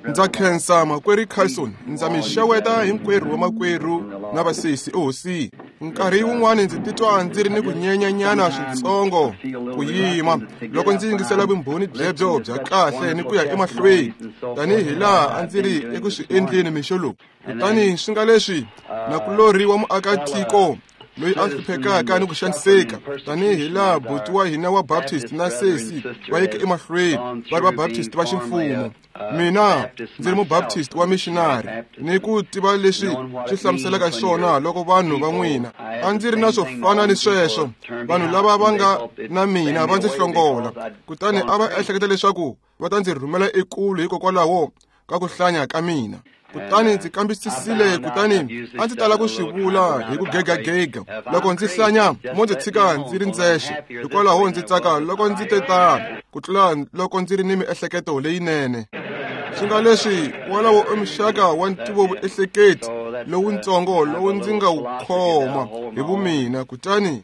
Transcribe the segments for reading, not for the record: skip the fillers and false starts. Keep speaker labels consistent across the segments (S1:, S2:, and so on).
S1: Ndza khensa makwerhu Carlson, ndza mi xeweta hinkwerhu vamakwerhu na vasesi ehosini. Nkarhi wun'wani ndzi titwa ndzi ri ni ku nyenyanyana switsongo ku yima loko ndzi yingisela vumbhoni byebyo bya kahle ni ku ya emahlweni tanihi laha a ndzi ri eku swi endleni mixo lowu. Kutani swi nga leswi nakulorhi wa muakatiko loyi a hluphekaka ni ku xaniseka tanihi laha buti wa hina wa Baptist na sesi va yeke emahlweni va ri va Baptist va ximfumo. Mina ndzi ri mubaptist wa missionary ni ku tiva leswi swi hlamuselaka xona loko vanhu va n'wina a ndzi ri na swo fana ni sweswo. Vanhu lava va nga na mina va ndzi hlongola, kutani a va ehleketa leswaku va ta ndzi rhumela ekule hikokwalaho ka ku hlanya ka mina. Kutani ndzi kambisisile, kutani a ndzi tala ku swi vula hi ku gegagega loko ndzi hlanya mo ndzi tshika ndzi ri ndzexe. Hikwalaho ndzi tsaka loko ndzi te tano ku tlula loko ndzi ri ni miehleketo leyinene. Swi nga leswi wolowo i muxaka wa ntivovuehleketi lowutsongo lowu ndzi nga wu khoma hi vumina. Kutani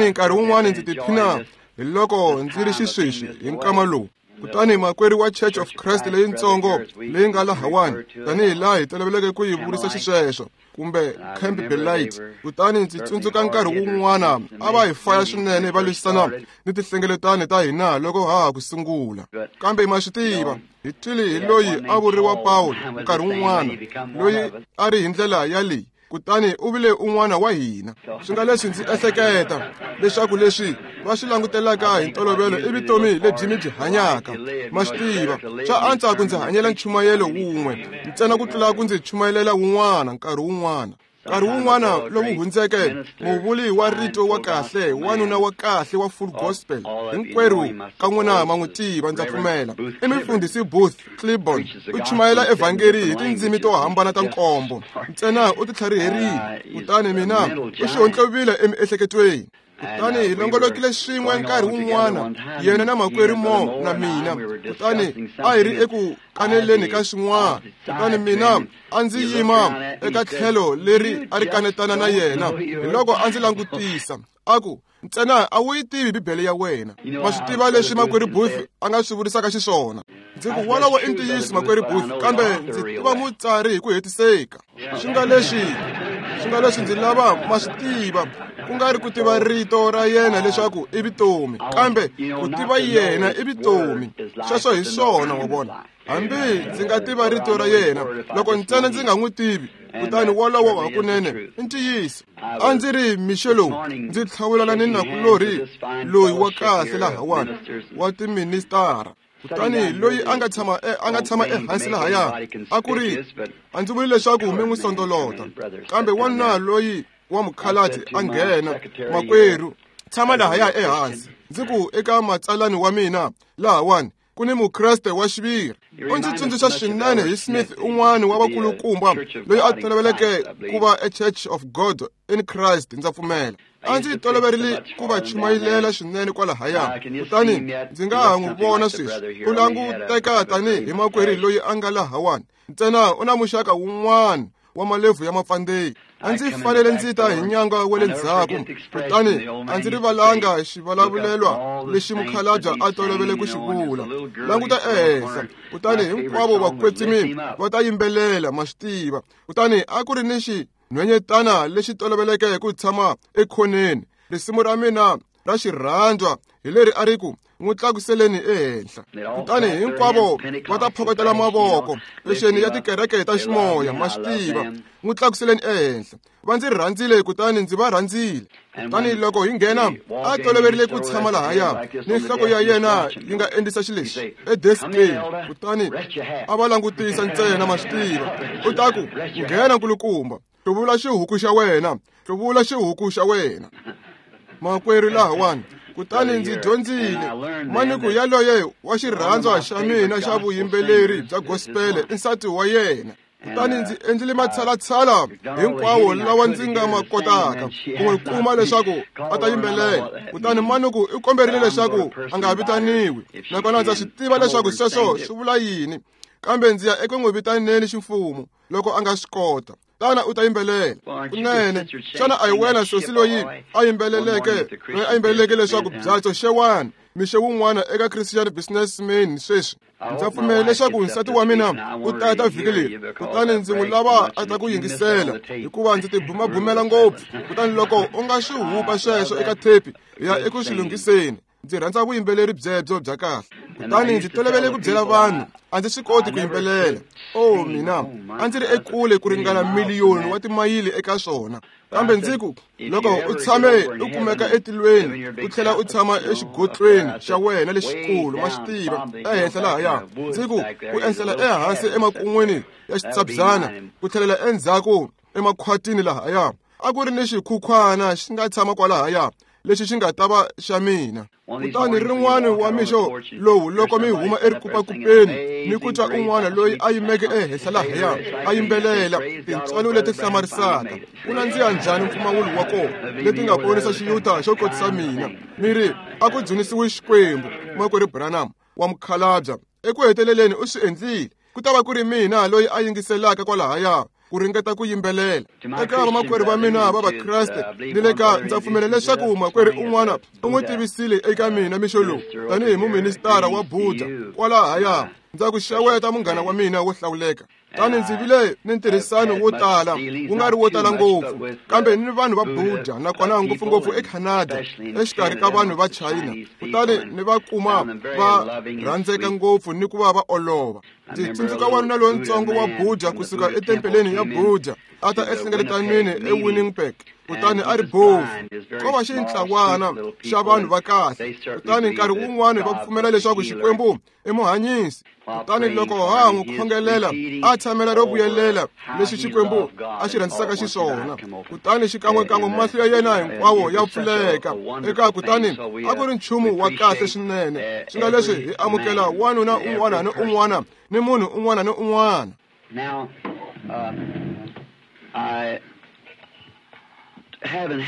S1: nkarhi wun'wani ndzi tiphina hi loko ndzi ri xisweswi hi nkama lowu. Kutani makwerhu wa Church of Christ leyitsongo leyi nga lahawani tanihi laha hi toloveleke ku yi vurisa xisweswo kumbe Camp Belight. Kutani ndzi tsundzuka nkarhi wun'wana a va hi faya swinene va lwisana ni tinhlengeletano ta hina loko ha ha ku sungula. Kambe ma swi tiva, hi twile hi loyi a vuriwa Paul nkarhi wun'wana loyi a ri hi ndlela ya leyi, kutani u vile un'wana wa hina. Swi nga leswi ndzi ehleketa leswaku leswi va swi langutelaka hi ntolovelo i vutomi lebyi mi byi hanyaka. Ma swi tiva, swa antswa ku ndzi hanyela nchumayelo wun'we ntsena ku tlula ku ndzi chumayelela wun'wana nkarhi wun'wana. Nkarhi wun'wana lowu hundzeke muvuli wa rito wa kahle, wanuna wa kahle wa full gospel, hinkwerhu ka n'wina ma n'wi tiva, ndza pfumela, i mufundhisi Booth Clibborn. U chumayela evhangeri hi tindzimi to hambana ta nkombo ntsena, u titlhariherile. Kutani mina u xihontlovile emiehleketweni. Kutani hi longolokile swin'we nkarhi wun'wana, yena na makwerhu Mo na mina. Kutani a hi ri eku kaneleni ka swin'wana. Kutani mina a ndzi yima eka tlhelo leri a ri kanetana na yena. Hi loko a ndzi langutisa a ku, ntsena a wu yi tivi Bibele ya wena. Ma swi tiva leswi makwerhu Booth a nga swi vurisaka xiswona. Ndzi ku wolowo i ntiyiso makwerhu Booth, kambe ndzi tiva mutsari hi ku hetiseka. Swi nga leswi ndzi lava ma swi tiva, ku nga ri ku tiva rito ra yena leswaku i vutomi, kambe ku tiva yena i vutomi. Sweswo hi swona, wa vona. Hambi ndzi nga tiva rito ra yena, loko ntsena ndzi nga n'wi tivi, kutani wolowo hakunene i ntiyiso. A ndzi ri mixo lowu ndzi tlhawulana ni nakulorhi loyi wa kahle lahawani wa tiministara. Kutani loyi a nga tshama ehansi lahaya a ku ri, a ndzi vuli leswaku mi n'wi sondolota, kambe wanuna loyi wa mukhalabye a nghena, makwerhu, tshama lahaya ehansi. Ndzi ku eka matsalani wa mina lahawani ku ni mukreste wa xiviri. U ndzi tsundzuxa swinene hi Smith, un'wana wa vakulukumba loyi a toloveleke ku va eChurch of God in Christ, ndza pfumela. A ndzi toloverile ku va chumayelela swinene kwalahaya. Kutani ndzi nga ha n'wi vona sweswi, u languteka tanihi makwerhu loyi a nga lahawani, ntsena u na muxaka wun'wana wa malebvu ya mapfandzeyi. A ndzi fanele ndzi ta hi nyanga wa le ndzhaku. Kutani a ndzi rivalanga xivulavulelwa lexi mukhalabye a tolovele ku xi vula, languta ehenhla, kutani hinkwavo vakwetsimi va ta yimbelela, ma swi tiva. Kutani a ku ri ni xinhwenyetana lexi toloveleke ku tshama ekhoneni. Risimu ra mina ra xirhandzwa hi leri a ri ku, n'wi tlakuseleni ehenhla. Kutani hinkwavo va ta phokotela mavoko pexeni ya tikereke ta ximoya, ma swi tiva, n'wi tlakuseleni ehenhla. Va ndzi rhandzile, kutani ndzi va rhandzile. Kutani loko hi nghena, a toloverile ku tshama lahaya ni nhloko ya yena yi nga endlisa xilexi edeskeni. Kutani a va langutisa ntsena, ma swi tiva. U ta ku, nghena nkulukumba, hluvula xihuku xa wena, hluvula xihuku xa wena, makwerhu lahawani. Kutani ndzi dyondzile maniku yaloye wa xirhandzwa xa mina xa vuyimbeleri bya gospel i nsati wa yena. Kutani ndzi endlile matshalatshala hinkwawo lawa ndzi nga ma kotaka ku n'wi kuma leswaku a ta yimbelela. Kutani manuku i komberile leswaku a nga vitaniwi, nakona ndza swi tiva leswaku sweswo swi vula yini, kambe ndzi ya eku n'wi vitaneni ximfumo loko a nga swi kota. Tana u ta yimbelela kunene. Xana a hi wena sosi loyi a yimbeleleke leswaku byatso xewani? Mixo wun'wana eka Christian Businessman sweswi ndza pfumela leswaku nsati wa mina u ta vhiki leri, kutani ndzi n'wi lava a ta ku yingisela hikuva ndzi tibumabumela ngopfu. Kutani loko u nga swi hupa sweswo eka thepi ya eku swi lunghiseni. Ndzi rhandza vuyimbeleri byebyo bya kahle. Kutani ndzi tolovele ku byela vanhu a ndzi swi koti ku yimbelela. Oh mina, a ndzi ri ekule ku ringana miliyoni wa timayili eka swona. Kambe ndzi ku loko u tshame u kumeka etilweni u tlhela u tshama exigotlweni xa wena lexikulu, ma swi tiva, ehenhla lahaya. Ndzi ku ku enhlela ehansi emakun'wini ya xitshabyana ku tlhelela endzhaku emakhwatini lahaya, a ku ri ni xikhukhwana xi nga tshama kwalahaya lexi xi nga ta va xa mina. Kutani rin'wana wa mixo lowu loko mi huma erikupakupeni ni ku twa un'wana loyi a yimeke ehenhla lahaya a yimbelela tintswalo leti hlamarisaka, ku nandziha njhani mpfumawulo wa kona, leti nga ponisa xiyuta xo kotisa mina. Mi ri a ku dzunisiwi Xikwembu, makwerhu Branham wa mukhalabya eku heteleleni u swi endlile. Ku ta va ku ri mina loyi a yingiselaka kwalahaya ku ringeta ku yimbelela. Eka vamakwerhu va mina va Vakreste ni le ka ndza pfumela leswaku makwerhu un'wana u n'wi tivisile eka mina mixo lowu tanihi muministara wa Buddha kwalahaya. Ndza ku xeweta munghana wa mina wo hlawuleka. Tani ndzi vile ni ntirhisano wo tala, wu nga ri wo tala ngopfu, kambe ni vanhu va Buddha, nakona ngopfungopfu eCanada, exikarhi ka vanhu va China. Kutani ni va kuma va rhandzeka ngopfu ni ku va va olova. Ndzi tsundzuka wanuna lontsongo wa Buddha kusuka etempeleni ya Buddha a ta ehlengeletanweni eWinnipeg, kutani a ri bofu. Ko va xintlawana xa vanhu va kahle, kutani nkarhi wun'wana va pfumela leswaku Xikwembu i muhanyisi. Kutani loko ha n'wi khongelela a tshamela ro vuyelela leswi Xikwembu a xi rhandzisaka xiswona, kutani xikan'wekan'we mahlo ya yena hinkwawo ya pfuleka eka. Kutani a ku ri nchumu wa kahle swinene. Swi nga leswi hi amukela wanuna un'wana ni un'wana ni munhu un'wana ni un'wana.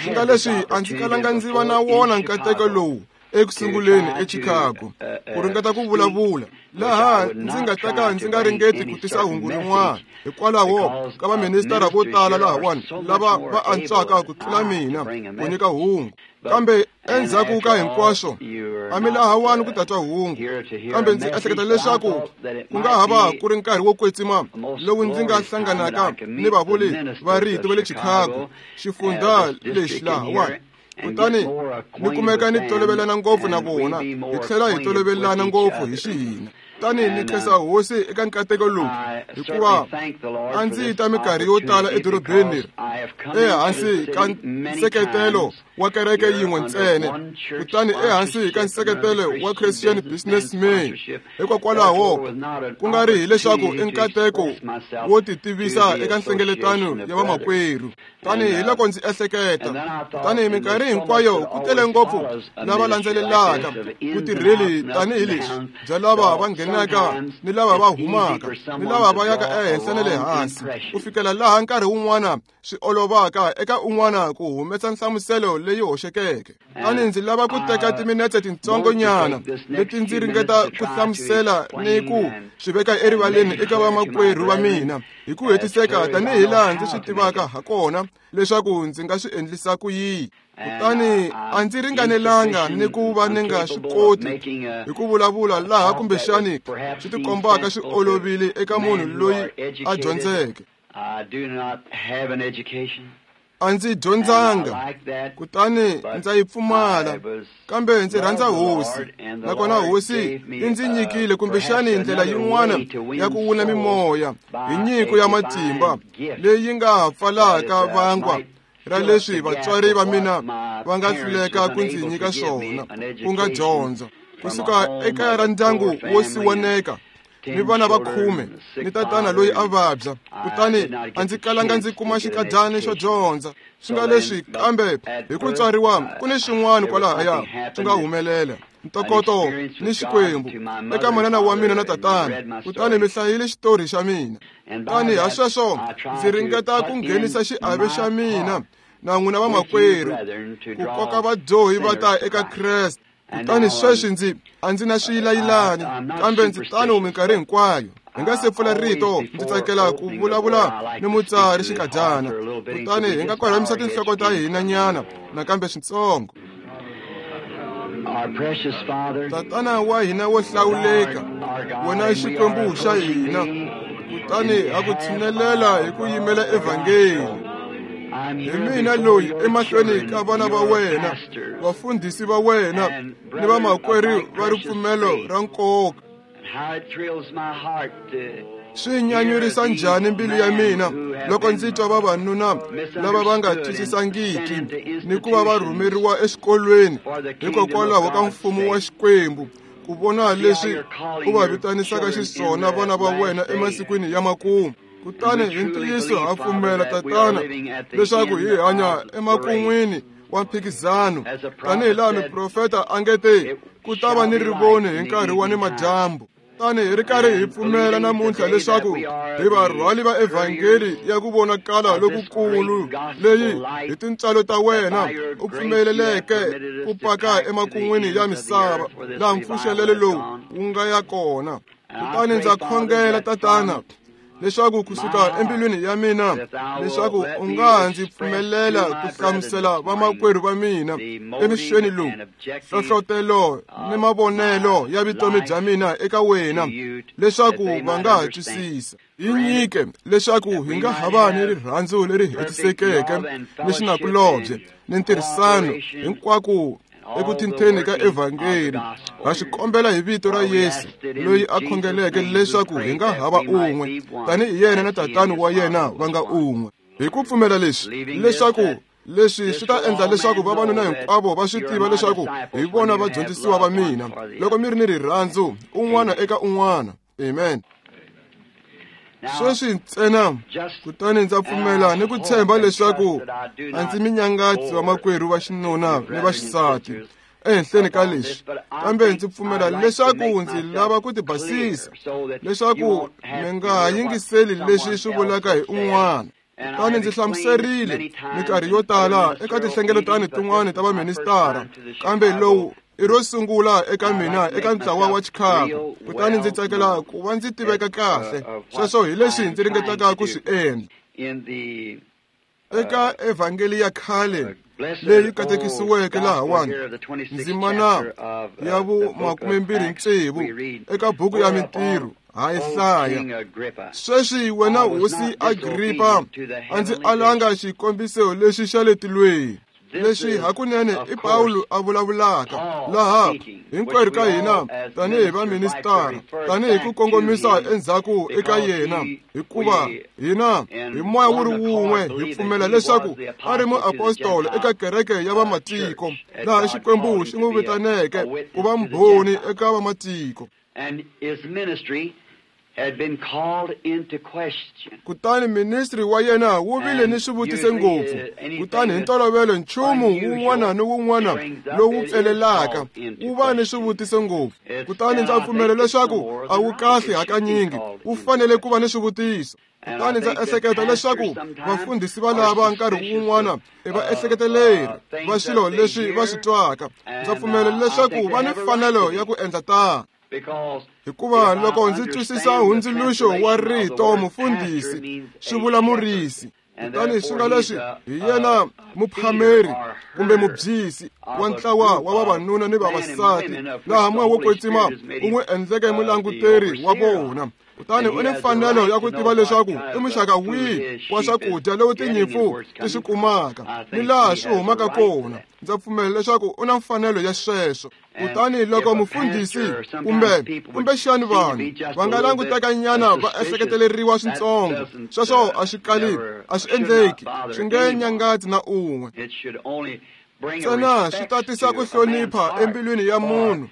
S1: Swi nga leswi a ndzi kalanga ndzi va na wona nkateko lowu ekusunguleni eChicago ku ringeta ku vulavula laha ndzi nga ta ka ndzi nga ringeti ku tisa hungu rin'wana, hikwalaho ka vaministara vo tala lahawani lava va antswaka ku tlula mina ku nyika hungu. Kambe endzhaku ka hinkwaswo a mi lahawani ku ta twa hungu. Kambe ndzi ehleketa leswaku ku nga ha va ku ri nkarhi wo kwetsima lowu ndzi nga hlanganaka ni vavuli va rito va le Chicago, xifundza lexi lahawani. Kutani ni kumeka ni tolovelana ngopfu na vona, hi tlhela hi tolovelana ngopfu hi xihina. Tani ni khensa hosi eka nkateko lowu, hikuva a ndzi ta minkarhi yo tala edorobeni leri ehansi ka nseketelo wa kereke yin'we ntsena, kutani ehansi ka nseketelo wa Christian Businessman. Hikokwalaho ku nga ri hileswaku i nkateko wo titivisa eka nhlengeletano ya vamakwerhu. Tani hi loko ndzi ehleketa, kutani minkarhi hinkwayo ku tele ngopfu lava landzelelaka vutirheli tanihi leswi bya lava va nghenaka ni lava va humaka ni lava va yaka ehenhla na le hansi, ku fikela laha nkarhi wun'wana swi olovaka eka un'wana ku humesa nhlamuselo leyi hoxekeke. Tani ndzi lava ku teka timinetse tintsongonyana leti ndzi ringeta ku hlamusela ni ku swi veka erivaleni eka vamakwerhu va mina hi ku hetiseka tanihi laha ndzi swi tivaka ha kona leswaku ndzi nga swi endlisa ku yini. Kutani a ndzi ringanelanga ni ku va ni nga swi koti hi ku vulavula laha kumbexani swi tikombaka swi olovile eka munhu loyi a dyondzeke. A ndzi dyondzanga, kutani ndza yi pfumala, kambe ndzi rhandza hosi, nakona hosi yi ndzi nyikile kumbexani ndlela yin'wana ya ku wuna mimoya hi nyiko ya matimba leyi nga pfalaka vangwa ra leswi vatswari va mina va nga hluleka ku ndzi nyika swona, ku nga dyondzo. Kusuka ekaya ra ndyangu wo siwaneka ni vana va 10 ni tatana loyi a vabya, kutani a ndzi kalanga ndzi kuma xikadyana xo dyondza. Swi nga leswi, kambe hi ku tswariwa ku ni swin'wana kwalahaya swi nga humelela, ntokoto ni Xikwembu eka manana wa mina na tatana. Kutani mi hlayile xitori xa mina. Tani ha sweswo ndzi ringeta ku nghenisa xiave xa mina na n'wina vamakwerhu ku koka vadyohi va ta eka Kreste. Kutani sweswi ndzi a ndzi na swiyilayilani, kambe ndzi tano minkarhi hinkwayo. Hi nga se pfula rito, ndzi tsakela ku vulavula ni mutsari xikadyana. Kutani hi nga korhamisa tinhloko ta hina nyana nakambe switsongo. Tatana wa hina wo hlawuleka, wena Xikwembu xa hina, kutani ha ku tshinelela hi ku yimela evhangeli. Hi mina loyi emahlweni ka vana va wena, vafundhisi va wena ni vamakwerhu va ripfumelo ra nkoka. Swi nyanyurisa njhani mbilu ya mina loko ndzi twa vavanuna lava va nga twisisangiki ni ku va va rhumeriwa exikolweni hikokwalaho ka mfumo wa Xikwembu, ku vona leswi u va vitanisaka xiswona vana va wena emasikwini ya makumu. Kutani hi ntiyiso ha pfumela, Tatana, leswaku hi hanya emakun'wini wa mphikizano, tanihi laha miprofeta a nge te ku ta va ni rivoni hi nkarhi wa nimadyambu. Tani hi ri karhi hi pfumela namuntlha leswaku hi varhwali va evhangeli ya ku vonakala lokukulu leyi hi tintswalo ta wena u pfumeleleke ku paka emakun'wini ya misava laha mpfuxelelo lowu wu nga ya kona. Kutani ndza khongela, Tatana, leswaku kusuka embilwini ya mina leswaku u nga ndzi pfumelela ku hlamusela vamakwerhu va mina emixweni lowu hlohlotelo ni mavonelo ya vutomi bya mina eka wena, leswaku va nga ha twisisa. Hi nyike leswaku hi nga ha va ni rirhandzu leri hetisekeke ni xinakulobye ni ntirhisano hinkwako eku tintheni ka evhangeli. Ha xi kombela hi vito ra Yesu, loyi a khongeleke leswaku hi nga hava un'we, tanihi yena na Tatana wa yena va nga un'we. Hi ku pfumela leswi, leswaku leswi swi ta endla leswaku vavanuna hinkwavo va swi tiva leswaku hi vona vadyondzisiwa va mina, loko mi ri ni rirhandzu un'wana eka un'wana. Amen. Sweswi ntsena, kutani ndza pfumela ni ku tshemba leswaku a ndzi minyangatsi vamakwerhu va xinuna ni va xisati ehenhleni ka leswi, kambe ndzi pfumela leswaku ndzi lava ku tibasisa leswaku mi nga ha yingiseli leswi swi vulaka hi un'wana. Kutani ndzi hlamuserile minkarhi yo tala eka tinhlengeletano tin'wana ta vaministara, kambe lowu i ro sungula eka mina eka ntlawa wa Chicago, kutani ndzi tsakela ku va ndzi tiveka kahle. Sweswo hi leswi ndzi ringetaka ku swi endla. Eka evhangeli ya khale leyi katekisiweke lahawani, ndzimana ya vu-26 eka buku ya Mintirho, ha yi hlaya. Sweswi wena hosi Agripa, a ndzi alanga xikombiso lexi xa le tilweni. Leswi hakunene i Pawulo a vulavulaka laha hinkwerhu ka hina tanihi vaministara, tanihi ku kongomisa endzhaku eka yena, hikuva hina hi moya wu ri wun'we hi pfumela leswaku a ri muapostolo eka kereke ya vamatiko, laha Xikwembu xi n'wi vitaneke ku va mbhoni eka vamatiko. Kutani ministri wa yena wu vile ni swivutiso ngopfu, kutani hi ntolovelo nchumu wun'wana ni wun'wana lowu pfelelaka wu va ni swivutiso ngopfu. Kutani ndza pfumela leswaku a wu kahle hakanyingi, wu fanele ku va ni swivutiso. Kutani ndza ehleketa leswaku vafundhisi va lava nkarhi wun'wana i va ehleketeleri va swilo leswi va swi twaka. Ndza pfumela leswaku va ni mfanelo ya ku endla tano, hikuva loko ndzi twisisa hundzuluxo wa rito mufundhisi swi vula murisi, kutani swi nga leswi hi yena muphameri kumbe mubyisi wa ntlawa wa vavanuna ni vavasati, laha moya wo kwetsima u n'wi endleke mulanguteri wa vona. Kutani u ni mfanelo ya ku tiva leswaku i muxaka wihi wa swakudya lowu tinyimpfu ti swi kumaka ni laha swi humaka kona. Ndza pfumela leswaku u na mfanelo ya sweswo. Kutani loko mufundhisi kumbexani vanhu va nga languteka nyana va ehleketeleriwa swintsongo, sweswo a swi kali, a swi endleki, swi nge nyangatsi na un'we. Ntsena swi ta tisa ku hlonipha embilwini ya munhu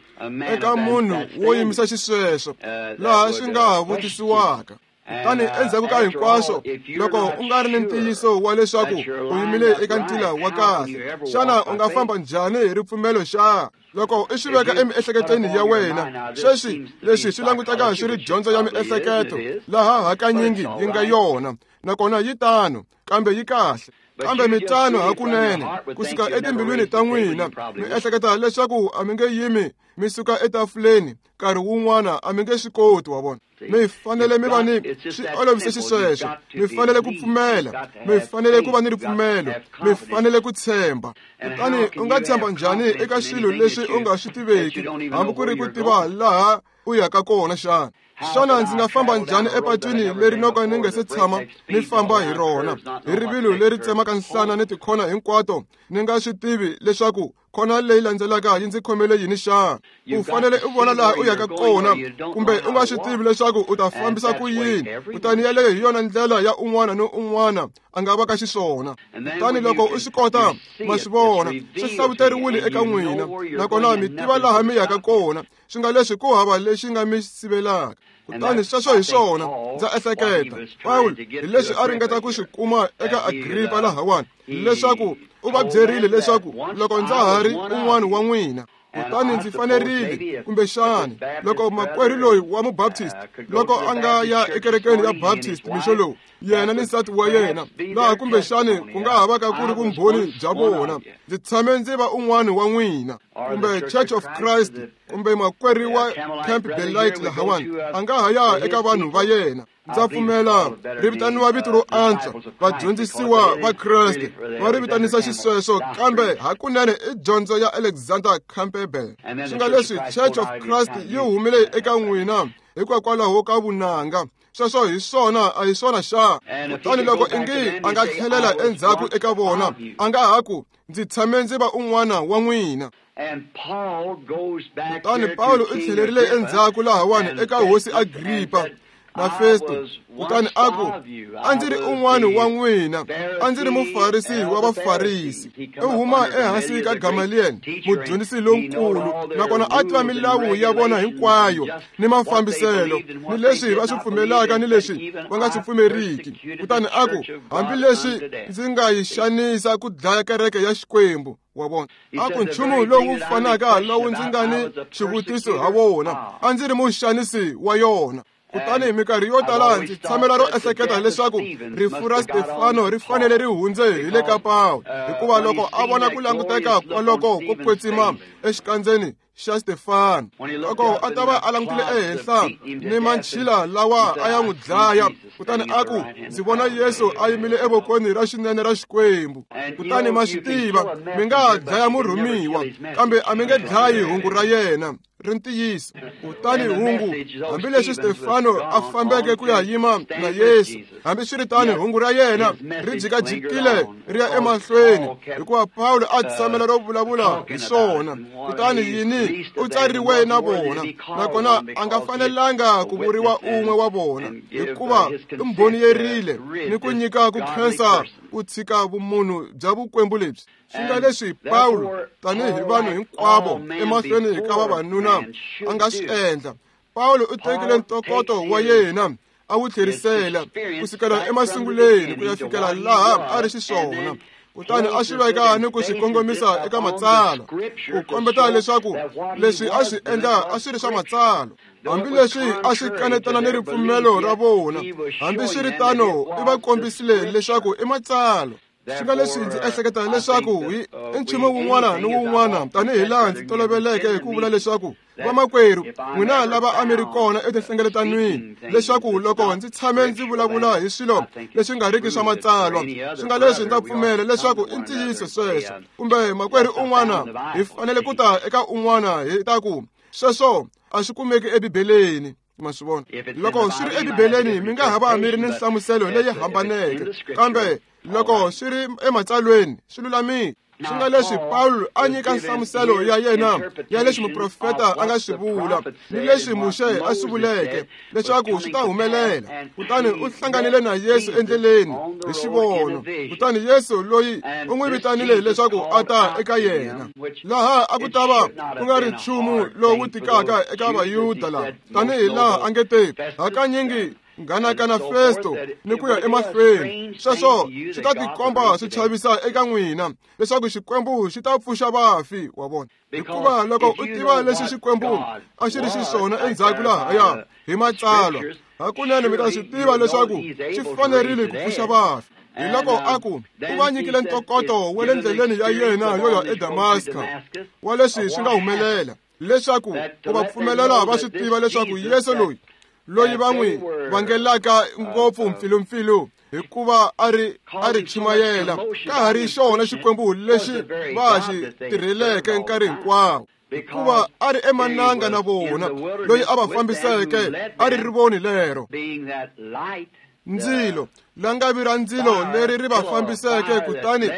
S1: eka munhu wo yimisa xisweswo, laha swi nga ha vutisiwaka. Kutani endzhaku ka hinkwaswo, loko u nga ri ni ntiyiso wa leswaku u yimile eka ntila wa kahle, xana u nga famba njhani hi ripfumelo xa? Loko u swi veka emiehleketweni ya wena, sweswi leswi swi languteka swi ri dyondzo ya miehleketo, laha hakanyingi yi nga yona, nakona yi tano, kambe yi kahle. Kambe mitano hakunene kusuka etimbilwini ta n'wina mi ehleketa leswaku a mi nge yimi mi suka etafuleni nkarhi wun'wana a mi nge swi koti wa vona. Mi fanele mi va ni swi olovise xisweswo, mi fanele ku pfumela, mi fanele ku va ni ripfumelo, mi fanele ku tshemba. Kutani u nga tshemba njhani eka swilo leswi u nga swi tiveki hambi ku ri ku tiva laha u yaka kona xana? Xana ndzi nga famba njhani epatwini leri no ka ni nga se tshama ni famba hi rona hi rivilo leri tsemaka nhlana ni tikhona hinkwato ni nga swi tivi leswaku khona leyi landzelaka yi ndzi khomele yini xana? U fanele u vona laha u yaka kona kumbe u nga swi tivi leswaku u ta fambisa ku yini. Kutani yaleyo hi yona ndlela ya un'wana ni un'wana a nga va ka xiswona. Kutani loko u swi kota ma swi vona swi hlavuteriwile eka n'wina nakona mi tiva laha mi yaka kona, swi nga leswi ku hava lexi nga mi sivelaka. Kutani sweswo hi swona ndza ehleketa Pawulo hi leswi a ringeta ku swi kuma eka Agripa lahawani, leswaku u va byerile leswaku loko ndza ha ri un'wana wa n'wina kutani ndzi fanerile kumbexani loko makwerhu loyi wa mubaptist loko a nga ya ekerekeni ya Baptist mixo lowu yena ni nsati wa yena laha kumbexani ku nga ha va ka ku ri vumbhoni bya vona, ndzi tshame ndzi va un'wana wa n'wina, kumbe Church of Christ kumbe makwerhu wa Campbellite lahawani a nga ha ya eka vanhu va yena. Ndza pfumela ri vitaniwa vito ro antswa vadyondzisiwa va Kreste va ri vitanisa xisweswo, kambe hakunene i dyondzo ya Alexander Campbell. Swi nga leswi Church of Christ yi humile eka n'wina hikokwalaho ka vunanga. Sweswo hi swona, a hi swona xa? Kutani loko ingi a nga tlhelela endzhaku eka vona a nga ha ku ndzi tshame ndzi va un'wana wa n'wina. Kutani Pawulo u tlhelerile endzhaku lahawani eka hosi Agripa na Festo, kutani a ku a ndzi ri un'wana wa n'wina, a ndzi ri mufarisi wa vafarisi. U huma ehansi ka Gamaliel, mudyondzisi lonkulu, nakona a tiva milawu ya vona hinkwayo ni mafambiselo ni leswi va swi pfumelaka ni leswi va nga swi pfumeriki. Kutani a ku hambileswi ndzi nga yi xanisa ku dlaya kereke ya Xikwembu wa vona, a ku nchumu lowu fanaka lowu ndzi nga ni xivutiso ha wona, a ndzi ri muxanisi wa yona. Kutani minkarhi yo tala ndzi tshamela ro ehleketa leswaku rifu ra Stefano ri fanele ri hundze hi le ka Pawulo, hikuva loko a vona ku languteka kwaloko ko kwetsima exikandzeni xa Stefano, loko a ta va a langutile ehenhla ni manchila lawa a ya n'wi dlaya, kutani a ku ndzi vona Yesu a yimile evokweni ra xinene ra Xikwembu. Kutani ma swi tiva mi nga dlaya murhumiwa kambe a mi nge dlayi hungu ra yena ri ntiyiso. Kutani hungu hambileswi Stefano a fambeke ku ya yima na Yesu, hambiswiritano hungu ra yena ri jikajikile ri ya emahlweni, hikuva Pawulo a tshamela ro vulavula hi swona. Kutani yini u tsariwe na vona, nakona a nga fanelanga ku vuriwa un'we wa vona, hikuva i mbhoniyerile ni ku nyika ku khensa ku tshika vumunhu bya vukwembu lebyi. Swi nga leswi Pawulo tanihi vanhu hinkwavo emahlweni ka vavanuna a nga swi endla. Pawulo u tekile ntokoto wa yena a wu tlherisela kusukela emasunguleni ku ya fikela laha a ri xiswona, kutani a swi veka ni ku swi kongomisa eka matsalwa ku kombeta leswaku leswi a swi endla a swi ri swa matsalwa. Hambileswi a swi kanetana ni ripfumelo ra vona, hambiswiritano i va kombisile leswaku i matsalwa. Swi nga leswi ndzi ehleketa leswaku i nchumu wun'wana ni wun'wana, tanihi laha ndzi toloveleke hi ku vula leswaku vamakwerhu n'wina lava a mi ri kona etinhlengeletanweni, leswaku loko ndzi tshame ndzi vulavula hi swilo leswi nga riki swa matsalwa, swi nga leswi ndza pfumela leswaku i ntiyiso sweswo, kumbe makwerhu un'wana hi fanele ku ta eka un'wana hi ta ku sweswo a swi kumeki eBibeleni. Ma swi vona, loko swi ri eBibeleni mi nga ha va mi ri ni nhlamuselo leyi hambaneke, kambe loko swi ri ematsalweni swi lulamile. Swi nga leswi Pawulo a nyika nhlamuselo ya yena ya leswi muprofeta a nga swi vula ni leswi Muxe a swi vuleke leswaku swi ta humelela. Kutani u hlanganile na Yesu endleleni hi xivono, kutani Yesu loyi u n'wi vitanile leswaku a ta eka yena. Laha a ku ta va ku nga ri nchumu lowu tikaka eka Vayuda lava, tanihi laha a nge te hakanyingi nghanakana Festo ni ku ya emahlweni. Sweswo swi ta tikomba swi chavisa eka n'wina leswaku Xikwembu xi ta pfuxa vafi wa vona, hikuva loko u tiva leswi Xikwembu a xi ri xiswona endzhaku lahaya hi matsalwa, hakunene mi ta swi tiva leswaku xi fanerile ku pfuxa vafi. Hi loko a ku u va nyikile ntokoto wa le ndleleni ya yena yo ya eDamaska wa leswi swi nga humelela, leswaku ku va pfumelela va swi tiva leswaku Yesu loyi va n'wi vangelaka ngopfu mpfilumpfilu hikuva a ri chumayela ka ha ri xona Xikwembu lexi va xi tirheleke nkarhi hinkwawo, hikuva a ri emananga na vona, loyi a va fambiseke a ri rivoni lero ndzilo, langavi ra ndzilo leri ri va fambiseke. Kutani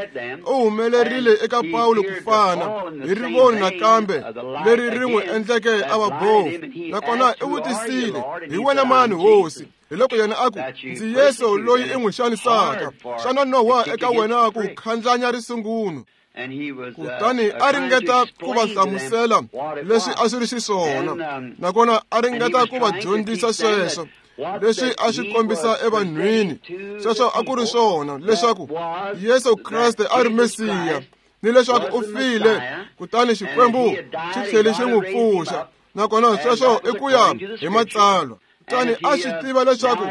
S1: u humelerile eka Pawulo ku fana hi rivoni nakambe leri ri n'wi endleke a va bofu. Nakona u vutisile, hi wena mani Hosi? Hi loko yena a ku, ndzi Yesu loyi i n'wi xanisaka. Xana nowa eka wena ku khandlanya risungunu? Kutani a ringeta ku va hlamusela leswi a swi ri xiswona, nakona a ringeta ku va dyondzisa sweswo leswi a swi kombisa evanhwini. Sweswo a ku ri swona, leswaku Yesu Kreste a ri Mesiya, ni leswaku u file, kutani Xikwembu xi tlhele xi n'wi pfuxa. Nakona sweswo i ku ya hi Matsalwa. Kutani a swi tiva leswaku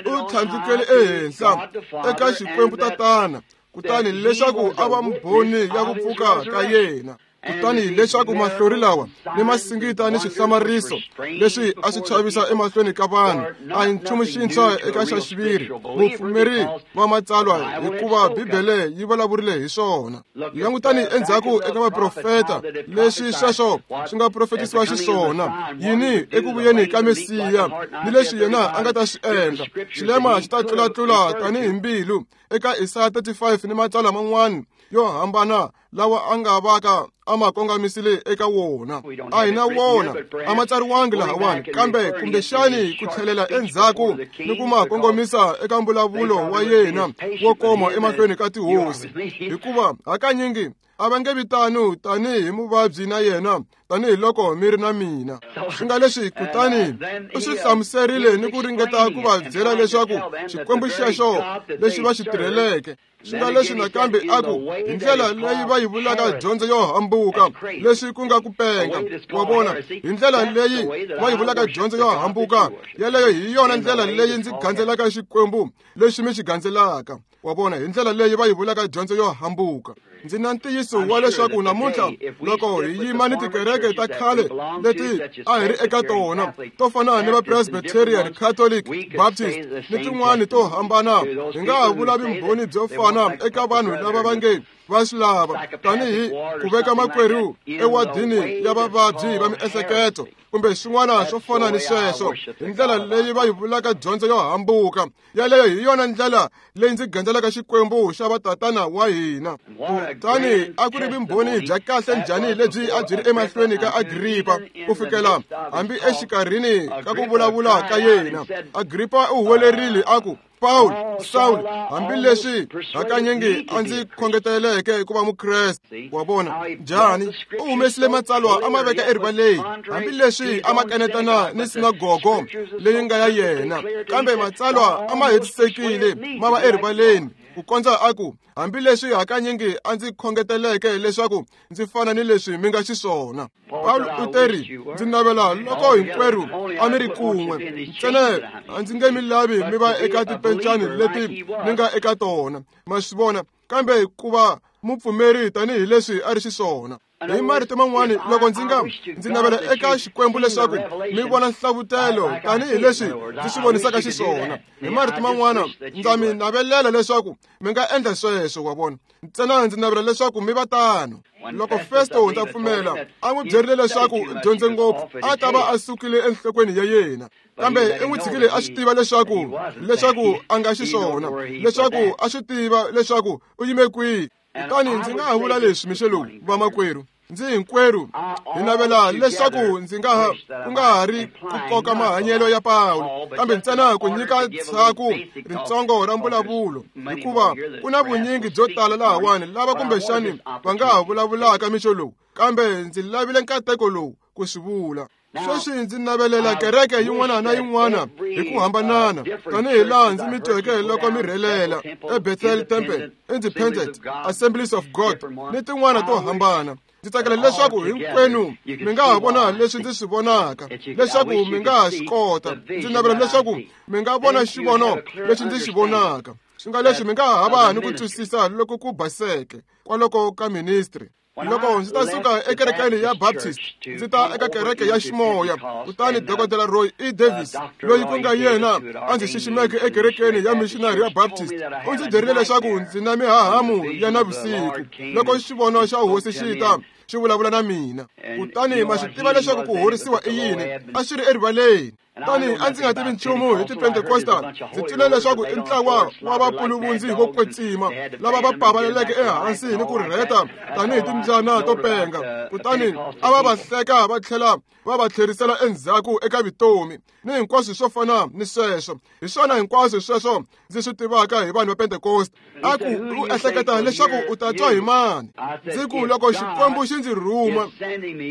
S1: u tlhandlukele ehenhla eka Xikwembu Tatana, kutani leswaku a va mbhoni ya ku pfuka ka yena. Kutani leswaku mahlori lawa ni masingita ni swihlamariso leswi a swi chavisa emahlweni ka vanhu a hi nchumu xintshwa eka xa xiviri mupfumeri wa Matsalwa, hikuva Bibele yi vulavurile hi swona. Langutani endzhaku eka vaprofeta leswi sweswo swi nga profetisiwa xiswona, yini eku vuyeni ka Mesiya ni leswi yena a nga ta swi endla. Xilema xi ta tlulatlula tanihi mbilu eka Isaya 35 ni matsalwa man'wana yo hambana lawa a nga vaka a ma kongamisile eka wona. A hi na wona, a ma tsariwangi lahawani, kambe kumbexani ku tlhelela endzhaku ni ku ma kongomisa eka mbulavulo wa yena wo koma emahlweni ka tihosi, hikuva hakanyingi a va nge vitani tanihi muvabyi na yena tanihiloko mi ri na mina. Swi nga leswi, kutani u swi hlamuserile ni ku ringeta ku va byela leswaku Xikwembu xexo lexi va xi tirheleke. Swi nga leswi nakambe a ku hi ndlela leyi va yi vulaka dyondzo yo hambuka, leswi ku nga ku penga. Wa vona, hi ndlela leyi va yi vulaka dyondzo yo hambuka, yeleyo hi yona ndlela leyi ndzi gandzelaka Xikwembu lexi mi xi gandzelaka. Wa vona, hi ndlela leyi va yi vulaka dyondzo yo hambuka. Ndzi na ntiyiso wa leswaku namuntlha loko hi yima ni tikereke ta khale leti a hi ri eka tona, to fana ni va Presbyterian, Catholic, Baptist ni tin'wani to hambana, hi nga ha vula vumbhoni byo fana eka vanhu lava va nge va swi lava, tanihi ku veka makwerhu ewadini ya vavabyi va miehleketo kumbe swin'wana swo fana ni sweswo, hi ndlela leyi va yi vulaka dyondzo yo hambuka. Yaleyo hi yona ndlela leyi ndzi gandzelaka Xikwembu xa vatatana wa hina. Kutani a ku ri vumbhoni bya kahle njhani lebyi a byi ri emahlweni ka Agripa, ku fikela hambi exikarhini ka ku vulavula ka yena. Agripa u huwelerile a ku, Paul, Saul, hambileswi hakanyingi a ndzi khongeteleke ku va Mukreste. Wa vona njhani u humesile matsalwa a ma veka erivaleni, hambileswi a ma kanetana ni sinagogo leyi nga ya yena, kambe matsalwa a ma hetisekile ma va erivaleni, ku kondza a ku, hambileswi hakanyingi a ndzi khongeteleke leswaku ndzi fana ni leswi mi nga xiswona. Pawulo u teri, ndzi navela loko hinkwerhu a mi ri kun'we, ntsena a ndzi nge mi lavi mi va eka tipencani leti mi nga eka tona, ma swi vona, kambe ku va mupfumeri tanihileswi a ri xiswona. Hi marito man'wani, loko ndzi navela eka Xikwembu leswaku mi vona nhlavutelo tanihileswi ndzi swi vonisaka xiswona. Hi marito man'wana, ndza mi navelela leswaku mi nga endla sweswo, wa vona. Ntsena ndzi navela leswaku mi va tano. Loko Festo ndza pfumela a n'wi byerile leswaku u dyondze ngopfu, a ta va a sukile enhlokweni ya yena, kambe i n'wi tshikile a swi tiva leswaku a nga xiswona, leswaku a swi tiva leswaku u yime kwihi. Kutani ndzi nga ha vula leswi mixo lowu, vamakwerhu, ndzi hinkwerhu hi navela leswaku ndzi nga ha ku nga ha ri ku koka mahanyelo ya Pawulo, kambe ntsena ku nyika tshaku ritsongo ra mbulavulo, hikuva ku na vunyingi byo tala lahawani lava kumbexani va nga ha vulavulaka mixo lowu, kambe ndzi lavile nkateko lowu ku swi vula. Sweswi ndzi navelela kereke yin'wana na yin'wana hi ku hambanana, tanihi laha ndzi mi tweke loko mi rhelela eBethel Temple, Independent, Assemblies of God ni tin'wana to hambana. Ndzi tsakela leswaku hinkwenu mi nga ha vona leswi ndzi swi vonaka, leswaku mi nga ha swi kota. Ndzi navela leswaku mi nga vona xivono lexi ndzi xi vonaka. Swi nga leswi mi nga ha va ni ku twisisa loko ku baseke kwaloko ka ministry. Loko ndzi ta suka ekerekeni ya Baptist ndzi ta eka kereke ya ximoya, kutani Dr. Roy E. Davis, loyi ku nga yena a ndzi xiximeke ekerekeni ya missionary ya Baptist, u ndzi byerile leswaku ndzi na mihahamu ya navusiku loko xivono xa hosi xi ta xi vulavula na mina. Kutani ma swi tiva leswaku ku horisiwa i yini, a swi ri erivaleni. Kutani a ndzi nga tivi nchumu hi ti-Pentecostal. Ndzi twile leswaku i ntlawa wa vapuluvundzi vo kwetsima lava va pavaleleke ehansi ni ku rheta tanihi timbyana to penga. Kutani a va va hleka va tlhela va va tlherisela endzhaku eka vutomi ni hinkwaswo swo fana ni sweswo. Hi swona hinkwaswo sweswo ndzi swi tivaka hi vanhu va Pentecost. A ku u ehleketa leswaku u ta twa hi mani? Ndzi ku loko Xikwembu xi ndzi rhuma,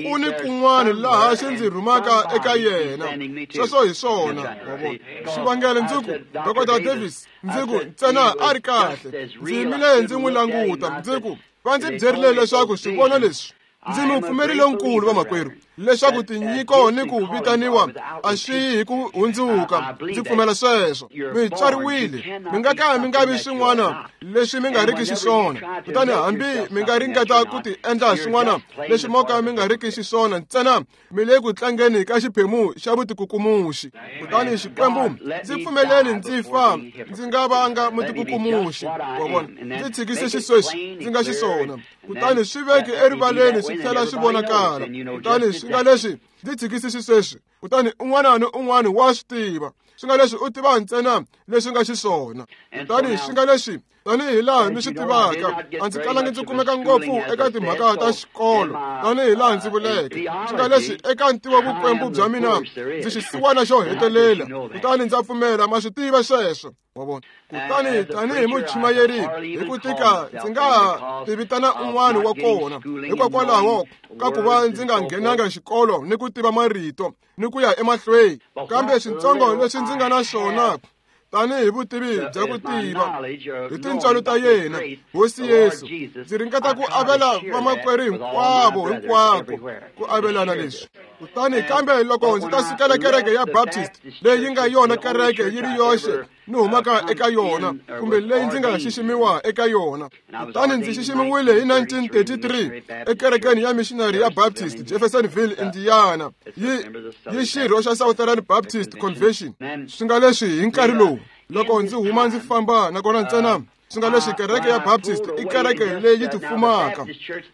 S1: ku ni kun'wana laha xi ndzi rhumaka eka yena. Sweswo hi swona. Xivangelo ndzi ku Dr. Davis, ndzi ku ntsena a ri kahle. Ndzi yimile ndzi n'wi languta, ndzi ku va ndzi byerile leswaku swivono leswi. Ndzi mupfumeri lonkulu vamakwerhu leswaku tinyiko ni ku vitaniwa a swi yi hi ku hundzuka. Ndzi pfumela sweswo. Mi tswariwile, mi nga ka mi nga vi swin'wana leswi mi nga riki xiswona. Kutani hambi mi nga ringeta ku ti endla swin'wana leswi mo ka mi nga riki xiswona, ntsena mi le ku tlangeni ka xiphemu xa vutikukumuxi. Kutani Xikwembu, ndzi pfumeleli ndzi fa ndzi nga vanga mutikukumuxi. Wa vona, ndzi tshikise xisweswi ndzi nga xiswona. Kutani swi veke erivaleni swi tlhela swi vonakala. Kutani swi nga leswi ndzi tshikise xisweswi. Kutani un'wana ni un'wana wa swi tiva. Swi nga leswi u tiva ntsena leswi nga xiswona. Kutani swi nga leswi tanihi laha mi swi tivaka, a ndzi kalangi ndzi kumeka ngopfu eka timhaka ta xikolo tanihi laha ndzi vuleke. Swi nga leswi eka ntivo vukwembu bya mina ndzi xisiwana xo hetelela. Kutani ndza pfumela ma swi tiva sweswo. Wa vona. Kutani tanihi muchumayeri hi ku tika ndzi nga ti vitana un'wana wa kona hikokwalaho ka ku va ndzi nga nghenanga xikolo ni ku tiva marito ni ku ya emahlweni. Kambe swintsongo leswi ndzi nga na swona tanihi vutivi bya ku tiva hi tintswalo ta yena Hosi Yesu, ndzi ringeta ku avela vamakwerhu hinkwavo hinkwako ku avelana leswi. Kutani kambe loko ndzi ta sukela kereke ya Baptist leyi nga yona kereke yi ri yoxe ni humaka eka yona kumbe leyi ndzi nga xiximiwa eka yona. Kutani ndzi xiximiwile hi 1933 ekerekeni ya missionary ya Baptist Jeffersonville, Indiana, yi xirho xa Southern Baptist Convention. Swi nga leswi hi nkarhi lowu loko ndzi huma ndzi famba nakona ntsena swi nga leswi kereke ya Baptist i kereke leyi tifumaka.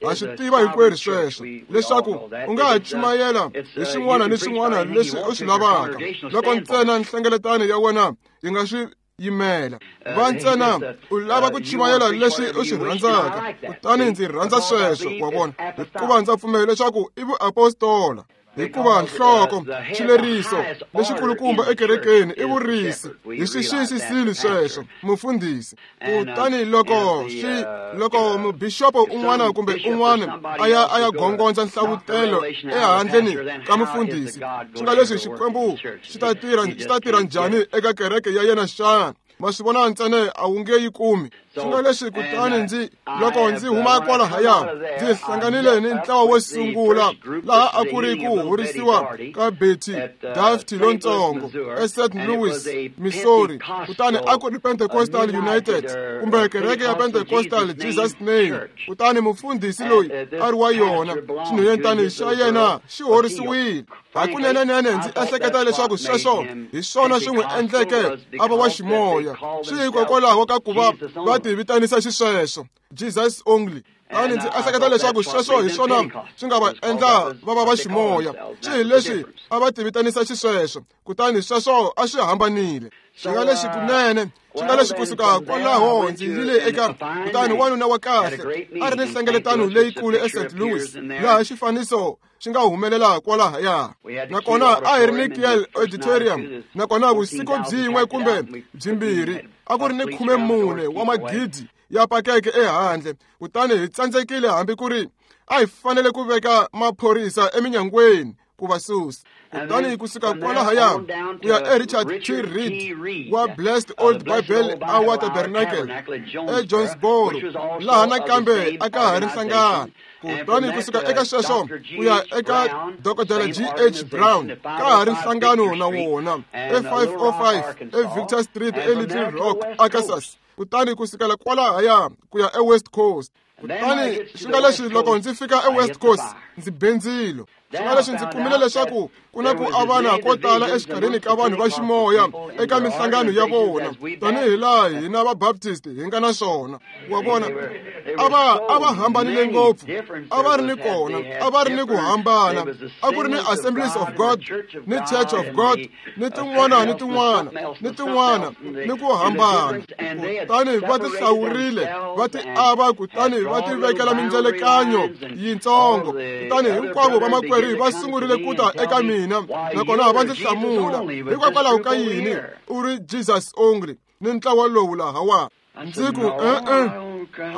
S1: Ha swi tiva hinkwerhu sweswo leswaku u nga ha chumayela hi swin'wana ni swin'wana leswi u swi lavaka loko ntsena nhlengeletano ya wena yi nga swi yimela. Va ntsena u lava ku chumayela leswi u swi rhandzaka. Kutani ndzi rhandza sweswo, wa vona, hikuva ndza pfumela leswaku i vuapostola. Hikuva nhloko xileriso lexikulukumba ekerekeni i vurisi. Hi swi xiyisisile sweswo mufundhisi. Kutani loko mubixopo un'wana kumbe un'wana a ya gongondza nhlavutelo ehandleni ka mufundhisi, swi nga leswi Xikwembu xi ta tirha njhani eka kereke ya yena xana? Ma swi vona ntsena a wu nge yi kumi. Swi nga leswi kutani loko ndzi huma kwalahaya ndzi hlanganile ni ntlawa wo sungula laha a ku ri ku horisiwa ka Betty Daft lontsongo eSt. Louis, Missouri. Kutani a ku ri Pentecostal United kumbe kereke ya Pentecostal Jesus Name. Kutani mufundhisi loyi a ri wa yona, xinhwanyetana xa yena xi horisiwile. Hakunene ndzi ehleketa leswaku sweswo hi swona swi n'wi endleke a va wa ximoya. Swi hikokwalaho ka ku va va ti vitanisa xisweswo Jesus only. Kutani ndzi ehleketa leswaku sweswo hi swona swi nga va endla va va va ximoya. Swi hi leswi a va ti vitanisa xisweswo. Kutani sweswo a swi hambanile. Swi nga leswi kunene, swi nga leswi kusuka kwalaho ndzi yile eka kutani wanuna wa kahle a ri ni nhlengeletano leyikulu eSt. Louis laha xifaniso xi nga humelela kwalahaya. Nakona a hi ri ni Kiel Auditorium, nakona vusiku byin'we kumbe byimbirhi a ku ri ni 14 wa magidi ya pakeke ehandle. Kutani hi tsandzekile hambi ku ri a hi fanele ku veka maphorisa eminyangweni ku va susa. Kutani kusuka kwalahaya ku ya eRichard T. Reed wa Blessed Old Bible Hour Tabernacle eJonesboro, laha nakambe a ka ha ri nhlangano. Kutani kusuka eka sweswo ku ya eka Dr. G. H. Brown ka ha ri nhlangano na wona e505 eVictor Street eLittle Rock, Arkansas. Kutani ku sukela kwalahaya ku ya eWest Coast. Kutani swi nga leswi loko ndzi fika eWest Coast ndzi be ndzilo. Swi nga leswi ndzi kumile leswaku ku na ku avana ko tala exikarhini ka vanhu va ximoya eka minhlangano ya vona, tanihi laha hina Vabaptist hi nga na swona. Wa vona, a va hambanile ngopfu, a va ri ni kona, a va ri ni ku hambana. A ku ri ni Assemblies of God, ni Church of God, ni tin'wana ni tin'wana ni tin'wana, ni ku hambana. Kutani va ti hlawurile, va ti ava, kutani va ti vekela mindzelekanyo yintsongo. Kutani hinkwavo vamakwerhu va sungurile ku ta eka mina, nakona va ndzi hlamula, hikwalaho ka yini u ri Jesus only ni ntlawa lowu lahawa? Ndzi ku e-e,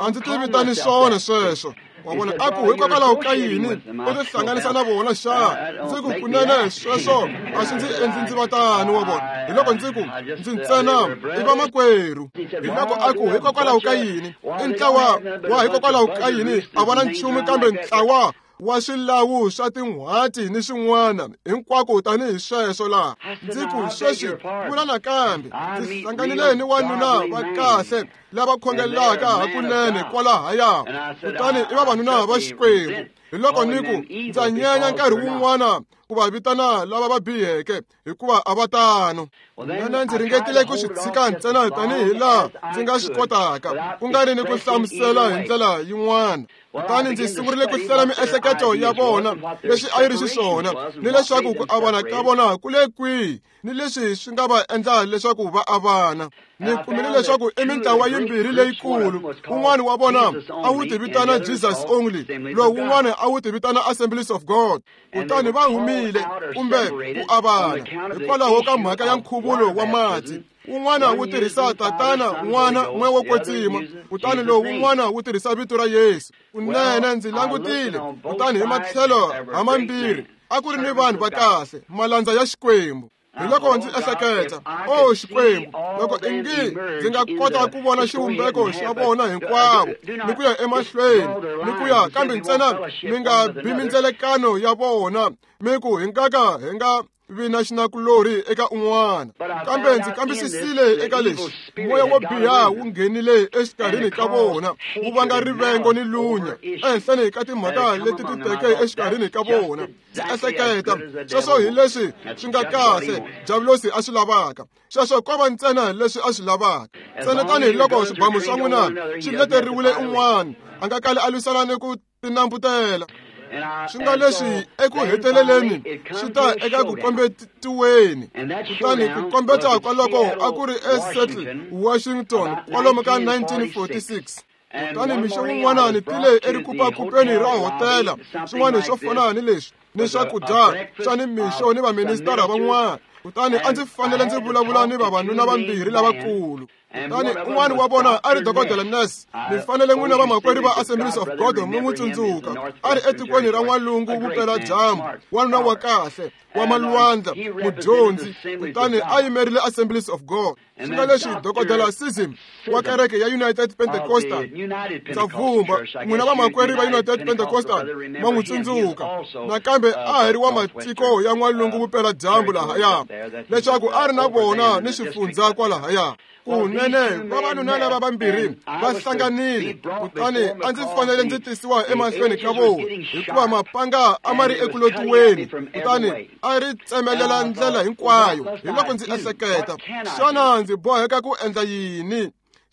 S1: a ndzi ti vitani swona sweswo. Wa vona, a ku hikwalaho ka yini u ti hlanganisa na vona xa? Ndzi ku kunene sweswo a swi ndzi endli ndzi va tano. Wa vona, hi loko ndzi ku ndzi ntsena i vamakwerhu. Hi loko a ku hikwalaho ka yini i ntlawa wa hikwalaho ka yini a va na nchumu kambe ntlawa wa swilawu swa tin'hwati ni swin'wana hinkwako tanihi sweswo laha. Ndzi ku sweswi vula nakambe, ndzi hlanganile ni wanuna va kahle lava khongelaka hakunene kwalahaya, kutani i vavanuna va Xikwembu. Hi loko ni ku ndza nyenya nkarhi wun'wana ku va vitana lava va biheke, hikuva a va tano. Nene ndzi ringetile ku swi tshika ntsena tanihi laha ndzi nga swi kotaka, ku nga ri ni ku hlamusela hi ndlela yin'wana. Kutani ndzi sungurile ku hlela miehleketo ya vona leswi a yi ri xiswona, ni leswaku ku avana ka vona ku le kwihi, ni leswi swi nga va endla leswaku va avana. Ni kumile leswaku i mintlawa yimbirhi leyikulu. Wun'wana wa vona a wu ti vitana Jesus only, lowu wun'wana a wu ti vitana Assemblies of God. Kutani va humile kumbe ku avana hikwalaho ka mhaka ya nkhuvulo wa mati. Wun'wana wu tirhisa Tatana, N'wana, Moya wo Kwetsima, kutani lowu wun'wana wu tirhisa vito ra Yesu. Kunene ndzi langutile, kutani hi matlhelo hamambirhi a ku ri ni vanhu va kahle, malandza ya Xikwembu. Hi loko ndzi ehleketa, o Xikwembu, loko ingi ndzi nga kota ku vona xivumbeko xa vona hinkwavo ni ku ya emahlweni ni ku ya, kambe ntsena mi nga bi mindzelekano ya vona, mi ku hi nga ka hi nga vi na xinakulorhi eka un'wana. Kambe ndzi kambisisile eka leswi, moya wo biha wu nghenile exikarhini ka vona, wu vanga rivengo ni lunya ehenhleni ka timhaka leti ti teke exikarhini ka vona. Ndzi ehleketa sweswo hi leswi swi nga kahle Diavulosi a swi lavaka. Sweswo ko va ntsena leswi a swi lavaka. Ntsena tanihiloko swibamu swa n'wina swi leteriwile un'wana, a nga kali a lwisana ni ku tinambutela. Swi nga leswi eku heteleleni swi ta eka ku kombetiweni. Kutani ku kombeta kwaloko a ku ri eSeattle, Washington, kwalomu ka 1946. Kutani mixo wun'wana ni tile erikupakupeni ra hotela, swin'wana swo fana ni leswi, ni swakudya swa ni mixo ni vaministara van'wana. Kutani a ndzi fanele ndzi vulavula ni vavanuna vambirhi lavakulu. Kutani un'wana wa vona a ri Dokodela Ness. Mi fanele n'wina vamakwerhu va Assemblies of God mi n'wi tsundzuka. A ri etikweni ra N'walungu vupeladyambu, wanuna wa kahle, wa malwandla, mudyondzi, kutani a yimerile Assemblies of God. Swi nga leswi Dokodela Sism wa kereke ya United Pentecostal, ndza vhumba n'wina vamakwerhu va United Pentecostal ma n'wi tsundzuka. Nakambe a ha ri wa matiko ya N'walungu vupeladyambu lahaya, leswaku a ri na vona ni swifundzha kwalahaya. Kunene vavanuna lava vambirhi va hlanganile, kutani a ndzi fanele ndzi tisiwa emahlweni ka vona, hikuva mapanga a ma ri eku lotiweni, kutani a ri tsemelela ndlela hinkwayo. Hi loko ndzi ehleketa, xana ndzi boheka ku endla yini?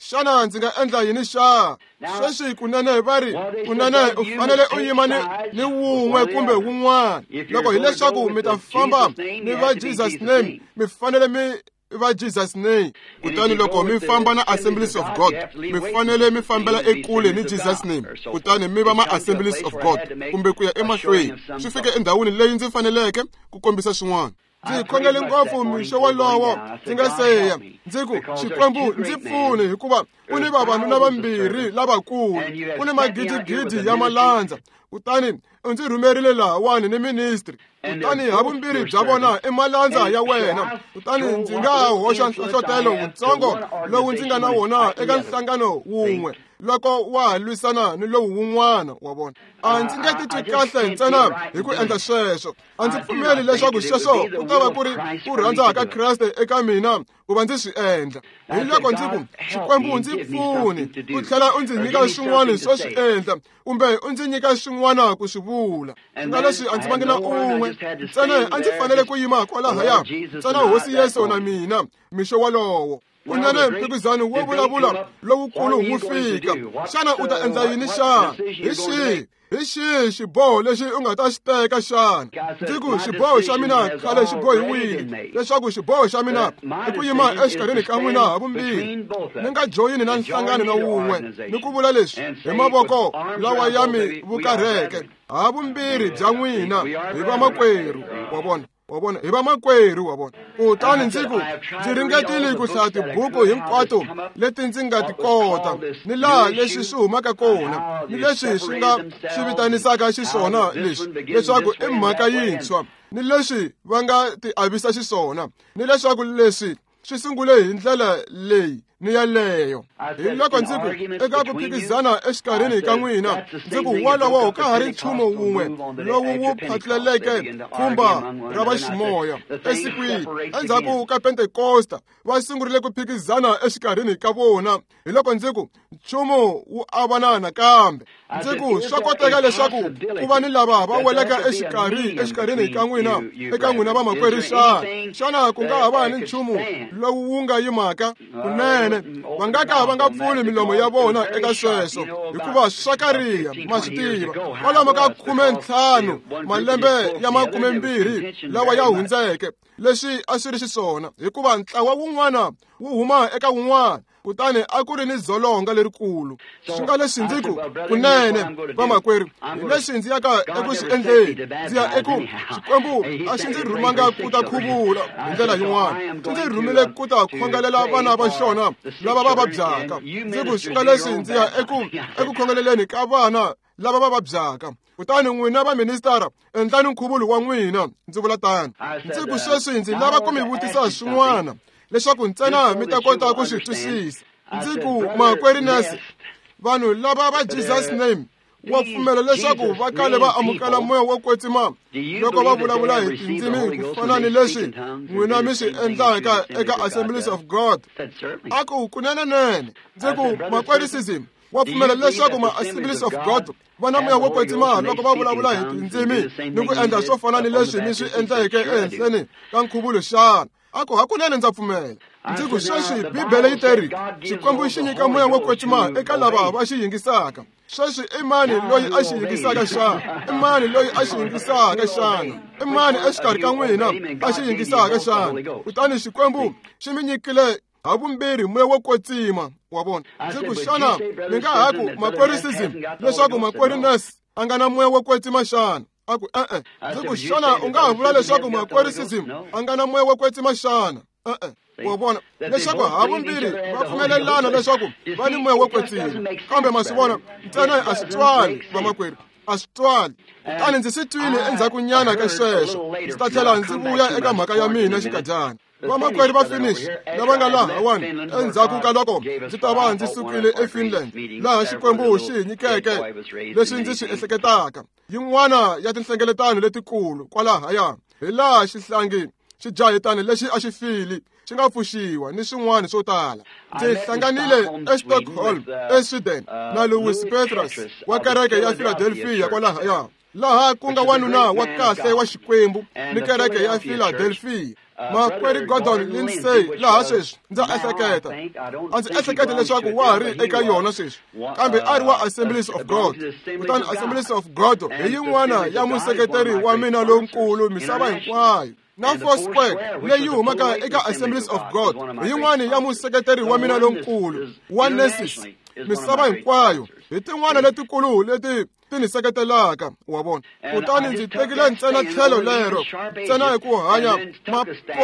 S1: Xana ndzi nga endla yini xa? Sweswi kunene va ri, kunene u fanele u yima ni wun'we kumbe wun'wana. Loko hileswaku mi ta famba ni va Jesus name, mi fanele mi va Jesus name. Kutani loko mi famba na Assemblies of God, mi fanele mi fambela ekule ni Jesus name, kutani mi va ma Assemblies of God kumbe ku ya emahlweni. Swi fike endhawini leyi ndzi faneleke ku kombisa swin'wana. Ndzi khongele ngopfu mixo wolowo ndzi nga seya, ndzi ku Xikwembu ndzi pfune, hikuva ku ni vavanuna vambirhi lavakulu, ku ni magidigidi ya malandza, kutani u ndzi rhumerile lahawani ni ministry. Kutani havumbirhi bya vona i malandza ya wena. Kutani ndzi nga hoxa nhlohlotelo wutsongo lowu ndzi nga na wona eka nhlangano wun'we, loko wa ha lwisana ni lowu wun'wana wa vona. A ndzi nge titwi kahle ntsena hi ku endla sweswo. A ndzi pfumeli leswaku sweswo ku ta va ku ri ku rhandza ka Kreste eka mina ku va ndzi swi endla. Hi loko ndzi ku, Xikwembu ndzi pfuni, u tlhela u ndzi nyika swin'wana swo swi endla, kumbe u ndzi nyika swin'wana ku swi vula. Nga leswi a ndzi vangi na un'we, ntsena a ndzi fanele ku yima kwalahaya, ntsena Hosi Yesu na mina mixo wolowo. Kunene mphikizano wo vulavula lowukulu wu fika. Xana u ta endla yini xana? Hi xihi xiboho lexi u nga ta xi teka xana? Ndzi ku xiboho xa mina khale xi bohiwile, leswaku xiboho xa mina i ku yima exikarhini ka n'wina havumbirhi, ni nga joyini na nhlangano na wun'we, ni ku vula leswi hi mavoko lawa ya mi vukarheke havumbirhi bya n'wina hi vamakwerhu wa vona. Wa vona, hi vamakwerhu wa vona. Kutani ndzi ku, ndzi ringetile ku hlaya tibuku hinkwato leti ndzi nga ti kota, ni laha leswi swi humaka kona, ni leswi swi nga swi vitanisaka xiswona leswi, leswaku i mhaka yintshwa, ni leswi va nga ti avisa xiswona, ni leswaku leswi swi sungule hi ndlela leyi ni yaleyo. Hi loko ndzi ku eka ku phikizana exikarhini ka n'wina, ndzi ku wolowo ka ha ri nchumu wun'we lowu wu phatleleke pfhumba ra vaximoya esikwini endzhaku ka Pentekosta, va sungurile ku phikizana exikarhini ka vona. Hi loko ndzi ku nchumu wu avana nakambe. Ndzi ku swa koteka leswaku ku va ni lava va welaka exikarhini ka n'wina, eka n'wina vamakwerhu xana? Xana ku nga ha va ni nchumu lowu wu nga yimaka? Kunene va nga ka va nga pfuli milomo ya vona eka sweswo, hikuva swa kariha, ma swi tiva. Kwalomu ka 15 malembe ya 20 lawa ya hundzeke, leswi a swi ri xiswona, hikuva ntlawa wun'wana wu huma eka wun'wana, kutani a ku ri ni dzolonga lerikulu. Swi nga leswi ndzi ku, kunene vamakwerhu, hi leswi ndzi yaka eku swi endleni. Ndzi ya eku Xikwembu a xi ndzi rhumanga ku ta khuvula hi ndlela yin'wana, xi ndzi rhumile ku ta khongelela vana va xona lava va vabyaka. Ndzi ku swi nga leswi ndzi ya eku khongeleleni ka vana lava va vabyaka. Kutani n'wina va ministara, endlani nkhuvulo wa n'wina. Ndzi vula tano. Ndzi ku sweswi ndzi lava ku mi vutisa swin'wana, leswaku ntsena mi ta kota ku swi twisisa. Ndzi ku, makwerhu Ness, vanhu lava va Jesus name wa pfumela leswaku va kale va amukela moya wo kwetsima loko va vulavula hi tindzimi ku fana ni leswi n'wina mi swi endlaka eka Assemblies of God? A ku kunene. Ndzi ku, makwerhu Sism, wa pfumela leswaku ma Assemblies of God va na moya wo kwetsima loko va vulavula hi tindzimi ni ku endla swo fana ni leswi mi swi endleke ehenhleni ka nkhuvulo xana? A ku hakunene ndza pfumela. Ndzi ku sweswi Bibele yi teri Xikwembu xi nyika moya wo kwetsima eka lava va xi yingisaka. Sweswi i mani loyi a xi yingisaka xana? I mani loyi a xi yingisaka xana? I mani exikarhi ka n'wina a xi yingisaka xana? Kutani Xikwembu xi mi nyikile havumbirhi moya wo kwetsima wa vona. Ndzi ku xana mi nga ha ku makwerhu Sism leswaku makwerhu Ness a nga na moya wo kwetsima xana? A ku e-e. Ndzi ku xana u nga ha vula leswaku makwerhu Sism a nga na moya wo kwetsima xana? E-e. Wa vona leswaku havumbirhi va pfumelelana leswaku va ni moya wo kwetsima, kambe ma swi vona ntsena a swi twali vamakwerhu, a swi twali. Kutani ndzi swi twile endzhakunyana ka sweswo. Ndzi ta tlhela ndzi vuya eka mhaka ya mina xinkadyana. Vamakwerhu va Finnish lava nga lahawani endzhaku ka loko ndzi ta va ndzi sukile eFinland, laha Xikwembu xi hi nyikeke leswi ndzi swi ehleketaka yin'wana ya tinhlengeletano letikulu kwalahaya, hi laha xihlangi xi jahetani lexi a xi file xi nga pfuxiwa ni swin'wana swo tala. Ndzi hlanganile eStockholm eSweden na Louis Petrus wa kereke ya Philadelphia kwalahaya, laha ku nga wanuna wa kahle wa Xikwembu ni kereke ya Philadelphia. Makwerhu Gordon Lindsay laha sweswi ndza ehleketa, a ndzi ehleketa leswaku wa ha ri eka yona sweswi, kambe a ri wa Assemblies of God. Kutani Assemblies of God hi yin'wana ya museketeri wa mina lonkulu misava hinkwayo. Na Foursquare leyi humaka eka Assemblies of God hi yin'wana ya museketeri wa mina lonkulu wa Nessus misava hinkwayo, hi tin'wana letikulu leti ti ni seketelaka wa vona. Kutani ndzi tekile ntsena tlhelo lero ntsena hi ku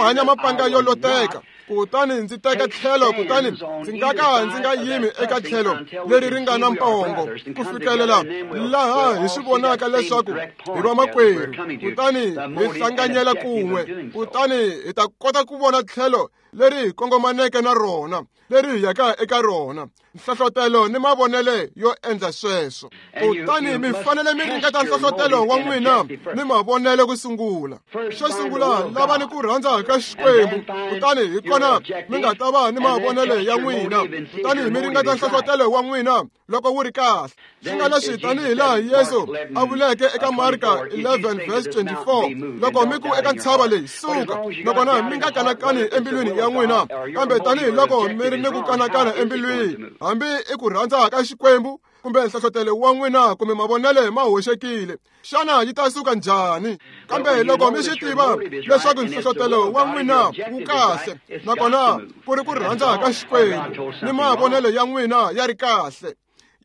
S1: hanya mapanga yo loteka. Kutani ndzi teka tlhelo, kutani ndzi nga ka ndzi nga yimi eka tlhelo leri ri nga na mpongo ku fikelela laha hi swi vonaka leswaku hi vamakwerhu, kutani hi hlanganyela kun'we, kutani hi ta kota ku vona tlhelo leri hi kongomaneke na rona, leri hi yaka eka rona, nhlohlotelo ni mavonele yo endla sweswo. Kutani mi fanele mi ringeta nhlohlotelo wa n'wina ni mavonele ku sungula. Xo sungula, lavani ku rhandza ka Xikwembu, kutani hi kona mi nga ta va ni mavonele ya n'wina. Kutani mi ringeta nhlohlotelo wa n'wina loko wu ri kahle. Swi nga leswi tanihi laha Yesu a vuleke eka Marka 11 verse 24, loko mi ku eka ntshava leyi, suka, nakona mi nga kanakani embilwini ya n'wina, kambe tanihiloko mi ri ni ku kanakana embilwini, hambi i ku rhandza ka Xikwembu kumbe nhlohlotelo wa n'wina kumbe mavonele ma hoxekile, xana yi ta suka njhani? Kambe loko mi swi tiva leswaku nhlohlotelo wa n'wina wu kahle, nakona ku ri ku rhandza ka Xikwembu ni mavonele ya n'wina ya ri kahle,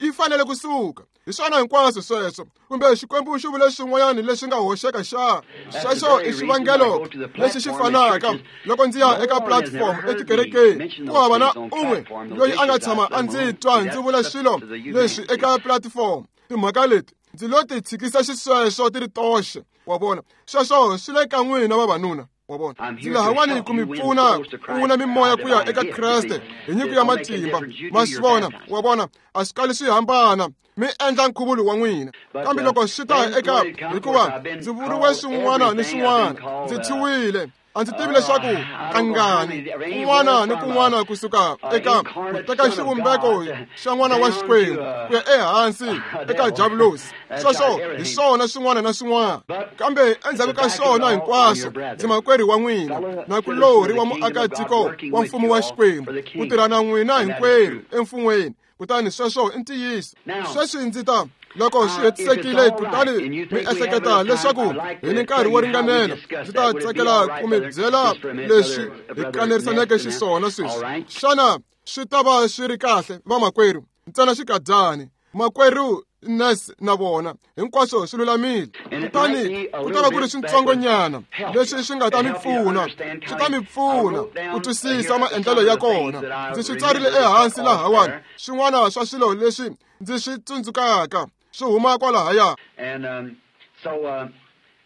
S1: yi fanele ku suka. Hi swona hinkwaswo sweswo, kumbe Xikwembu xi vule swin'wanyana leswi nga hoxeka xa. Sweswo i xivangelo lexi xi fanaka loko ndzi ya eka platform etikerekeni, ku hava na un'we loyi a nga tshama a ndzi twa ndzi vula swilo leswi eka platform. Timhaka leti ndzi lo ti tshikisa xisweswo ti ri toxe, wa vona. Sweswo swi le ka n'wina vavanuna, wa vona. Ndzi lahawani ku mi pfuna ku wina mimoya ku ya eka Kreste hi nyiko ya matimba, ma swi vona, wa vona. A swi kali swi hambana, mi endla nkhuvulo wa n'wina. Kambe loko swi ta eka, hikuva ndzi vuriwe swin'wana ni swin'wana, ndzi thyiwile, a ndzi tivi leswaku kangani, kun'wana ni kun'wana kusuka eka ku teka xivumbeko xa n'wana wa Xikwembu ku ya ehansi eka Diabulosi. Sweswo hi swona swin'wana na swin'wana. Kambe endzhaku ka swona hinkwaswo, ndzi makwerhu wa n'wina, nakulorhi wa muakatiko wa mfumo wa Xikwembu, ku tirha na n'wina hinkwerhu emfun'weni. Kutani sweswo i ntiyiso. Sweswi ndzi ta, loko swi hetisekile, kutani mi ehleketa leswaku hi ni nkarhi wo ringanela, ndzi ta tsakela ku mi byela leswi hi kanerisaneke xiswona sweswi. Xana swi ta va swi ri kahle, vamakwerhu? Ntsena xikadyani, makwerhu Nes na vona, hinkwaswo swi lulamile. Kutani ku ta va ku ri swintsongonyana leswi swi nga ta mi pfuna, swi ta mi pfuna ku twisisa maendlelo ya kona. Ndzi swi tsarile ehansi lahawani, swin'wana swa swilo leswi ndzi swi tsundzukaka swi huma kwalahaya.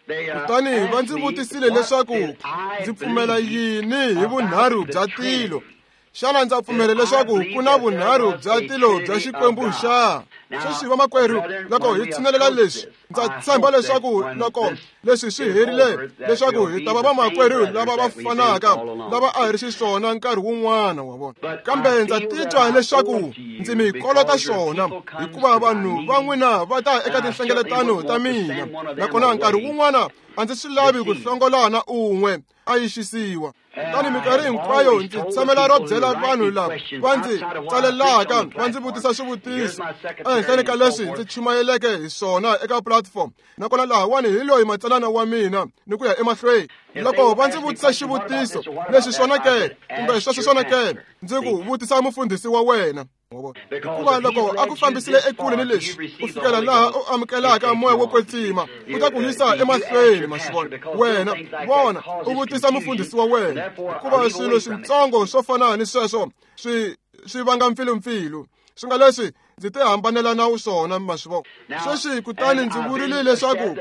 S1: Kutani va ndzi vutisile leswaku ndzi pfumela yini hi vunharhu bya tilo. Xana ndza pfumela leswaku ku na vunharhu bya tilo bya Xikwembu xa? Sweswi vamakwerhu, loko hi tshinelela leswi, ndza tshemba leswaku loko leswi swi herile, leswaku hi ta va vamakwerhu lava va fanaka lava a hi ri xiswona nkarhi wun'wana, wa vona. Kambe ndza titwa leswaku ndzi mi kolota swona, hikuva vanhu va n'wina va ta eka tinhlengeletano ta mina, nakona nkarhi wun'wana a ndzi swi lavi ku hlongola na un'we a yi xisiwa. Kutani minkarhi hinkwayo ndzi tshamela ro byela vanhu lava va ndzi tsalelaka va ndzi vutisa swivutiso ehenhleni ka leswi ndzi chumayeleke hi swona eka platform, nakona lahawani hi loyi matsalana wa mina ni ku ya emahlweni. Loko va ndzi vutisa xivutiso leswi swona ke, kumbe sweswo swona ke, ndzi ku vutisa mufundhisi wa wena. Hikuva loko a ku fambisile ekule ni leswi, ku fikela laha u amukelaka moya wo kwetsima, u ta ku yisa emahlweni, ma swi vona. Wena vona, u vutisa mufundhisi wa wena, hikuva swilo swintsongo swo fana ni sweswo swi vanga mpfilumpfilu. Swi nga leswi ndzi ti hambanela na swona, ma swi vona. Sweswi kutani ndzi vurile leswaku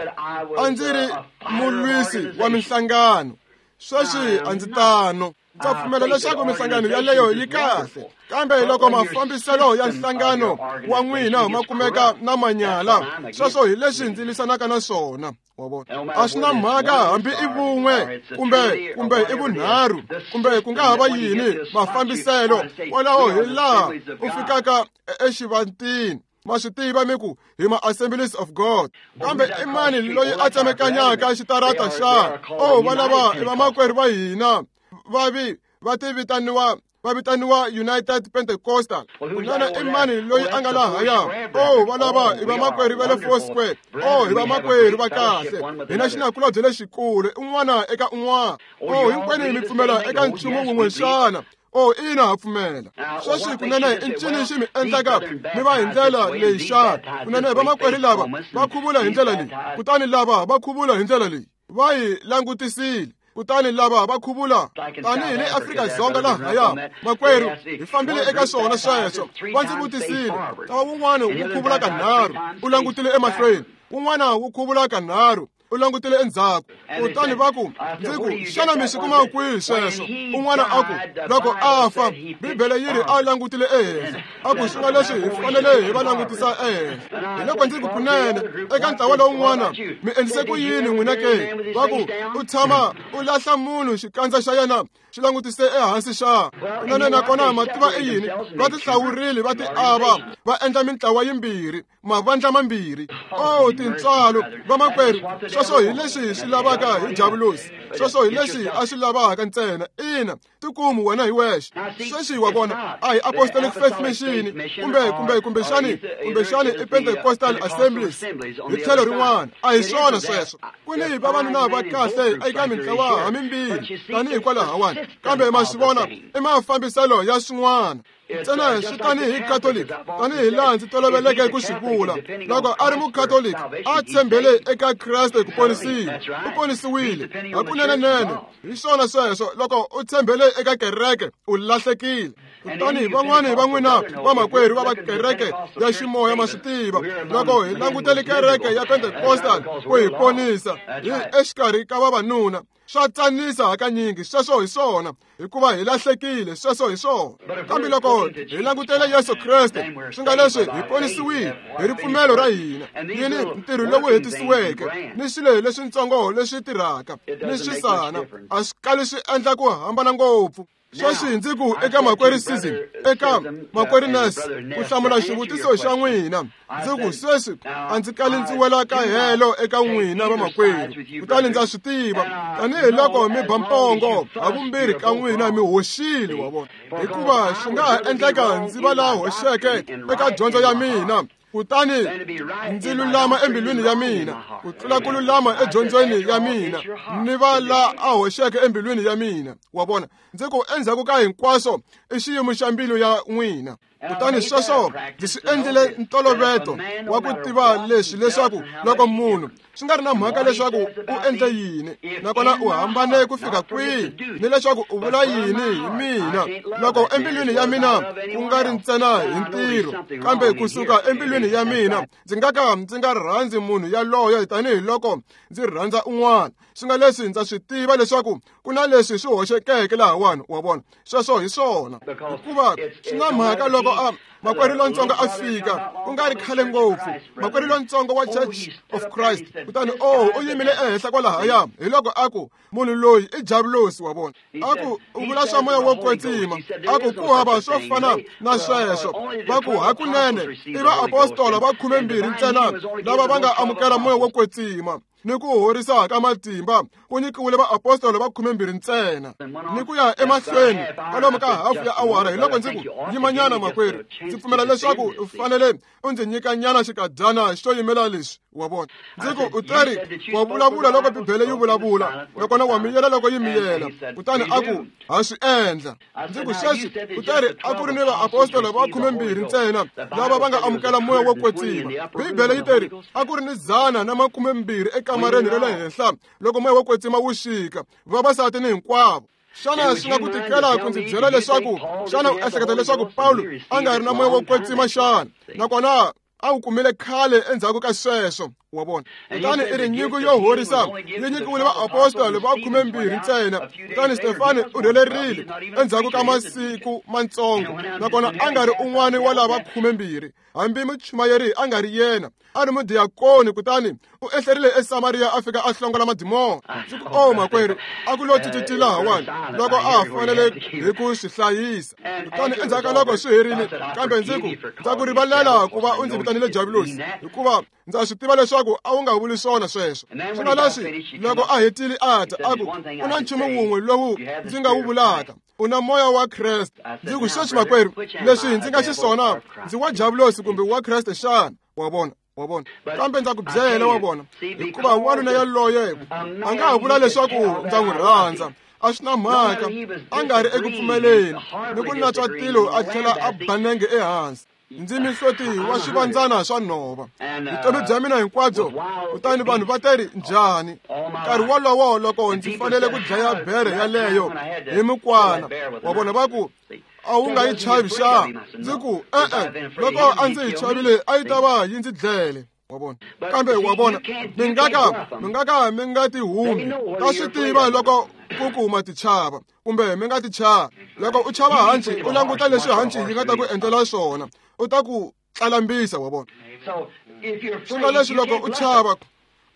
S1: a ndzi ri mulwisi wa minhlangano. Sweswi a ndzi tano. Ndza pfumela leswaku minhlangano yaleyo yi kahle, kambe loko mafambiselo ya nhlangano wa n'wina ma kumeka na manyala, sweswo hi leswi ndzi lwisanaka na swona, wa vona. A swi na mhaka hambi i vun'we kumbe i vunharhu kumbe ku nga ha va yini mafambiselo, kwalaho hi laha u fikaka exivantini. Ma swi tiva mi ku hi ma Assemblies of God, kambe i mani loyi a tsemekanyaka xitarata xa? Oh, valava i vamakwerhu va hina, vavi va ti vitaniwa, va vitaniwa United Pentecostal. Kunene i mani loyi a nga lahaya? Oh, valava i vamakwerhu va le Four Square. Oh, hi vamakwerhu va kahle, hi na xinakulobye lexikulu un'wana eka un'wana. Oh, hinkwenu mi pfumela eka nchumu wun'we xana? Oh, ina ha pfumela. Sweswi kunene i ncini xi mi endlaka mi va hi ndlela leyi xana? Kunene vamakwerhu lava va khuvula hi ndlela leyi, kutani lava va khuvula hi ndlela leyi. Va hi langutisile, kutani lava va khuvula tanihi le Afrika-Dzonga lahaya. Makwerhu, hi fambile eka swona sweswo. Va ndzi vutisile, ntlawa wun'wana wu khuvula kanharhu, u langutile emahlweni, wun'wana wu khuvula kanharhu, U langutile endzhaku. Kutani va ku, ndzi ku, xana mi swi kuma kwihi sweswo? Un'wana a ku, loko a fa, Bibele yi ri a langutile ehenhla. A ku swi nga leswi hi fanele hi va langutisa ehenhla. Hi loko ndzi ku kunene eka ntlawa lowun'wana, mi endlise ku yini n'wina ke? Va ku, u tshama u lahla munhu xikandza xa yena xi langutise ehansi xa. Kunene nakona mativa i yini? Va tihlawurile va ti ava, va endla mintlawa yimbirhi, mavandla mambirhi. Oh, tintswalo vamakwerhu, sweswo hi leswi swi lavaka hi javulosi. Sweswo hi leswi a swi lavaka ntsena. Ina, tikumu wena hi wexe. Sweswi wa vona, a hi Apostolic Faith Mission kumbe kumbexani i Pentecostal Assemblies hi tlhelo rin'wana. A hi swona sweswo. Ku ni vavanuna va kahle eka mintlawa hamimbirhi tanihi kwalahawani, kambe ma swi vona i mafambiselo ya swin'wana. Ntsena swi tanihi Catholic, tanihi laha ndzi toloveleke ku swi vula. Loko a ri Mucatholic, a tshembele eka Kreste ku ponisiwa, u ponisiwile hakunene-nene. Hi swona sweswo, loko u tshembele eka kereke, u lahlekile. Kutani van'wani va n'wina vamakwerhu va kereke ya ximoya ma swi tiva, loko hi langutele kereke ya Pentecostal ku hi ponisa, hi exikarhi ka vavanuna, swa tsanisa hakanyingi. Sweswo hi swona, hikuva hi lahlekile. Sweswo hi swona. Kambe loko hi langutele Yesu Kreste, swi nga leswi hi ponisiwile hi ripfumelo ra hina, yini ntirho lowu hetisiweke ni swilo leswitsongo leswi tirhaka ni swisana, a swi kali swi endla ku hambana ngopfu. Sweswi ndzi ku eka makwerhu Sism, eka makwerhu Ness, ku hlamula xivutiso xa n'wina, ndzi ku sweswi a ndzi kali ndzi wela ka helo eka n'wina vamakwerhu. Kutani ndza swi tiva, tanihiloko mi ba mpongo havumbirhi ka n'wina mi hoxile, wa vona, hikuva swi nga ha endleka ndzi va la hoxeke eka dyondzo ya mina, kutani ndzi lulama embilwini ya mina ku tlula ku lulama edyondzweni ya mina, ni va la a hoxeke embilwini ya mina, wa vona. Ndzi ku endzhaku ka hinkwaswo i xiyimo xa mbilu ya n'wina. Kutani sweswo ndzi swi endlile ntoloveto wa ku tiva leswi, leswaku loko munhu swi nga ri na mhaka leswaku u endle yini, nakona u hambane ku fika kwihi, ni leswaku u vula yini hi mina, loko embilwini ya mina ku nga ri ntsena hi ntirho, kambe kusuka embilwini ya mina ndzi nga ka ndzi nga rhandzi munhu yaloye tanihiloko ndzi rhandza un'wana. Swi nga leswi ndza swi tiva leswaku ku na leswi swi hoxekeke lahawani, wa vona. Sweswo hi swona, hikuva swi na mhaka loko a makwerhu lontsongo a fika ku nga ri khale ngopfu, makwerhu lontsongo wa Church of Christ, kutani u yimile ehenhla kwalahaya, hi loko a ku munhu loyi i javulosi, wa vona. A ku u vula swa moya wo kwetsima, a ku ku hava swo fana na sweswo. Va ku hakunene i vaapostola va 12 ntsena lava va nga amukela moya wo kwetsima, ni ku horisa ka matimba ku nyikiwile vaapostola va 12 ntsena. Ni ku ya emahlweni kwalomu ka hafu ya awara, hi loko ndzi ku yimanyana makwerhu, ndzi pfumela leswaku u fanele u ndzi nyika nyana xikadyana xo yimela leswi, wa vona. Ndzi ku u teri wa vulavula loko Bibele yi vulavula, nakona wa miyela loko yi miyela. Kutani a ku ha swi endla. Ndzi ku sweswi u teri a ku ri ni vaapostola va 12 ntsena lava va nga amukela moya wo kwetsima. Bibele yi teri a ku ri ni 120 ekamareni ra le henhla loko moya wo kwetsima wu xika, vavasati ni hinkwavo. Xana swi nga ku tikela ku ndzi byela leswaku xana u ehleketa leswaku Pawulo a nga ri na moya wo kwetsima xana? Nakona a wu kumile khale endzhaku ka sweswo, wa vona. Kutani i ri nyiko yo horisa yi nyikiwile vaapostola va 12 ntsena. Kutani Stefani u rhelerile endzhaku ka masiku mantsongo, nakona a nga ri un'wana wa lava 12, hambi muchumayeri a nga ri yena, a ri mudiyakoni. Kutani u ehlerile eSamariya a fika a hlongola madimoni. Ndzi ku o makwerhu, a ku lo tititi lahawani loko a fanele hi ku swi hlayisa. Kutani endzhaku ka loko swi herile, kambe ndzi ku ndza ku rivalela ku va u ndzi vitanile javulosi, hikuva ndza swi tiva leswaku a wu nga vuli swona sweswo. Swi nga leswi loko a hetile a ta a ku ku na nchumu wun'we lowu ndzi nga wu vulaka, u na moya wa Kreste. Ndzi ku sweswi makwerhu, leswi ndzi nga xiswona, ndzi wa javulosi kumbe wa Kreste xana? Wa vona, wa vona. Kambe ndza ku byela, wa vona, hikuva wanuna yaloye a nga ha vula leswaku ndza n'wi rhandza, a swi na mhaka, a nga ri eku pfumeleni ni ku natswa tilo a tlhela a ba nenge ehansi. Ndzi mihloti wa swivandzana swa nhova vutomi bya mina hinkwabyo. Kutani vanhu va teri njhani nkarhi wolowo loko ndzi fanele ku dlaya bere yaleyo hi mukwana, wa vona, va ku a wu nga yi chavi xana? Ndzi ku e-e, loko a ndzi yi chavile a yi ta va yi ndzi dlele. Wa vona? Kambe wa vona, mi nga ka mi nga ti humi. Ta swi tiva loko ku kuma ti chava kumbe mi nga ti chava. Loko u chava hanci, u languta leswi hanci yi nga ta ku endlela swona, u ta ku tlalambisa, wa vona. Swi nga leswi loko u chava,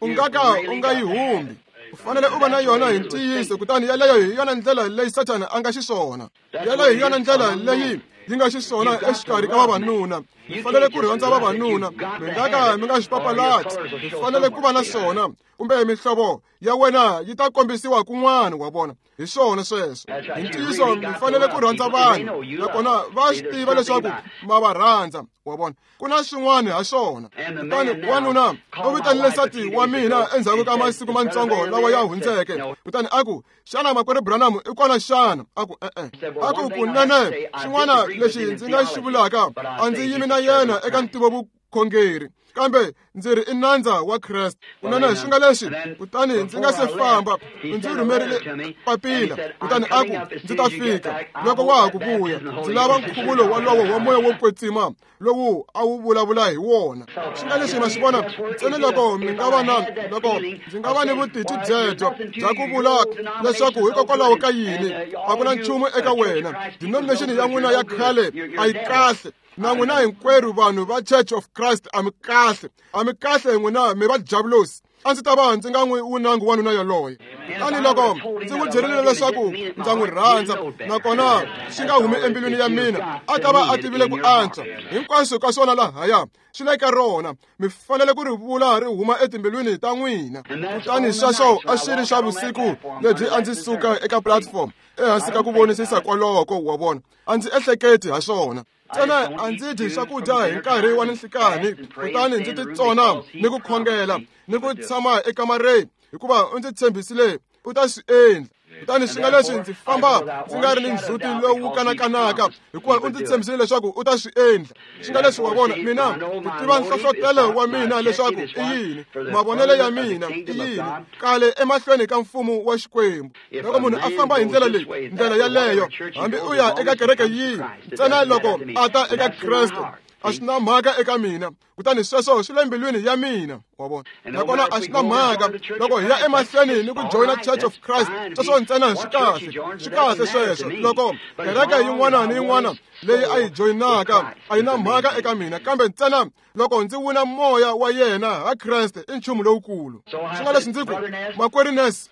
S1: u nga ka u nga yi humbi. U fanele u va na yona hi ntiyiso, kutani yaleyo hi yona ndlela leyi Sathana a nga xiswona. Yaleyo hi yona ndlela leyi yi nga xiswona exikarhi ka vavanuna. Mi fanele ku rhandza vavanuna, mi nga ka mi nga swi papalati. Mi fanele ku va na swona, kumbe mihlovo ya wena yi ta kombisiwa kun'wana, wa vona. Hi swona sweswo. Hi ntiyiso mi fanele ku rhandza vanhu, nakona va swi tiva leswaku ma va rhandza, wa vona. Ku na swin'wana ha swona. Kutani wanuna u vitanile nsati wa mina endzhaku ka masiku matsongo lawa ya hundzeke, kutani a ku, xana makwerhu Branham i kona xana? A ku e-e. A ku kunene xin'wana lexi ndzi nga xi vulaka, a ndzi yimi na yena eka ntivovukhongeri, kambe ndzi ri i nandza wa Kreste. Kunene swi nga leswi, kutani ndzi nga se famba, ndzi rhumerile papila, kutani a ku ndzi ta fika loko wa ha ku vuya, ndzi lava nkhuvulo walowo wa moya wo kwetsima lowu a wu vulavula hi wona. Swi nga leswi ma swi vona, ntsena loko mi nga va na, loko ndzi nga va ni vutitwi byebyo bya ku vula leswaku hikokwalaho ka yini a ku na nchumu eka wena, denomination ya n'wina ya khale a yi kahle, na n'wina hinkwerhu vanhu va Church of Christ a mi kahle, a mi kahle n'wina mi va diabulosi. A ndzi ta va ndzi nga n'wi wunangi wanuna yaloye. Kutani loko ndzi n'wi byerile leswaku ndza n'wi rhandza, nakona swi nga humi embilwini ya mina, a ta va a tivile ku antswa. Hinkwaswo ka swona lahaya swi le ka rona, mi fanele ku ri vula ri huma etimbilwini ta n'wina. Kutani sweswo a swi ri swa vusiku lebyi a ndzi suka eka platform ehansi ka ku vonisisa kwaloko, wa vona. A ndzi ehleketi ha swona. Ntsena a ndzi dyi swakudya hi nkarhi wa ninhlikani, kutani ndzi titsona ni ku khongela ni ku tshama ekamareni, hikuva u ndzi tshembisile u ta swi endla. Kutani swi nga leswi ndzi famba ndzi nga ri ni ndzhuti lowu kanakanaka, hikuva u ndzi tshembisile leswaku u ta swi endla. Swi nga leswi wa vona, mina ku tiva nhlohlotelo wa mina leswaku i yini, mavonelo ya mina i yini, kale emahlweni ka mfumo wa Xikwembu. Loko munhu a famba hi ndlela leyi, ndlela yaleyo, hambi u ya eka kereke yihi, ntsena loko a ta eka Kreste, a swi na mhaka eka mina. Kutani sweswo swi le mbilwini ya mina, wa vona. Nakona a swi na mhaka loko hi ya emahlweni ni ku joyina Church of Christ, sweswo ntsena swi kahle, swi kahle sweswo. Loko kereke yin'wana ni yin'wana leyi a yi joyinaka a yi na mhaka eka mina, kambe ntsena loko ndzi wina moya wa yena ha Kreste i nchumu lowukulu. Swi nga leswi ndzi ku, makwerhu Ness,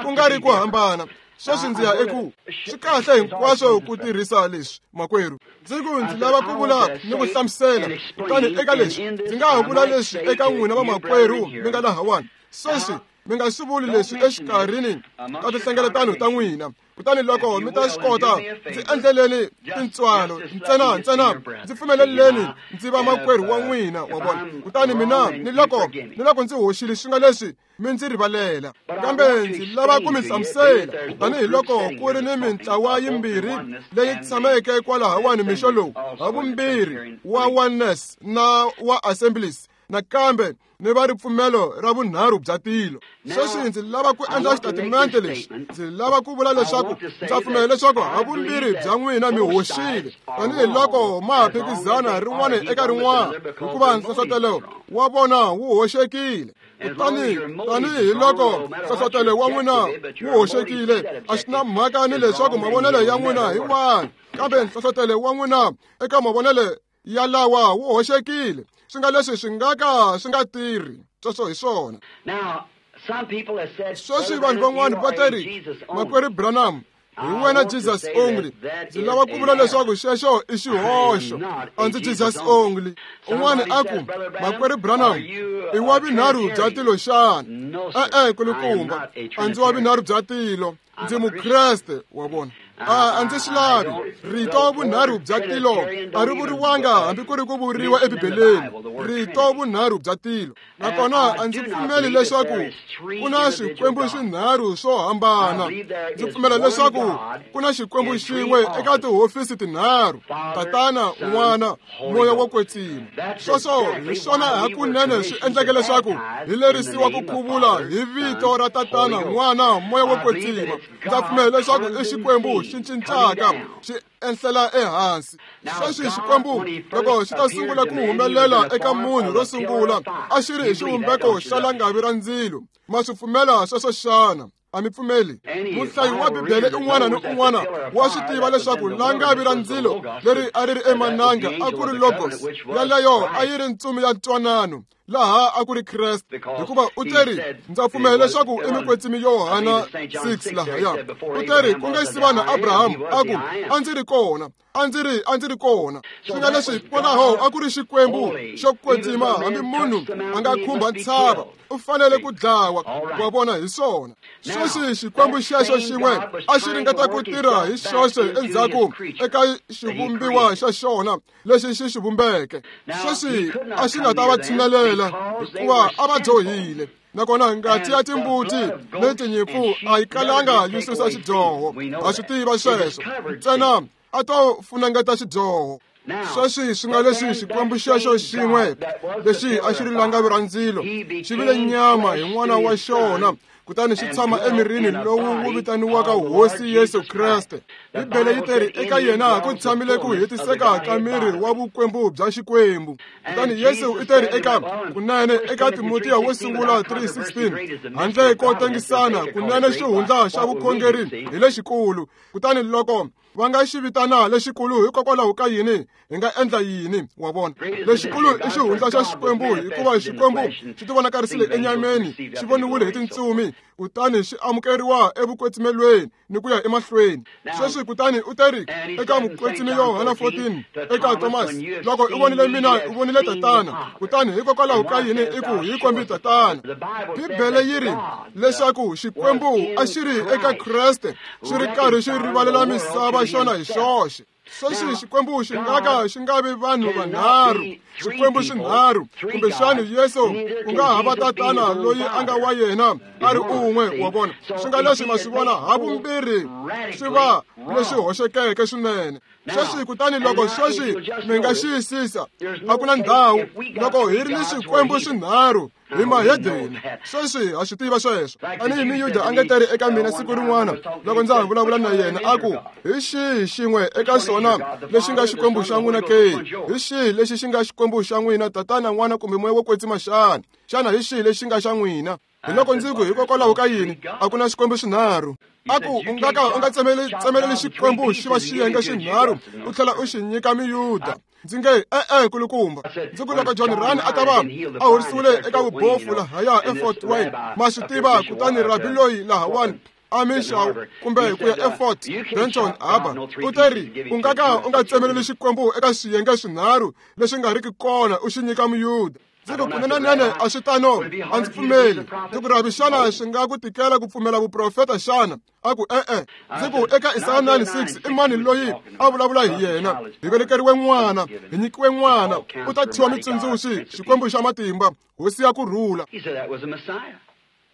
S1: ku nga ri ku hambana, sweswi ndzi ya eku swi kahle hinkwaswo ku tirhisa leswi, makwerhu. Ndzi ku ndzi lava ku vula ni ku hlamusela, kutani eka leswi ndzi nga ha vula leswi eka n'wina vamakwerhu mi nga lahawani. Sweswi mi nga swi vuli leswi exikarhini ka tinhlengeletano ta n'wina, kutani loko mi ta swi kota, ndzi endleleni tintswalo ntsena ntsena ndzi pfumeleleni ndzi va makwerhu wa n'wina, wa vona. Kutani mina ni loko ndzi hoxile swi nga leswi, mi ndzi rivalela. Kambe ndzi lava ku mi hlamusela, tanihiloko ku ri ni mintlawa yimbirhi leyi tshameke kwalahawani mixo lowu, havumbirhi wa Oneness na wa Assemblies, nakambe ni va ripfumelo ra vunharhu bya tilo. Sweswi ndzi lava ku endla xitatimende lexi. Ndzi lava ku vula leswaku ndza pfumela leswaku havumbirhi bya n'wina mi hoxile, tanihiloko ma ha phikizana rin'wana eka rin'wana, hikuva nhlohlotelo wa vona wu hoxekile. Kutani tanihiloko nhlohlotelo wa n'wina wu hoxekile, a swi na mhaka ni leswaku mavonelo ya n'wina hi wahi, kambe nhlohlotelo wa n'wina eka mavonelo ya lawa wu hoxekile. Swi nga leswi swi nga ka swi nga tirhi. Sweswo hi swona. Sweswi vanhu van'wana va ta ri, makwerhu Branham, hi wena Jesus only. Ndzi lava ku vula leswaku xexo i xihoxo, a ndzi Jesus only. Un'wana a ku, makwerhu Branham, i wa vunharhu bya tilo xana? E-e, kulukumba, a ndzi wa vunharhu bya tilo, ndzi Mukreste, wa vona. A ndzi swi lavi. Rito vunharhu bya tilo a ri vuriwanga hambi ku ri ku vuriwa eBibeleni, rito vunharhu bya tilo. Nakona a ndzi pfumeli leswaku ku na swikwembu swinharhu swo hambana. Ndzi pfumela leswaku ku na xikwembu xin'we eka tihofisi tinharhu, Tatana, N'wana, Moya wo Kwetsima. Sweswo hi swona hakunene swi endleke leswaku hi lerisiwa ku khuvula hi vito ra Tatana, N'wana, Moya wo Kwetsima. Ndza pfumela leswaku i Xikwembu xi cincaka xi enhlela ehansi. Sweswi Xikwembu loko xi ta sungula ku humelela eka munhu ro sungula a xi ri hi xivumbeko xa langavi ra ndzilo. Ma swi pfumela sweswo xana? A mi pfumeli? Muhlayi wa Bibele un'wana ni un'wana wa swi tiva leswaku langavi ra ndzilo leri a ri ri emananga a ku ri Logos, yaleyo a yi ri ntsumi ya ntwanano, laha a ku ri Kreste, hikuva u teri, ndza pfumela leswaku i Mukwetsimi Yohana 6 lahaya. U teri ku nga si va na Abrahamu, a ku a ndzi ri kona, a ndzi ri kona. Swi nga leswi kwalaho a ku ri Xikwembu xo kwetsima, hambi munhu a nga khumba ntshava u fanele ku dlawa. Wa vona, hi swona. Sweswi Xikwembu xexo xin'we a xi ringeta ku tirha hi xoxe endzhaku eka xivumbiwa xa xona lexi xi xi vumbeke. Sweswi a xi nga ta va tshinelela hikuva a va dyohile, nakona ngati ya timbuti ni tinyimpfu a yi kalanga yi susa xidyoho. Ha swi tiva sweswo, ntsena a to funengeta xidyoho. Sweswi swi nga leswi Xikwembu xexo xin'we lexi a xi ri langavi ra ndzilo xi vile nyama hi n'wana wa xona, kutani xi tshama emirini lowu wu vitaniwaka Hosi Yesu Kreste. Bibele yi teri eka yena ku tshamile ku hetiseka ka miri wa vukwembu bya Xikwembu. Kutani Yesu u teri eka kunene eka Timotiya wo sungula 3:16, handle ko tengisana, kunene xihundla xa vukhongeri hi lexikulu. Kutani loko va nga xi vitana lexikulu hikokwalaho ka yini, hi nga endla yini? Wa vona, lexikulu i xihundla xa Xikwembu, hikuva Xikwembu xi tivonakarisile enyameni, xi voniwile hi tintsumi, kutani xi amukeriwa evukwetsimelweni ni ku ya emahlweni. Sweswi kutani u teri eka Mukwetsimi Yohana 14 eka Thomas, loko u vonile mina u vonile Tatana, kutani hikokwalaho ka yini i ku hi kombi Tatana? Bibele yi ri leswaku Xikwembu a xi ri eka Kreste xi ri karhi xi rivalela misava xona hi xoxe. Sweswi Xikwembu xi nga ka xi nga vi vanhu vanharhu, Xikwembu xinharhu, kumbexana Yesu ku nga hava Tatana loyi a nga wa yena a ri un'we. Wa vona, swi nga leswi ma swi vona havumbirhi swi va leswi hoxekeke swinene. Sweswi kutani loko sweswi mi nga xiyisisa, a ku na ndhawu loko hi ri ni Xikwembu xinharhu hi mahedeni. Sweswi ha swi tiva sweswo. Tanihi Miyuda a nga teri eka mina siku rin'wana loko ndza ha vulavula na yena, a ku hi xihi xin'we eka swona lexi nga Xikwembu xa n'wina ke? Hi xihi lexi xi nga Xikwembu xa n'wina, Tatana, N'wana kumbe Moya wo Kwetsima xana? Xana hi xihi lexi nga xa n'wina? Hi loko ndzi ku hikokwalaho ka yini a ku na Xikwembu xinharhu? A ku u nga ka u nga tsemeleli Xikwembu xi va xiyenge xinharhu u tlhela u xi nyika Miyuda. Ndzi nge e-e kulukumba. Ndzi ku loko John Ryan a ta va a horisiwile eka vubofu lahaya eFort Wayne, ma swi tiva, kutani rabi loyi lahawani a Mishaw kumbe ku ya eFort Benton Harbor, u teri u nga ka u nga tsemeleli Xikwembu eka swiyenge swinharhu leswi nga riki kona u xi nyika Muyuda. Ndzi ku kunenenene a swi tano, a ndzi pfumeli. Ndzi ku rabi, xana swi nga ku tikela ku pfumela vuprofeta xana? A ku e-e. Ndzi ku eka Isaya 9:6 i mani loyi a vulavula hi yena? Hi velekeriwe n'wana, hi nyikiwe n'wana, u ta thyiwa Mutsundzuxi, Xikwembu xa matimba, Hosi ya ku rhula.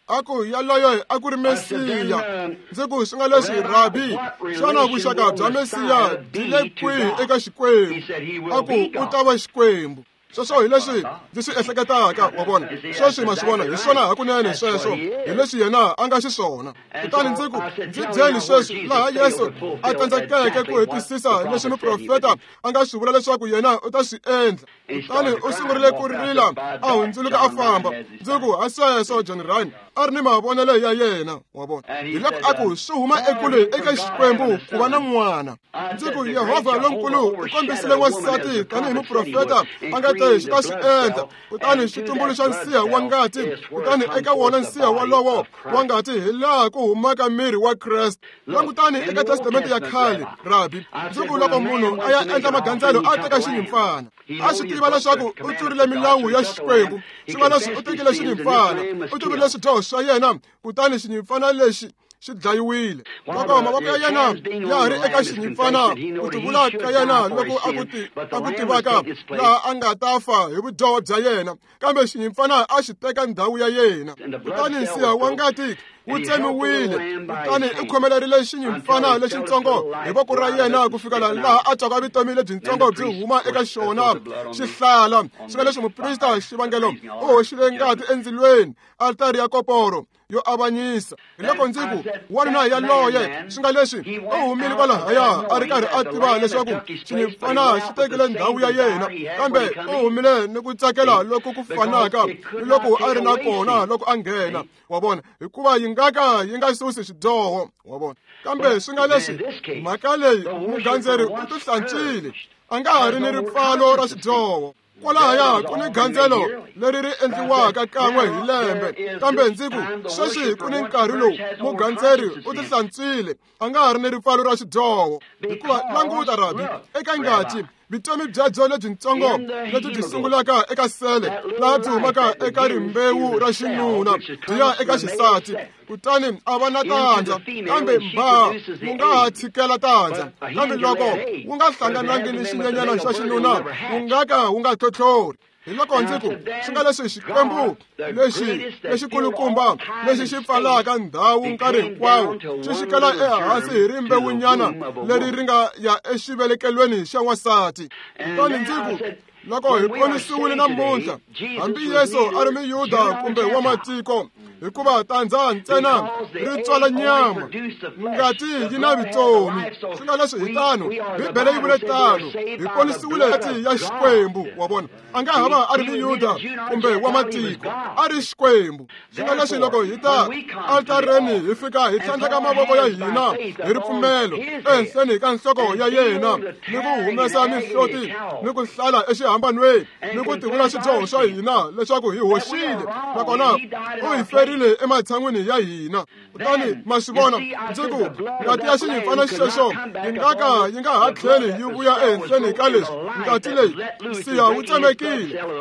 S1: A ku yaloyo a ku ri Mesiya. Ndzi ku swi nga leswi rabi, xana vuxaka bya Mesiya byi le kwihi eka Xikwembu? A ku u ta va Xikwembu. Sweswo hi leswi ndzi swi ehleketaka, wa vona. Sweswi ma swi vona, hi swona hakunene sweswo, hi leswi yena a nga xiswona. Kutani ndzi ku ndzi byeli sweswi laha Yesu a tsandzekeke ku hetisisa leswi muprofeta a nga swi vula leswaku yena u ta swi endla. Kutani u sungurile ku rila, a hundzuluka a famba. Ndzi ku ha sweswo John Ryan a ri ni mavonelo ya yena, wa vona. Hi loko a ku swi huma ekule eka Xikwembu ku va na n'wana. Ndzi ku Yehovha lonkulu u kombisile n'wansati tanihi muprofeta a nga te xi ta swi endla, kutani xi tumbuluxa nsiha wa ngati, kutani eka wona nsiha wolowo wa ngati hi laha ku humaka miri wa Kreste. Langutani eka Testamente ya khale, rabi. Ndzi ku loko munhu a ya endla magandzelo a teka xinyimpfana, a swi tiva leswaku u tlurile milawu ya Xikwembu, swi nga leswi u tekile xinyimpfana, u tlurile swidyoho swa yena, kutani xinyimpfana lexi xi dlayiwile. Loko mavoko ya yena ya ha ri eka xinyimpfana, ku tivula ka yena loko a ku tivaka laha a nga ta fa hi vudyoho bya yena, kambe xinyimpfana a xi teka ndhawu ya yena. Kutani nsiha wa ngati wu tsemiwile, kutani u khomelerile xinyimpfana lexitsongo hi voko ra yena ku fikela laha a twaka vutomi lebyintsongo byi huma eka xona xihlala. Swi nga leswi muprista xivangelo u hoxile ngati endzilweni, altari ya koporo yo avanyisa. Hi loko ndzi ku, wanuna yaloye, swi nga leswi u humile kwalahaya a ri karhi a tiva leswaku xinyimpfana xi tekile ndhawu ya yena, kambe u humile ni ku tsakela loku ku fanaka ni loko a ri na kona loko a nghena. Wa vona, hikuva yi nga ka yi nga susi xidyoho. Wa vona, kambe swi nga leswi mhaka leyi mugandzeri u tihlantswile, a nga ha ri ni ripfalo ra xidyoho. Kwalahaya ku ni gandzelo leri ri endliwaka kan'we hi lembe, kambe ndzi ku sweswi ku ni nkarhi lowu mugandzeri u tihlantswile, a nga ha ri ni ripfalo ra xidyoho. Hikuva languta, Rabi, eka ngati vutomi byebyo lebyintsongo lebyi byi sungulaka eka sele laha byi humaka eka rimbewu ra xinuna byi ya eka xisati, kutani a va na tandza, kambe mba wu nga ha tshikela tandza, kambe loko wu nga hlanganangi ni xinyenyana xa xinuna wu nga ka wu nga tlhotlhori. Hi loko ndzi ku, swi nga leswi Xikwembu lexi lexikulukumba lexi xi pfalaka ndhawu nkarhi hinkwawo xi xikela ehansi hi rimbewunyana leri ri nga ya exivelekelweni xa n'wansati. Kutani ndzi ku, loko hi ponisiwile namuntlha, hambi Yesu a ri Muyuda kumbe wa matiko, hikuva tandza ntsena ri tswala nyama, ngati yi na vutomi. Swi nga leswi hi tano, Bibele yi vule tano, hi ponisiwile ngati ya Xikwembu. Wa vona, a nga ha va a ri Muyuda kumbe wa matiko, a ri Xikwembu. Swi nga leswi loko hi ta altareni hi fika hi tlhandleka mavoko ya hina hi ripfumelo ehenhleni ka nhloko ya yena, ni ku humesa mihloti ni ku hlala exihambanweni ni ku tivula swidyoho swa hina leswaku hi hoxile, nakona u hi ferile ematshan'wini ya hina. Kutani ma swi vona, ndzi ku ngati ya xinyimpfana xexo yi nga ka yi nga ha tlheli yi vuya ehenhleni ka leswi. Ngati leyi nsiya wu tsemekile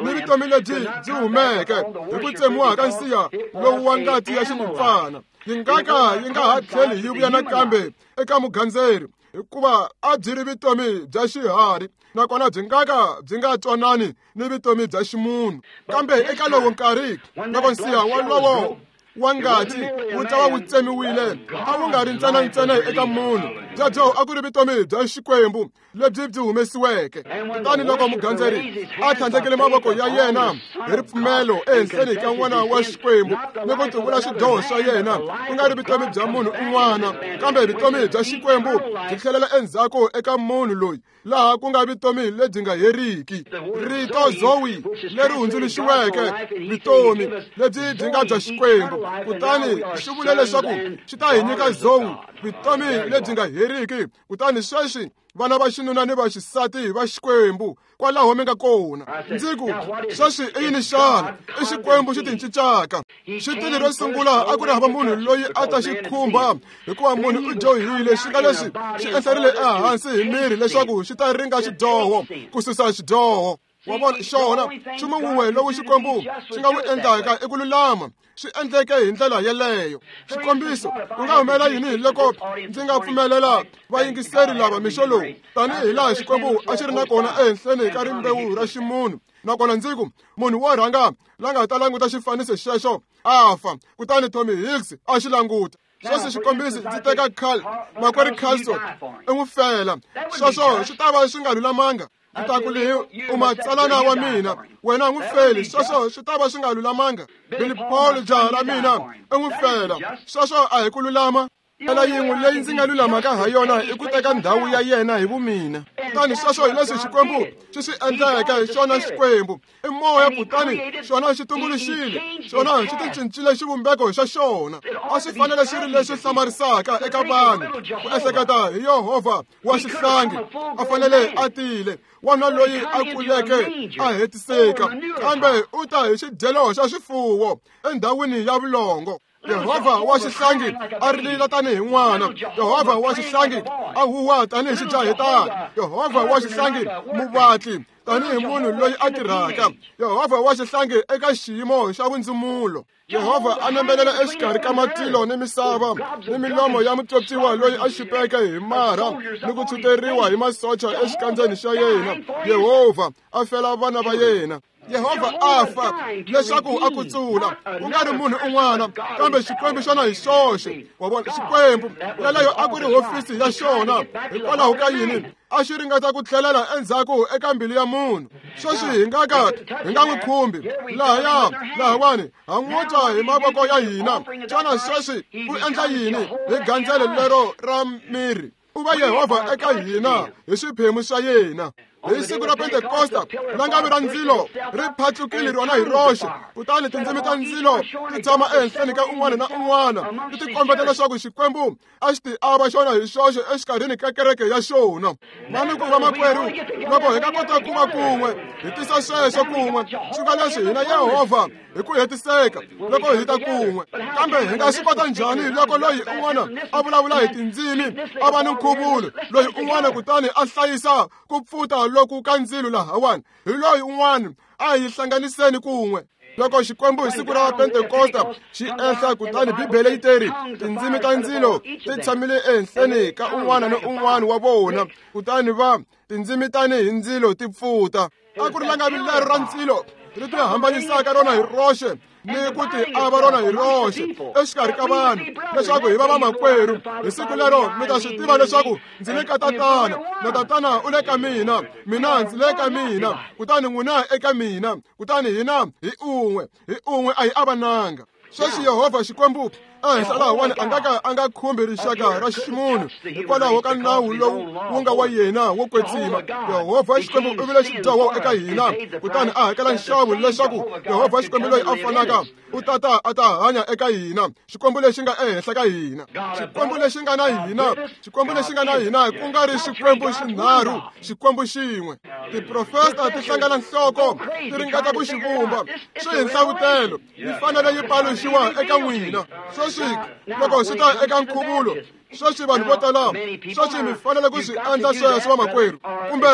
S1: ni vutomi lebyi byi humeke hi ku tsemiwa ka nsiya lowu wa ngati ya xinyimpfana, yi nga ka yi nga ha tlheli yi vuya nakambe eka mugandzeri, hikuva a byi ri vutomi bya xiharhi, nakona byi nga ka byi nga twanani ni vutomi bya ximunhu. Kambe eka lowo nkarhi loko nsiya wolowo wa ngati wu ta va wu tsemiwile, a wu nga ri ntsena eka munhu, byebyo a ku ri vutomi bya Xikwembu lebyi byi humesiweke. Kutani loko mugandzeri a tlhandlekele mavoko ya yena hi ripfumelo ehenhleni ka n'wana wa Xikwembu ni ku tivula swidyoho swa yena, ku nga ri vutomi bya munhu un'wana, kambe vutomi bya Xikwembu byi tlhelela endzhaku eka munhu loyi, laha ku nga vutomi lebyi nga heriki. Rito Zoe leri hundzuluxiweke vutomi lebyi byi nga bya Xikwembu, kutani xi vule leswaku xi ta hi nyika Zoe, vutomi lebyi nga heriki. Kutani sweswi vana va xinuna ni va xisati va Xikwembu kwalaho mi nga kona. Ndzi ku, sweswi i yini xana? I Xikwembu xi tincincaka. Xitili ro sungula a ku ri hava munhu loyi a ta xi khumba, hikuva munhu u dyohile. Xi nga leswi xi ehlerile ehansi hi miri leswaku xi ta ringa xidyoho, ku susa xidyoho. Wa vona, xona nchumu wun'we lowu Xikwembu xi nga wu endlaka i ku lulama, swi endleke hi ndlela yeleyo. Xikombiso, ku nga humelela yini loko ndzi nga pfumelela vayingiseri lava mixo lowu, tanihi laha Xikwembu a xi ri na kona ehenhleni ka rimbewu ra ximunhu, nakona ndzi ku munhu wo rhanga la nga ta languta xifaniso xexo a fa, kutani Tommy Hicks a xi languta. Sweswi xikombiso, ndzi teka Carl, makwerhu Carlson, i n'wi fela. Sweswo swi ta va swi nga lulamanga. Ndzi ta ku leyi u matsalana wa mina, wena n'wi feli. Sweswo swi ta va swi nga lulamanga. Billy Paul, jaha ra mina, i n'wi fela. Sweswo a hi ku lulama. Ndlela yin'we leyi ndzi nga lulamaka ha yona i ku teka ndhawu ya yena hi vumina. Kutani sweswo hi leswi Xikwembu xi swi endleke. Xona Xikwembu i moya, kutani xona xi tumbuluxile, xona xi ticincile xivumbeko xa xona. A swi fanele xi ri leswi hlamarisaka eka vanhu ku ehleketa hi Yehovha wa xihlangi a fanele a tile, wanuna loyi a kuleke a hetiseka, kambe u ta hi xidyelo xa swifuwo endhawini ya vulongo. Yehovha wa xihlangi a rilila tanihi n'wana, Yehovha wa xihlangi a huwa tanihi xijahetana, Yehovha wa xihlangi muvatli tanihi munhu loyi a tirhaka, Yehovha wa xihlangi eka xiyimo xa vundzumulo. Yehovha a nembelela exikarhi ka matilo ni misava ni milomo ya mutswotswiwa loyi a xupeke hi marha ni ku tshuteriwa hi masocha exikandzeni xa yena. Yehovha a fela vana va yena. Yehovha a fa leswaku a kutsula, ku nga ri munhu un'wana, kambe Xikwembu xona hi xoxe. Wa vona, Xikwembu yeleyo a ku ri hofisi ya xona. Hikwalaho ka yini a xi ringeta ku tlhelela endzhaku eka mbilu ya munhu? Sweswi hi nga ka hi nga n'wi khumbi lahaya lahawani, ha n'wi twa hi mavoko ya hina. Xana sweswi u endla yini hi gandzelo lero ra miri? U va Yehovha eka hina hi swiphemu swa yena. Hi siku ra Pentekosta, langavi ra ndzilo ri phatlukile rona hi roxe, kutani tindzimi ta ndzilo ti tshama ehenhleni ka un'wana na un'wana, ti tikombeta leswaku Xikwembu a xi ti ava xona hi xoxe exikarhini ka kereke ya xona. Manuku vamakwerhu, loko hi nga kota ku va kun'we, hi tisa sweswo kun'we, swi nga leswi hina Yehovha hi ku hetiseka loko hi ta kun'we. Kambe hi nga swi kota njhani loko loyi un'wana a vulavula hi tindzimi a va ni nkhuvulo, loyi un'wana kutani a hlayisa ku pfuta loku ka ndzilo lahawani, hi loyi un'wana? A hi hlanganiseni kun'we. Loko Xikwembu hi siku ra Pentekosta xi ehla, kutani Bibele yi teri tindzimi ta ndzilo ti tshamile ehenhleni ka un'wana ni un'wana wa vona, kutani va tindzimi tani hi ndzilo ti pfuta. A ku ri langavi lero ra ndzilo ri ti hambanisaka rona hi roxe ni ku ti ava rona hi roxe exikarhi ka vanhu, leswaku hi va vamakwerhu. Hi siku lero mi ta swi tiva leswaku ndzi le ka Tatana, na Tatana u le ka mina, mina ndzi le ka mina, kutani n'wina eka mina, kutani hina hi un'we, hi un'we a hi avananga. Sweswi Yehovha Xikwembu ehenhla lahawani a nga ka a nga khumbi rixaka ra ximunhu hikwalaho ka nawu lowu wu nga wa yena wo kwetsima. Yehovha Xikwembu u vile xidyoho eka hina, kutani a hakela nxavo leswaku Yehovha Xikwembu loyi a fanaka u tata a ta hanya eka hina, Xikwembu lexi nga ehenhla ka hina, Xikwembu lexi nga na hina, Xikwembu lexi nga na hina, ku nga ri Xikwembu xinharhu, Xikwembu xin'we. Tiprofesa ti hlangana nhloko ti ringeta ku xi vumba, swi hi nhlavutelo, yi fanele yi paluxiwa eka n'wina. Sweswi loko swi ta eka nkhuvulo, sweswi vanhu vo tala, sweswi mi fanele ku swi endla sweswo vamakwerhu, kumbe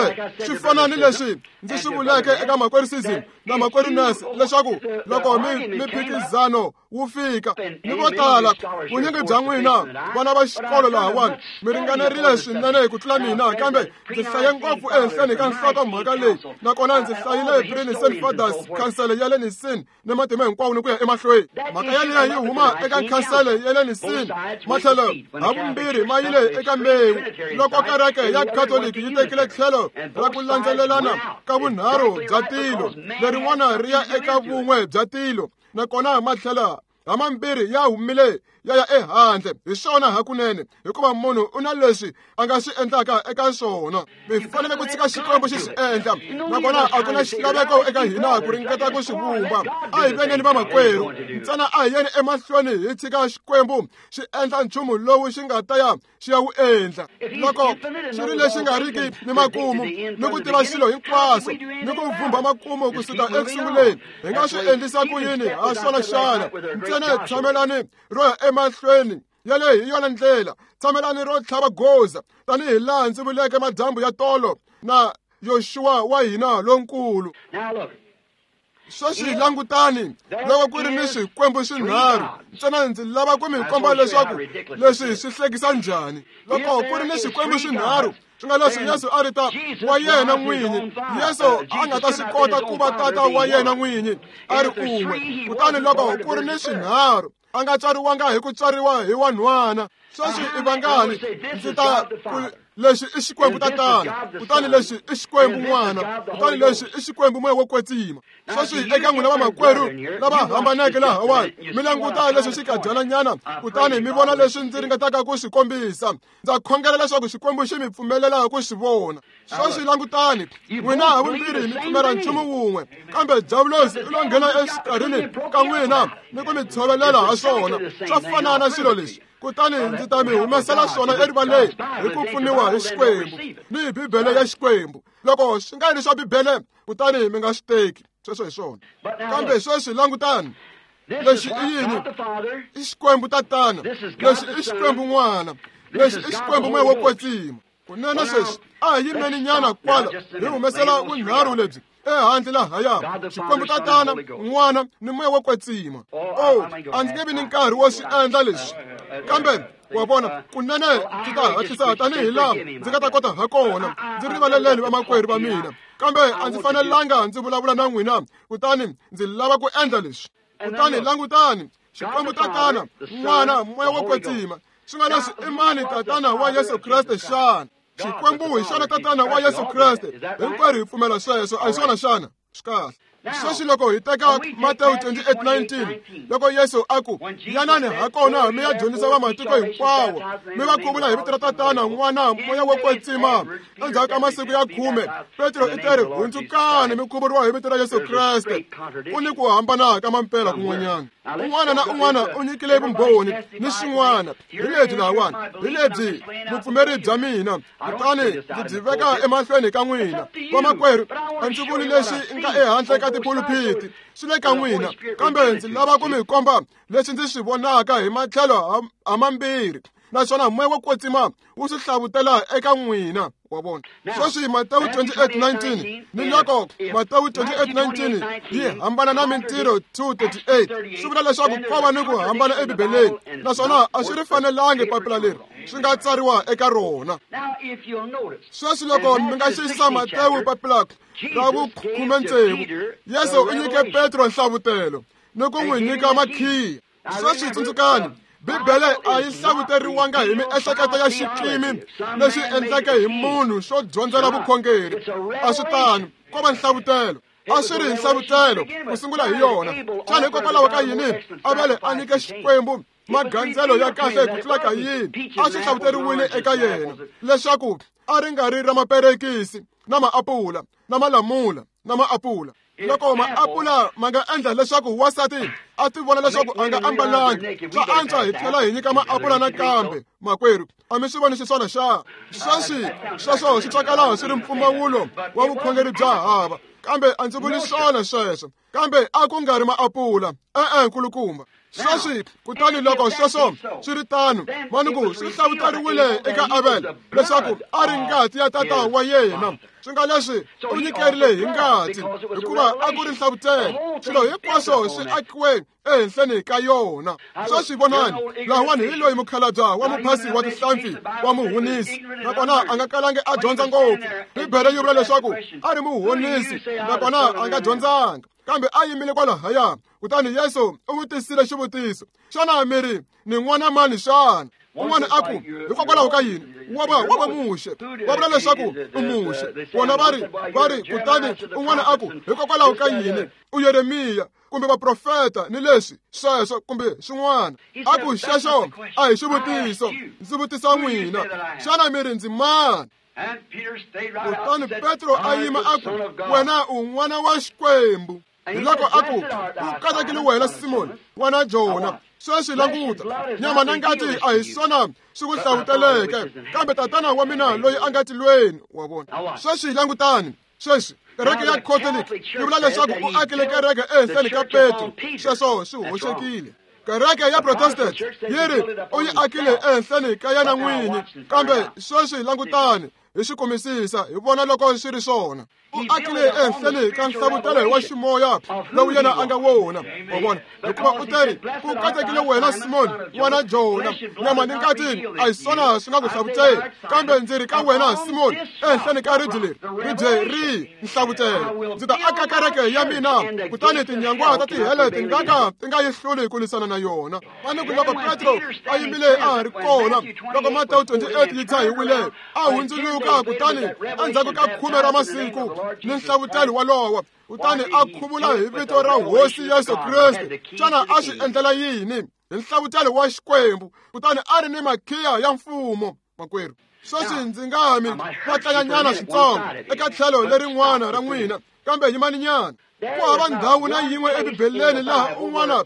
S1: swi fana ni leswi ndzi swi vuleke eka makwerhu Season na makwerhu Nurse, leswaku loko mi phikizano wu fika ni vo tala, vunyingi bya n'wina vana va xikolo lahawani mi ringanerile swinene ku tlula mina, kambe ndzi hlaye ngopfu ehenhleni ka nhlokomhaka leyi, nakona ndzi hlayile Pre-Nicene Fathers, Khansele ya le Nicene ni matimba hinkwawo ni ku ya emahlweni. Mhaka yaliya yi huma eka khansele ya le Nicene. Matlhelo havumbirhi ma yile eka mbewu loko kereke ya Khatoliki yi tekile tlhelo ra ku landzelelana ka vunharhu bya tilo, lerin'wana ri ya eka vun'we bya tilo, nakona matlhelo hamambirhi ya humile ya ya ehandle. Hi swona hakunene, hikuva munhu u na leswi a nga swi endlaka eka swona. Mi fanele ku tshika Xikwembu xi swi endla, nakona a ku na xilaveko eka hina ku ringeta ku swi vumba. A hi vengeni vamakwerhu ntsena, a hi yeni emahlweni hi tshika Xikwembu xi endla nchumu lowu xi nga ta ya xi ya wu endla. Loko xi ri lexi nga riki ni makumu ni ku tiva swilo hinkwaswo ni ku vhumba makumu kusuka ekusunguleni, hi nga swi endlisa ku yini ha swona xana? Ntsena tshamelani ro ya emahlweni, yaleyo hi yona ndlela. Tshamelani ro tlhava goza, tanihi laha ndzi vuleke madyambu ya tolo na Yoxuwa wa hina lonkulu. Sweswi langutani, loko ku ri ni swikwembu swinharhu, ntsena ndzi lava ku mi komba leswaku leswi swi hlekisa njhani. Loko ku ri ni swikwembu swinharhu, swi nga leswi Yesu a ri ta wa yena n'winyi, Yesu a nga ta swi kota ku va tata wa yena n'winyi a ri un'we. Kutani loko ku ri ni swinharhu, a nga tswariwanga hi ku tswariwa hi wanhwana. Sweswi i vangani ndzi ta ku lexi i Xikwembu Tatana, kutani lexi i Xikwembu N'wana, kutani lexi i Xikwembu Moya wo Kwetsima? Sweswi eka n'wina vamakwerhu lava hambaneke lahawani, mi languta leswi xi kadyananyana, kutani mi vona leswi ndzi ringetaka ku swi kombisa. Ndza khongela leswaku Xikwembu xi mi pfumelela ku swi vona. Sweswi langutani, n'wina havumbirhi mi pfumela nchumu wun'we, kambe diavulosi u lo nghena exikarhini ka n'wina ni ku mi tshovelela ha swona. Swa fana na swilo leswi, kutani ndzi ta mi humesela swona erivaleni hi ku pfuniwa hi Xikwembu ni hi Bibele ya Xikwembu. Loko swi nga ri swa Bibele, kutani mi nga swi teki. Sweswo hi swona. Kambe sweswi langutani, lexi i yini? I Xikwembu Tatana, lexi i Xikwembu N'wana, lexi i Xikwembu Moya wo Kwetsima. Kunene sweswi a hi yimeni nyana kwala, hi humesela vunharhu lebyi ehandle lahaya, Xikwembu Tatana, N'wana ni Moya wo Kwetsima. O, a ndzi nge vi ni nkarhi wo swi endla leswi, kambe wa vona, kunene ndzi ta hatlisa tanihi laha ndzi nga ta kota ha kona. Ndzi rivaleleni vamakwerhu va mina. Kambe a ndzi fanelanga ndzi vulavula na n'wina, kutani ndzi lava ku endla leswi. Kutani langutani, Xikwembu Tatana, N'wana, Moya wo Kwetsima. Swi nga leswi i mani Tatana wa Yesu Kreste xana? Xikwembu hi xona Tatana wa Yesu Kreste. Hinkwerhu hi pfumela sweswo, a hi swona xana? Swi kahle. Sweswi loko hi teka Matewu 28:19, loko Yesu a ku, yanani hakona mi ya dyondzisa vamatiko hinkwawo, mi va khuvula hi vito ra Tatana, N'wana, Moya wo Kwetsima. Endzhaku ka masiku ya 10, Petro i teri, hundzukani mi khuvuriwa hi vito ra Yesu Kreste. Ku ni ku hambana ka mampela kun'wanyana. Un'wana na un'wana u nyikile vumbhoni ni swin'wana. Hi lebyi lahawani, hi lebyi vupfumeri bya mina, kutani ndzi byi veka emahlweni ka n'wina. Vamakwerhu, a ndzi vuli leswi nga ehandle ka tipulupiti, swi le ka n'wina, kambe ndzi lava ku mi komba leswi ndzi swi vonaka hi matlhelo hamambirhi, naswona Moya wo Kwetsima wu swi hlavutela eka n'wina. Wa vona? Sweswi Matewu 28:19 ni loko Matewu 28:19 yi hambana na Mintirho 2:38, swi vula leswaku ko va ni ku hambana eBibeleni, naswona a swi ri fanelangi papila leri swi nga tsariwa eka rona. Sweswi loko mi nga xiyisisa Matewu papila ra vu-16, Yesu u nyike Petro nhlavutelo ni ku n'wi nyika makhiya. Sweswi tsundzukani, Bibele a yi hlavuteriwanga hi miehleketo ya xikimi lexi endleke hi munhu xo dyondzela vukhongeri. A swi tano, ko va nhlavutelo. A swi ri nhlavutelo ku sungula hi yona. Xana hikokwalaho ka yini Avele a nyike Xikwembu magandzelo ya kahle ku tlula ka yini? A swi hlavuteriwile eka yena leswaku a ri nga ri ra maperekisi na maapula na malamula na maapula. Loko maapula ma nga endla leswaku wansati a ti vona leswaku a nga ambalangi, swa antswa hi tlhela hi nyika maapula nakambe. Makwerhu, a mi swi voni xiswona xa? Sweswi sweswo swi twakala swi ri mpfumawulo wa vukhongeri bya hava, kambe a ndzi vuli swona sweswo. Kambe a ku nga ri maapula, e-e nkulukumba. Sweswi kutani loko sweswo swi ri tano, manuku swi hlavuteriwile eka Abel leswaku a ri ngati ya tata wa yena. Swi nga leswi u nyikerile hi ngati, hikuva a ku ri nhlavutelo. Swilo hinkwaswo swi akiwe ehenhleni ka yona. Sweswi vonani, lahawani hi loyi mukhalabya wa muphasi wa tihlampfi wa muhunisi, nakona a nga kalangi a dyondza ngopfu. Bibele yi vula leswaku a ri muhunisi, nakona a nga dyondzanga, kambe a yimile kwalahaya. Kutani Yesu u vutisile xivutiso, xana mi ri ni n'wana mani xana? Un'wana a ku, hikokwalaho ka yini? Wa va Muxe. Va vula leswaku u Muxe. Vona va ri, kutani un'wana a ku, hikokwalaho ka yini? U Yeremiya kumbe vaprofeta ni leswi sweswo kumbe swin'wana. A ku, xexo a hi xivutiso, ndzi vutisa n'wina, xana mi ri ndzi mani? Kutani Petro a yima a ku, wena u n'wana wa Xikwembu. Hi loko a ku, u katekile wena Simoni, n'wana Jona. Sweswi languta, nyama na ngati a hi swona swi ku hlavuteleke, kambe Tatana wa mina loyi a nga tilweni. Wa vona? Sweswi langutani, sweswi kereke ya Catholic yi vula leswaku u akile kereke ehenhleni ka Petro. Sweswo swi hoxekile. Kereke ya Protestant yi ri u yi akile ehenhleni ka yena n'winyi, kambe sweswi langutani, hi swi kumisisa hi vona loko swi ri swona. U akile ehenhleni ka nhlavutelo wa ximoya lowu yena a nga wona. Wa vona? Hikuva u teri, ku katekile wena Simoni, n'wana Jona, nyama ni ngati a hi swona swi nga ku hlavuteli, kambe ndzi ri ka wena Simoni, ehenhleni ka ribye leri, ribye ri nhlavutelo, ndzi ta aka kereke ya mina, kutani tinyangwa ta tihele ti nga ka ti nga yi hluli ku lwisana na yona. Manuku loko Petro a yimile a ha ri kona, loko Matewu 28 yi tshahiwile, a hundzuluka, kutani endzhaku ka 10 ra masiku ni nhlavutelo walowo, kutani a khuvula hi vito ra Hosi Yesu Kreste. Xana a swi endlela yini? Hi nhlavutelo wa Xikwembu, kutani a ri ni makhiya ya mfumo. Makwerhu, sweswi ndzi nga mi vatlanyanyana switsongo eka tlhelo lerin'wana ra n'wina, kambe yimaninyana. Ku hava ndhawu na yin'we eBibeleni laha un'wana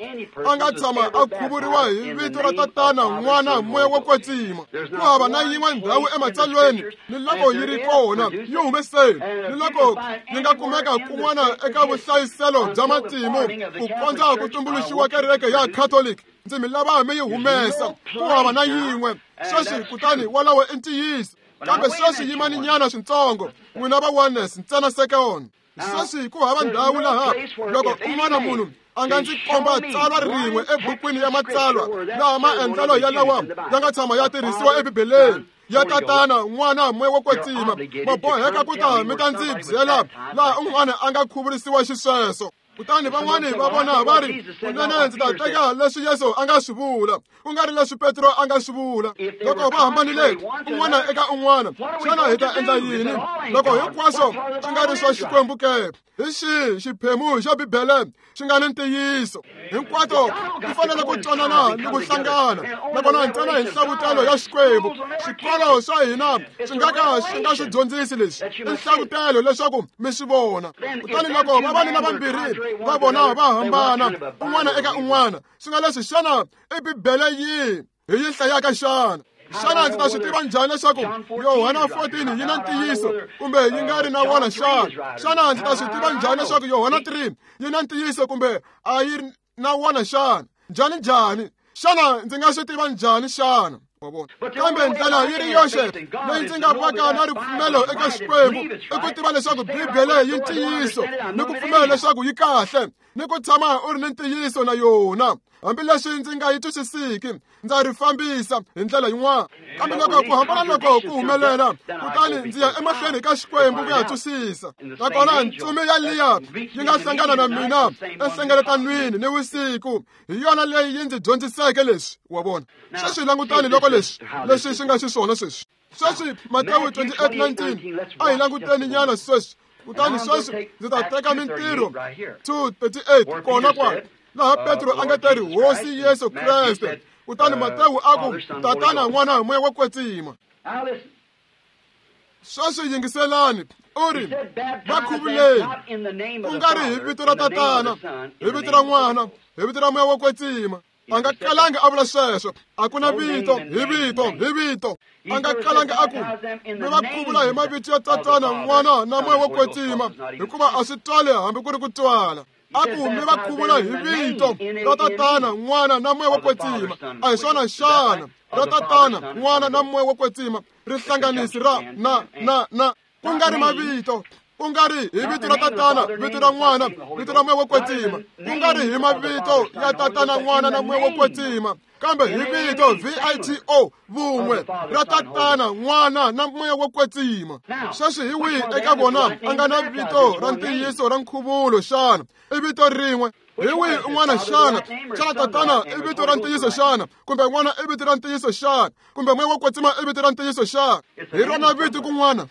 S1: a nga tshama a khuvuriwa hi vito ra Tatana, N'wana, Moya wo Kwetsima. Ku hava na yin'we ndhawu ematsalweni, ni loko yi ri kona yi humeseni, ni loko yi nga kumeka kun'wana eka vuhlayiselo bya matimu ku kondza ku tumbuluxiwa kereke ya Catholic. Ndzi mi lava mi yi humesa. Ku hava na yin'we. Sweswi kutani walawo i ntiyiso. Kambe sweswi yimaninyana switsongo, n'wina va oneness ntsena second. Sweswi ku hava ndhawu laha loko un'wana munhu a nga ndzi komba tsalwa rin'we ebukwini ya matsalwa laha maendlelo ya lawa ya nga tshama ya tirhisiwa eBibeleni, ya Tatana, N'wana, Moya wo Kwetsima, ma boheka ku ta mi ta ndzi byela laha un'wana a nga khuvurisiwa xisweswo. Kutani van'wani va vona va ri, kunene ndzi ta teka leswi Yesu a nga swi vula, ku nga ri leswi Petro a nga swi vula. Loko va hambanile un'wana eka un'wana, xana hi ta endla yini? Loko hinkwaswo swi nga ri swa Xikwembu ke, hi xihi xiphemu xa Bibele xi nga ni ntiyiso? Hinkwato ti fanele ku twanana ni ku hlangana, nakona ntsena hi nhlavutelo ya Xikwembu. Swikolo swa hina swi nga ka swi nga swi dyondzisi leswi, i nhlavutelo leswaku mi swi vona. Kutani loko vavanuna vambirhi va vona va hambana un'wana eka un'wana, swi nga leswi, xana i Bibele yihi hi yi hlayaka xana? Xana ndzi ta swi tiva njhani leswaku Yohana 14 yi na ntiyiso kumbe yi nga ri na wona xana? Xana ndzi ta swi tiva njhani leswaku Yohana 3 yi na ntiyiso kumbe a yi na wona xana? Njhani njhani? Xana ndzi nga swi tiva njhani xana? Kambe ndlela yi ri yoxe leyi ndzi nga vaka na ripfumelo eka Xikwembu i ku tiva leswaku Bibele yi ntiyiso, ni ku pfumela leswaku yi kahle, ni ku tshama u ri ni ntiyiso na yona. Hambileswi ndzi nga yi twisisiki, ndza ri fambisa hi ndlela yin'wana. Kambe loko ku hambana loko ku humelela, kutani ndzi ya emahlweni ka Xikwembu ku ya twisisa. Nakona ntsumi ya liya yi nga hlangana na mina enhlengeletanweni ni vusiku, hi yona leyi yi ndzi dyondziseke leswi, wa vona. Sweswi langutani loko leswi leswi swi nga xiswona sweswi. Sweswi Matewu 28:19, a hi languteni nyana sweswi. Kutani sweswi ndzi ta teka Mintirho 2:38 kona kwala, laha Petro a nga ta ri Hosi Yesu Kreste. Kutani Matewu a ku, Tatana, N'wana, Moya wo Kwetsima. Sweswi yingiselani, u ri, va khuvuleni, ku nga ri hi vito ra Tatana, hi vito ra N'wana, hi vito ra Moya wo Kwetsima. A nga kalanga a vula sweswo, a ku na vito, hi vito, hi vito. A nga kalanga a ku, mi va khuvula hi mavito ya Tatana, N'wana na Moya wo Kwetsima, hikuva a swi twali hambi ku ri ku twala. A ku mi va khuvula hi vito ra Tatana, N'wana na Moya wo Kwetsima. A hi swona xana? Ra Tatana, N'wana na Moya wo Kwetsima, rihlanganisi ra na na na, ku nga ri mavito, ku nga ri hi vito ra Tatana, vito ra N'wana, vito ra Moya wo Kwetsima, ku nga ri hi mavito ya Tatana, N'wana na Moya wo Kwetsima, kambe hi vito V-I-T-O, vun'we ra Tatana, N'wana na Moya wo Kwetsima. Sweswi hi wihi eka vona a nga na vito ra ntiyiso ra nkhuvulo xana? I vito rin'we. Hi wihi un'wana xana? Xana Tatana i vito ra ntiyiso xana? Kumbe N'wana i vito ra ntiyiso xana? Kumbe Moya wo Kwetsima i vito ra ntiyiso xana? Hi rona vito kun'wana,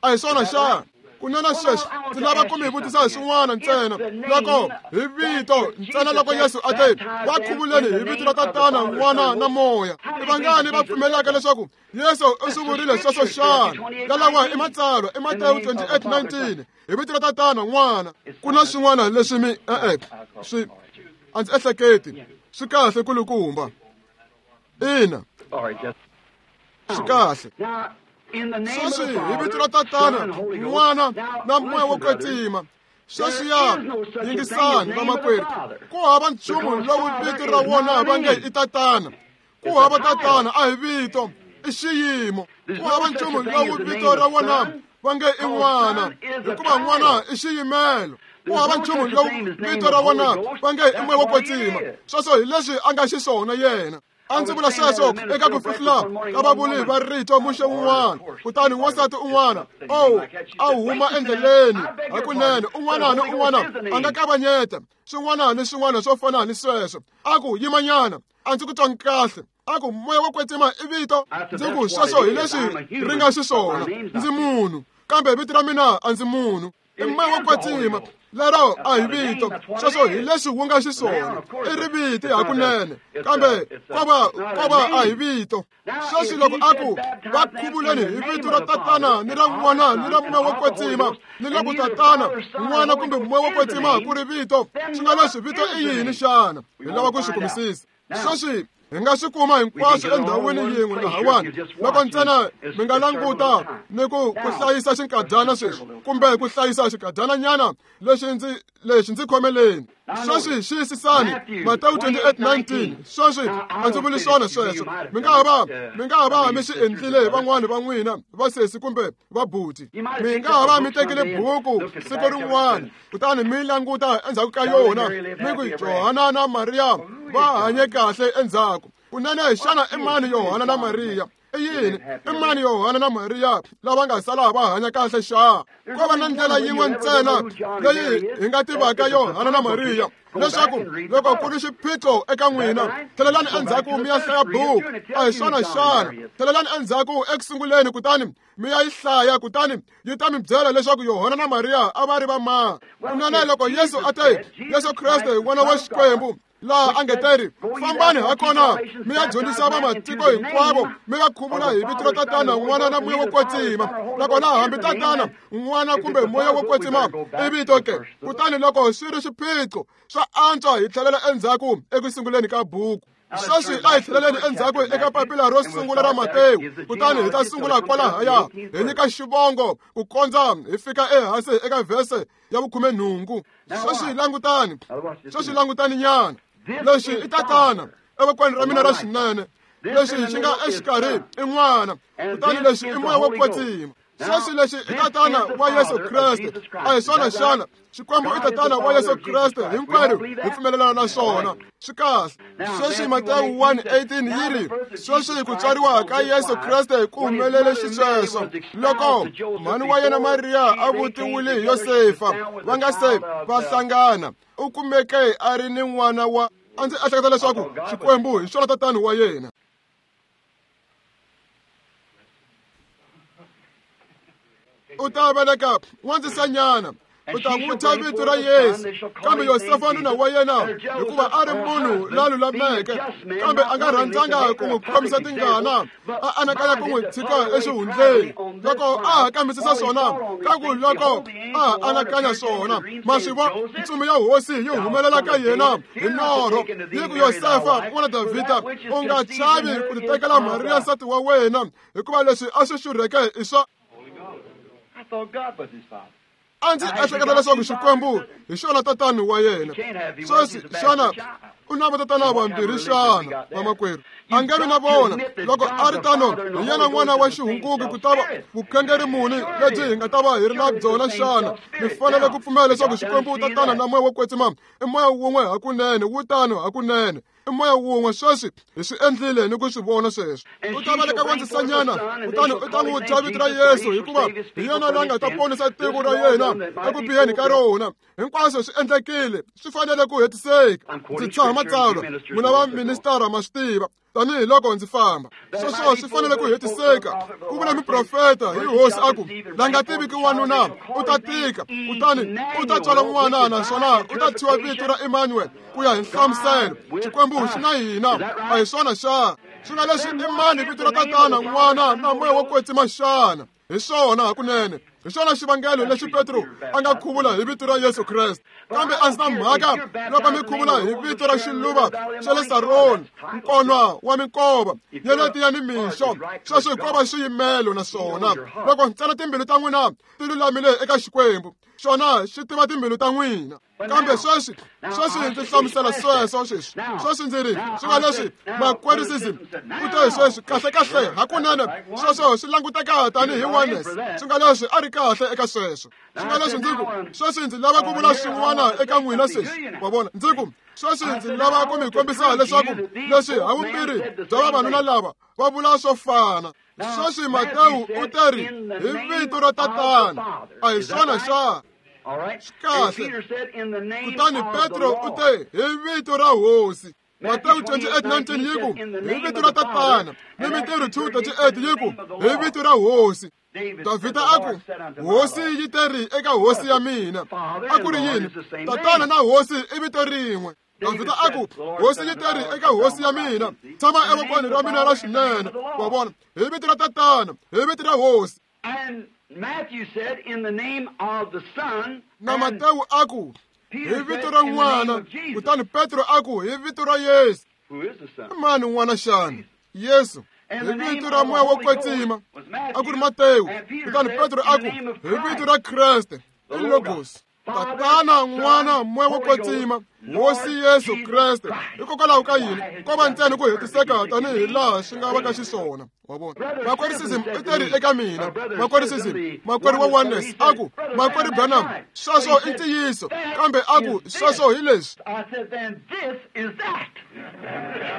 S1: a hi swona xana? Kunene sweswi ndzi lava ku mi vutisa hi swin'wana ntsena. Loko hi vito ntsena, loko Yesu a te va khuvuleni hi vito ra Tatana, N'wana na Moya, i vangani va pfumelaka leswaku Yesu u swi vurile sweswo xana? Yalawa i Matsalwa, i Matewu 28:19, hi vito ra Tatana, N'wana. Ku na swin'wana leswi mi e-e swi a ndzi ehleketi swi kahle kulukumba. Ina, swi kahle. Sweswi hi vito ra Tatana, N'wana na Moya wo Kwetsima. Sweswi ya yingisani vamakwerhu, ku hava nchumu lowu vito ra wona va nge i Tatana. Ku hava Tatana a hi vito, i xiyimo. Ku hava nchumu lowu vito ra wona va nge i N'wana, hikuva N'wana i xiyimelo. Ku hava nchumu lowu vito ra wona va nge i Moya wo Kwetsima. Sweswo hi leswi a nga xiswona yena. A ndzi vula sweswo eka ku fihlula ka vavuli va rito muxe wun'wana. Kutani wansati un'wana, oh, a huma endleleni hakunene. Un'wana ni un'wana a nga kavanyeta swin'wana ni swin'wana swo fana ni sweswo. A ku, yimanyana, a ndzi ku twangi kahle. A ku, Moya wo Kwetsima i vito. Ndzi ku, sweswo hi leswi ri nga xiswona. Ndzi munhu, kambe vito ra mina a ndzi munhu. I Moya wo Kwetsima, lero a hi vito. Sweswo hi leswi wu nga xiswona. I riviti hakunene, kambe kova a hi vito. Sweswi loko a ku va khuvuleni hi vito ra Tatana ni ra N'wana ni ra Moya wo Kwetsima, ni loko Tatana, N'wana kumbe Moya wo Kwetsima ku ri vito, swi nga leswi vito i yini xana? Hi lava ku swi kumisisa. Sweswi hi nga swi kuma hinkwaswo endhawini yin'we lahawani, loko ntsena mi nga languta ni ku hlayisa xinkadyana sweswi, kumbe ku hlayisa xinkadyana lexi ndzi khomeleni. Sweswi xiyisisani Matewu 28:19. Sweswi a ndzi vuli swona sweswo. Mi nga ha va mi swi endlile van'wani va n'wina vasesi kumbe vabuti. Mi nga ha va mi tekile buku siku rin'wana, kutani mi languta endzhaku ka yona, mi ku Johana na Mariya va hanye kahle endzhaku. Kunene xana i mani Yohana na Mariya? I yini? I mani Yohana na Mariya lava nga sala va hanya kahle xa? Ko va na ndlela yin'we ntsena leyi hi nga tivaka Yohana na Mariya, leswaku loko ku ri xiphiqo eka n'wina, tlhelelani endzhaku mi ya hlaya buku. A hi swona xana? Tlhelelani endzhaku ekusunguleni kutani mi ya yi hlaya, kutani yi ta mi byela leswaku Yohana na Mariya a va ri va mani. Kunene loko Yesu a te, Yesu Kreste n'wana wa Xikwembu, laha a nge teri, fambani hakona mi ya dyondzisa vamatiko hinkwavo, mi va khuvula hi vito ra Tatana, N'wana na Moya wo Kwetsima. Nakona hambi Tatana, N'wana kumbe Moya wo Kwetsima i vito ke. Kutani loko swi ri xiphiqo, swa antswa hi tlhelela endzhaku eku sunguleni ka buku. Sweswi a hi tlheleleni endzhaku eka papila ro sungula ra Matewu, kutani hi ta sungula kwalahaya hi nyika xivongo ku kondza hi fika ehansi eka vhese ya 18. Sweswi langutani, sweswi langutani nyana. Lexi i Tatana evokweni ra mina ra xinene, lexi xi nga exikarhi i N'wana, kutani lexi i Moya wo Kwetsima. Sweswi lexi i Tatana wa Yesu Kreste. A hi swona xana? Xikwembu i Tatana wa Yesu Kreste, hinkwerhu hi pfumelelana na swona. Swi kahle. Sweswi Matewu 1:18 yi ri, sweswi ku tswariwa ka Yesu Kreste ku humelele xisweswo loko mhani wa yena Mariya a vutiwile hi Yosefa, va nga se va hlangana, u kumeke a ri ni n'wana wa. A ndzi ehleketa leswaku Xikwembu hi xona Tatana wa yena. U ta veleka n'wandzisanyana, u ta n'wi thya vito ra Yesu. Kambe Yosefa nuna wa yena, hikuva a ri munhu la lulameke, kambe a nga rhandzanga ku n'wi khomisa tingana, a anakanya ku n'wi tshika exihundleni. Loko a ha kambisisa swona, ka ku loko a ha anakanya swona, maswivo ntsumi ya Hosi yi humelela ka yena hi norho, yi ku, Yosefa n'wana Davhida, u nga chavi ku titekela Mariya nsati wa wena, hikuva leswi a swi xurheke i swa. A ndzi ehleketa leswaku Xikwembu hi xona Tatana wa yena. Sweswi xana u na vatatana vambirhi xana, vamakwerhu? A nge vi na vona. Loko a ri tano, hi yena n'wana wa xihunguki, ku ta va vukhongeri muni lebyi hi nga ta va hi ri na byona xana? Mi fanele ku pfumela leswaku Xikwembu Tatana na Moya wo Kwetsima i moya wun'we hakunene, wu tano hakunene. I moya wun'we. Sweswi hi swi endlile ni ku swi vona sweswo. U ta veleka n'wandzisanyana, kutani u ta n'wi thya vito ra Yesu, hikuva hi yena la nga ta ponisa tiko ra yena eku biheni ka rona. Hinkwaswo swi endlekile, swi fanele ku hetiseka. Ndzi tshaha matsalwa, n'wina va ministara ma swi tiva, tanihi loko ndzi famba. Sweswo swi fanele ku hetiseka. Ku vula muprofeta hi Hosi a ku, la nga tiviki wanuna u ta tika, kutani u ta tswala n'wana, naswona u ta thyiwa vito ra Emmanuel, ku ya hi nhlamuselo, Xikwembu xi na hina. A hi swona xana? Swi nga leswi i mani vito ra Tatana, N'wana na Moya wo Kwetsima xana? Hi swona hakunene. Hi xona xivangelo lexi Petro a nga khuvula hi vito ra Yesu Kreste. Kambe a ndzi na mhaka loko mi khuvula hi vito ra xiluva xa le Saroni, nkonwa wa minkova, nyeleti ya nimixo. Sweswo ko va xiyimelo naswona loko ntsena timbilu ta n'wina ti lulamile eka Xikwembu, xona xi tiva timbilu ta n'wina. Kambe sweswi, sweswi ndzi hlamusela sweswo sweswi. Sweswi ndzi ri, swi nga leswi makwerisism u te sweswi kahle kahle hakunene sweswo swi languteka tanihi oneness. Swi nga leswi a ri kahle eka sweswo. Swi nga leswi ndzi ku, sweswi ndzi lava ku vula swin'wana eka n'wina sweswi. Wa vona, ndzi ku, sweswi ndzi lava ku mi kombisa leswaku leswi havumbirhi bya vavanuna lava va vula swo fana. Sweswi Matewu u te ri hi vito ra Tatana, a hi swona xana? Swi kahle. Kutani Petro u te hi vito ra Hosi. Matewu 28:19 yi ku hi vito ra Tatana, ni Mintirho 2:38 yi ku hi vito ra Hosi. Davhida a ku, Hosi yi te ri eka Hosi ya mina. A ku ri yini? Tatana na Hosi i vito rin'we. Davhida a ku, Hosi yi te ri eka Hosi ya mina, tshama evokweni ra mina ra xinene. Wa vona, hi vito ra Tatana, hi vito ra Hosi. Na Matewu a ku, hi vito ra N'wana, kutani Petro a ku, hi vito ra Yesu. I mani n'wana xana? Yesu. Hi vito ra Moya wo Kwetsima, a ku ri Matewu, kutani Petro a ku, hi vito ra Kreste, i Logos. Tatana, N'wana, Moya wo Kwetsima, Hosi Yesu Kreste. Hikokwalaho ka yini? Ko va ntsena ku hetiseka tanihi laha swi nga va ka xiswona. Wa vona? Makwerhu Sism i teri eka mina, Makwerhu Sism, makwerhu wa Oneness, a ku, Makwerhu Branham, sweswo i ntiyiso, kambe a ku, sweswo hi leswi.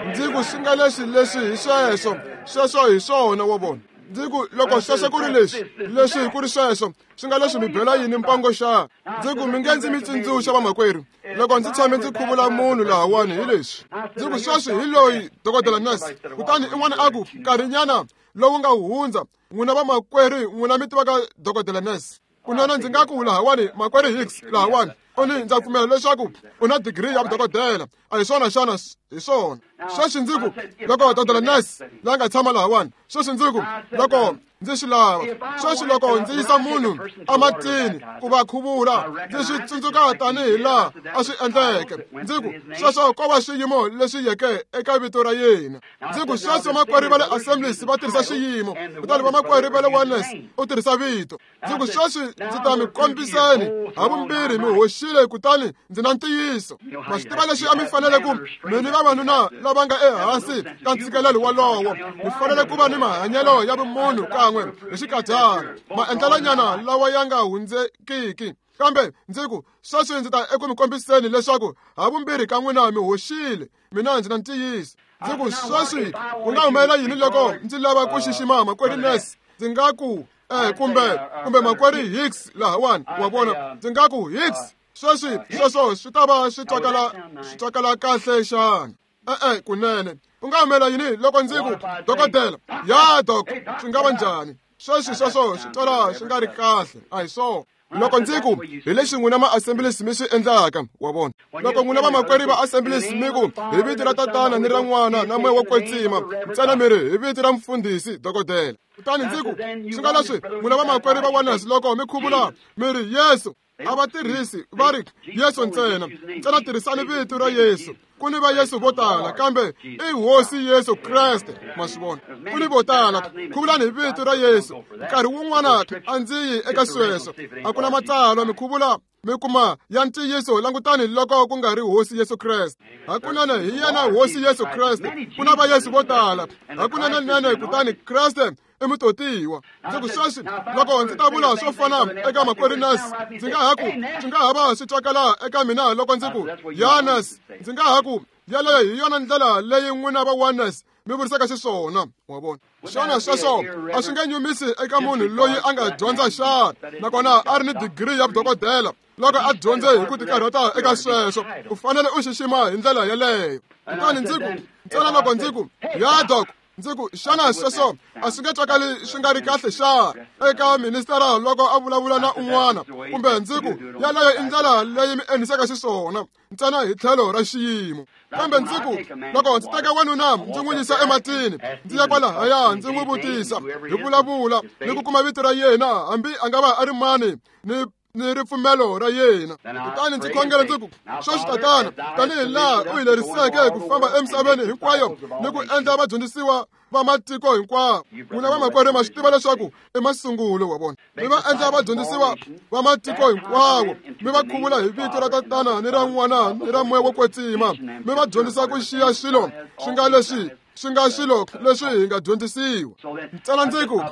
S1: Ndzi ku swi nga leswi leswi hi sweswo, sweswo hi swona, wa vona. Ndzi ku loko sweswo ku ri leswi, leswi ku ri sweswo, swi nga leswi mi bela yini mpango xa? Ndzi ku mi nge ndzi mi tsundzuxa vamakwerhu, loko ndzi tshame ndzi khuvula munhu lahawani hi leswi. Ndzi ku sweswi hi loyi dokodela nurse, kutani in'wana a ku nkarhinyana lowu nga hundza, n'wina vamakwerhu n'wina mi tivaka dokodela nurse. Kunene ndzi nga ku lahawani makwerhu Hicks lahawani, u ni ndza pfumela leswaku u na digiri ya vudokodela, a hi swona xana? Hi swona. Sweswi ndzi ku loko dokodela nurse la nga tshama lahawani, sweswi ndzi ku loko ndzi swi lava, sweswi loko ndzi yisa munhu ematini ku va khuvula, ndzi swi tsundzuka tanihi laha a swi endleke. Ndzi ku sweswo ko va swiyimo leswi yeke eka vito ra yena. Ndzi ku sweswo vamakwerhu va le Assemblies va tirhisa xiyimo, kutani vamakwerhu va le Oneness u tirhisa vito. Ndzi ku sweswi ndzi ta mi kombiseni havumbirhi mi hoxile, kutani ndzi na ntiyiso. Ma swi tiva leswi a mi fanele ku mi ni vavanuna lava nga ehansi ka ntshikelelo wolowo, mi fanele ku va ni mahanyelo ya vumunhu kan'we hi xikadyana, maendlelonyana lawa ya nga hundzekiki. Kambe ndzi ku sweswi ndzi ta eku mi kombiseni leswaku havumbirhi ka n'wina mi hoxile, mina ndzi na ntiyiso. Ndzi ku sweswi ku nga humelela yini loko ndzi lava ku xixima makwerhu Nurse? Ndzi nga ku kumbe makwerhu Hicks lahawani, wa vona, ndzi nga ku Hicks, sweswi sweswo swi ta va swi twakala kahle xana? E-e, kunene. U nga humelela yini loko ndzi ku dokodela? Ya dok, swi nga va njhani? Sweswi sweswo swi twala swi nga ri kahle, a hi swona. Loko ndzi ku hi leswi n'wina ma-Assemblies mi swi endlaka, wa vona. Loko n'wina vamakwerhu va Assemblies mi ku hi vito ra Tatana ni ra N'wana na Moya wo Kwetsima, ntsena mi ri hi vito ra mfundhisi dokodela. Kutani ndzi ku swi nga leswi n'wina vamakwerhu va Oneness loko mi khuvula mi ri Yesu, a va tirhisi va ri Yesu ntsena, ntsena tirhisani vito ra Yesu. Ku ni va Yesu vo tala, kambe i Hosi Yesu Kreste, ma swi vona. Ku ni vo tala, khuvulani hi vito ra Yesu. Nkarhi wun'wana a ndzi yi eka sweswo, a ku na matsalwa mi khuvula mi kuma ya ntiyiso, langutani loko ku nga ri Hosi Yesu Kreste. Hakunene hi yena Hosi Yesu Kreste, ku na va Yesu vo tala, hakunene nene, kutani Kreste i mutotiwa. Ndzi ku sweswi loko ndzi ta vula swo fana eka makwerhu Nurse, ndzi nga ha ku swi nga ha va swi twakala eka mina loko ndzi ku ya Nurse, ndzi nga ha ku yaleyo hi yona ndlela leyi n'wina va Oneness mi vurisaka xiswona, wa vona. Xana sweswo a swi nge nyumisi eka munhu loyi a nga dyondza xana, nakona a ri ni digiri ya vudokodela, loko a dyondze hi ku tikarhata eka sweswo, u fanele u xixima hi ndlela yeleyo. Kutani ndzi ku ntsena loko ndzi ku ya dok, ndzi ku xana sweswo a swi nge twakali swi nga ri kahle xana eka ministara loko a vulavula na un'wana, kumbe ndzi ku yaleyo i ndlela leyi mi endlisaka xiswona ntsena hi tlhelo ra xiyimo. Kambe ndzi ku loko ndzi teka wanuna ndzi n'wi yisa ematini, ndzi ya kwalahaya ndzi n'wi vutisa, hi vulavula ni ku kuma vito ra yena, hambi a nga va a ri mani, ni ripfumelo ra yena. Kutani ndzi khongela ndzi ku sweswi Tatana, tanihi laha u hi leriseke ku famba emisaveni hinkwayo ni ku endla vadyondzisiwa va matiko hinkwawo. N'wina vamakwerhu ma swi tiva leswaku i masungulo wa vona. Mi va endla vadyondzisiwa va matiko hinkwawo, mi va khuvula hi vito ra Tatana ni ra N'wana ni ra Moya wo Kwetsima, mi va dyondzisa ku xiya swilo swi nga leswi swi nga swilo leswi hi nga dyondzisiwa. Ntsena ndzi ku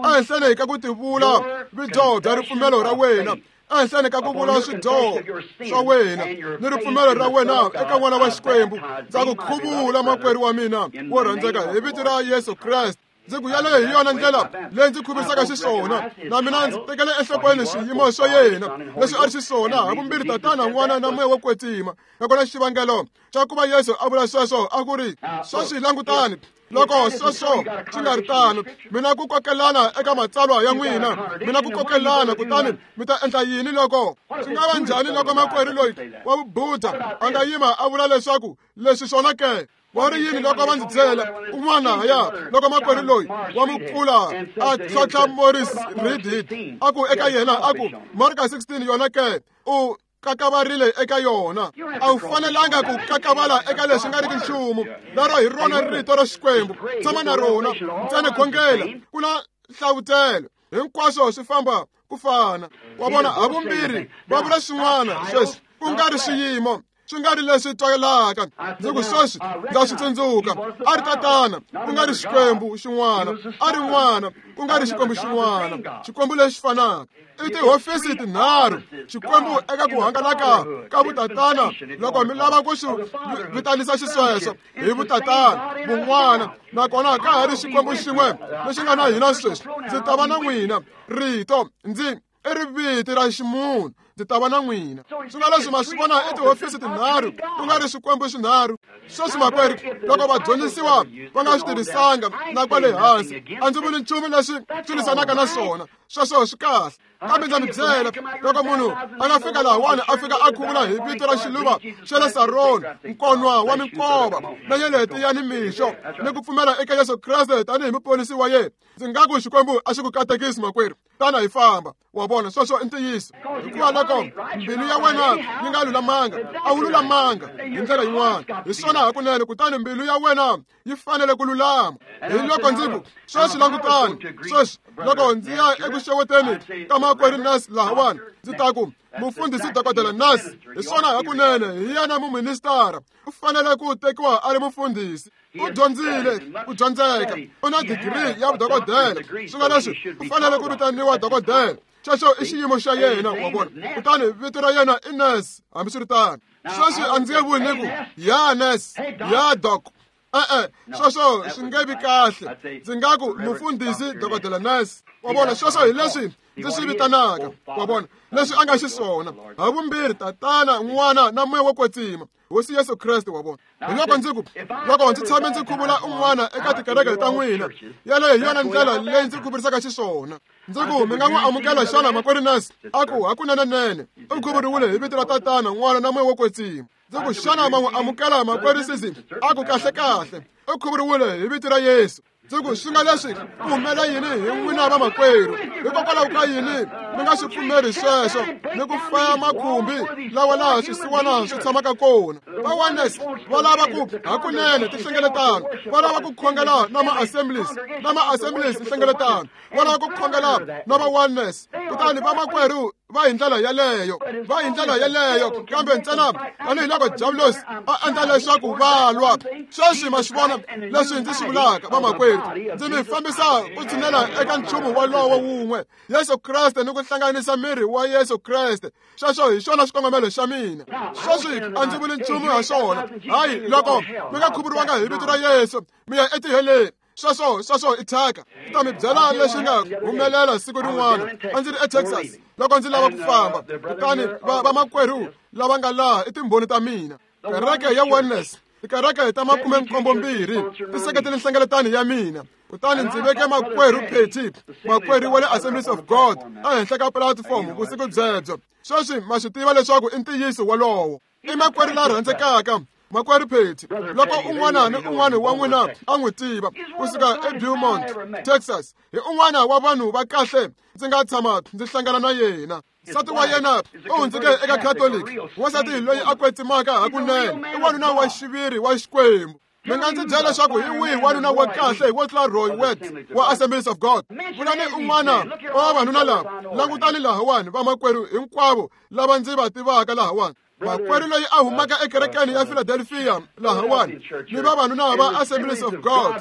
S1: ehenhleni ka ku tivula vudyoho bya ripfumelo ra wena, ehenhleni ka ku vula swidyoho swa wena ni ripfumelo ra wena eka N'wana wa Xikwembu, ndza ku khuvula makwerhu wa mina wo rhandzeka hi vito ra Yesu Kreste. Ndzi ku yaleyo hi yona ndlela leyi ndzi khuvisaka xiswona, na mina ndzi tekele enhlokweni swiyimo swa yena leswi a ri xiswona havumbirhi Tatana, N'wana na Moya wo Kwetsima. Nakona xivangelo xa ku va Yesu a vula sweswo a ku ri sweswi langutani, loko sweswo swi nga ri tano, mina ku kokelana eka matsalwa ya n'wina, mina ku kokelana, kutani mi ta endla yini loko swi nga va njhani loko makwerhu loyi wa Vubudha a nga yima a vula leswaku leswi swona ke? Va ri yini loko va ndzi byela un'wana ya loko makwerhu loyi wa mukula a tlhontlha Morris Reidhead a ku eka yena a ku Marka 16 yona ke u kakavarile eka yona. A wu fanelanga ku kakavala eka leswi nga riki nchumu, lero hi rona rito ra Xikwembu, tshama na rona ntsena, khongela, ku na nhlavutelo, hinkwaswo swi famba ku fana. Wa vona, havumbirhi va vula swin'wana sweswi, ku nga ri swiyimo swi nga ri leswi twalaka. Ndzi ku sweswi ndza swi tsundzuka, a ri tatana ku nga ri Xikwembu xin'wana, a ri n'wana ku nga ri Xikwembu xin'wana, Xikwembu lexi fanaka. I tihofisi tinharhu, Xikwembu eka ku hangalaka ka vutatana. Loko mi lava ku swi vitanisa xisweswo hi vutatana, vun'wana, nakona ka ha ri Xikwembu xin'we lexi nga na hina sweswi. Ndzi ta va na n'wina, rito ndzi i riviti ra ximunhu, ndzi ta va na n'wina. Swi nga leswi ma swi vona i tihofisi tinharhu, ku nga ri swikwembu swinharhu. Sweswi makwerhu, loko vadyondzisiwa va nga swi tirhisanga na kwale hansi, a ndzi vuli nchumu leswi swi lwisanaka na swona, sweswo swi kahle. Kambe ndza mi byela, loko munhu a nga fika lahawani a fika a khuvula hi vito ra xiluva xa le Saroni, nkonwa wa minkova na nyeleti ya nimixo, ni ku pfumela eka Yesu Kreste tanihi muponisi wa yena, ndzi nga ku Xikwembu a xi ku katekisi makwerhu, tana hi famba. Wa vona, sweswo i ntiyiso. Hikuva loko mbilu ya wena yi nga lulamanga, a wu lulamanga hi ndlela yin'wana, hi swona hakunene, kutani mbilu ya wena yi fanele ku lulama. Hi loko ndzi ku sweswi langutani, sweswi loko ndzi ya eku xeweteni ka makwerhu Nas lahawani, ndzi ta ku mufundhisi dokodela Nas, hi swona hakunene, hi yena muministara, u fanele ku tekiwa a ri mufundhisi. U dyondzile, u dyondzeka, u na digiri ya vudokodela, swi nga leswi u fanele ku vitaniwa dokodela. Xexo i xiyimo xa yena, wa vona. Kutani vito ra yena i Nes, hambiswiritano. Sweswi a ndzi nge vuli ni ku ya Nes, ya doc. E-e, sweswo swi nge vi kahle. Ndzi nga ku mufundhisi dokodela Nes. Wa vona, sweswo hi leswi ndzi swi vitanaka, wa vona, leswi a nga xiswona. Havumbirhi tatana, n'wana na moya wo kwetsima, Hosi Yesu Kreste, wa vona. Hi loko ndzi ku, loko ndzi tshame ndzi khuvula un'wana eka tikereke ta n'wina, yaleyo hi yona ndlela leyi ndzi khuvurisaka xiswona. Ndzi ku, mi nga n'wi amukela xana makwerhu Nas? A ku, hakunene-nene, u khuvuriwile hi vito ra tatana, n'wana na moya wo kwetsima. Ndzi ku, xana ma n'wi amukela makwerhu Sisi? A ku, kahle-kahle, u khuvuriwile hi vito ra Yesu. Ndzi ku, swi nga leswi ku humela yini hi n'wina vamakwerhu? Hikokwalaho ka yini mi nga swi pfumeri sweswo ni ku faya makhumbi lawa laha swisiwana swi tshamaka kona? Va Oneness va lava ku hakunene tinhlengeletano, va lava ku khongela na ma-assemblies, na ma-assemblies nhlengeletano, va lava ku khongela na va Oneness. Kutani vamakwerhu va hi ndlela yeleyo, va hi ndlela yeleyo, kambe ntsena tanihiloko Diabulosi a endla leswaku va lwa. Sweswi ma swi vona leswi ndzi swi vulaka, vamakwerhu, ndzi mi fambisa ku tshinela eka nchumu wolowo wun'we, Yesu Kreste, ni ku hlanganisa miri wa Yesu Kreste. Sweswo hi xona xikongomelo xa mina. Sweswi a ndzi vuli nchumu ha swona. Hayi, loko mi nga khuvuriwanga hi vito ra Yesu, mi ya etiheleni. Sweswo, sweswo i thyaka. Ndzi ta mi byela leswi nga humelela siku rin'wana. A ndzi ri eTexas loko ndzi lava ku famba, kutani vamakwerhu lava nga laha i timbhoni ta mina. Kereke ya Oneness, tikereke ta 72 ti seketele nhlengeletano ya mina. Kutani ndzi veke makwerhu Petty, makwerhu wa le Assemblies of God, ehenhla ka platform vusiku byebyo. Sweswi ma swi tiva leswaku i ntiyiso wolowo. I makwerhu la rhandzekaka, makwerhu Petty. Loko un'wana ni un'wana wa n'wina a n'wi tiva, kusuka eBeaumont, Texas, hi un'wana wa vanhu va kahle ndzi nga tshama ndzi hlangana na yena. Nsati wa yena u hundzike eka Catholic, wansati loyi a kwetsimaka hakunene, i wanuna wa xiviri wa Xikwembu. Mi nga ndzi byela leswaku hi wihi wanuna wa kahle wo tlula Roy Wett wa Assemblies of God? Vulani un'wana wa vavanuna lava, langutani lahawani, vamakwerhu hinkwavo lava ndzi va tivaka lahawani. Makwerhu loyi a humaka ekerekeni ya Philadelphia lahawani, ni vavanuna va Assemblies of God.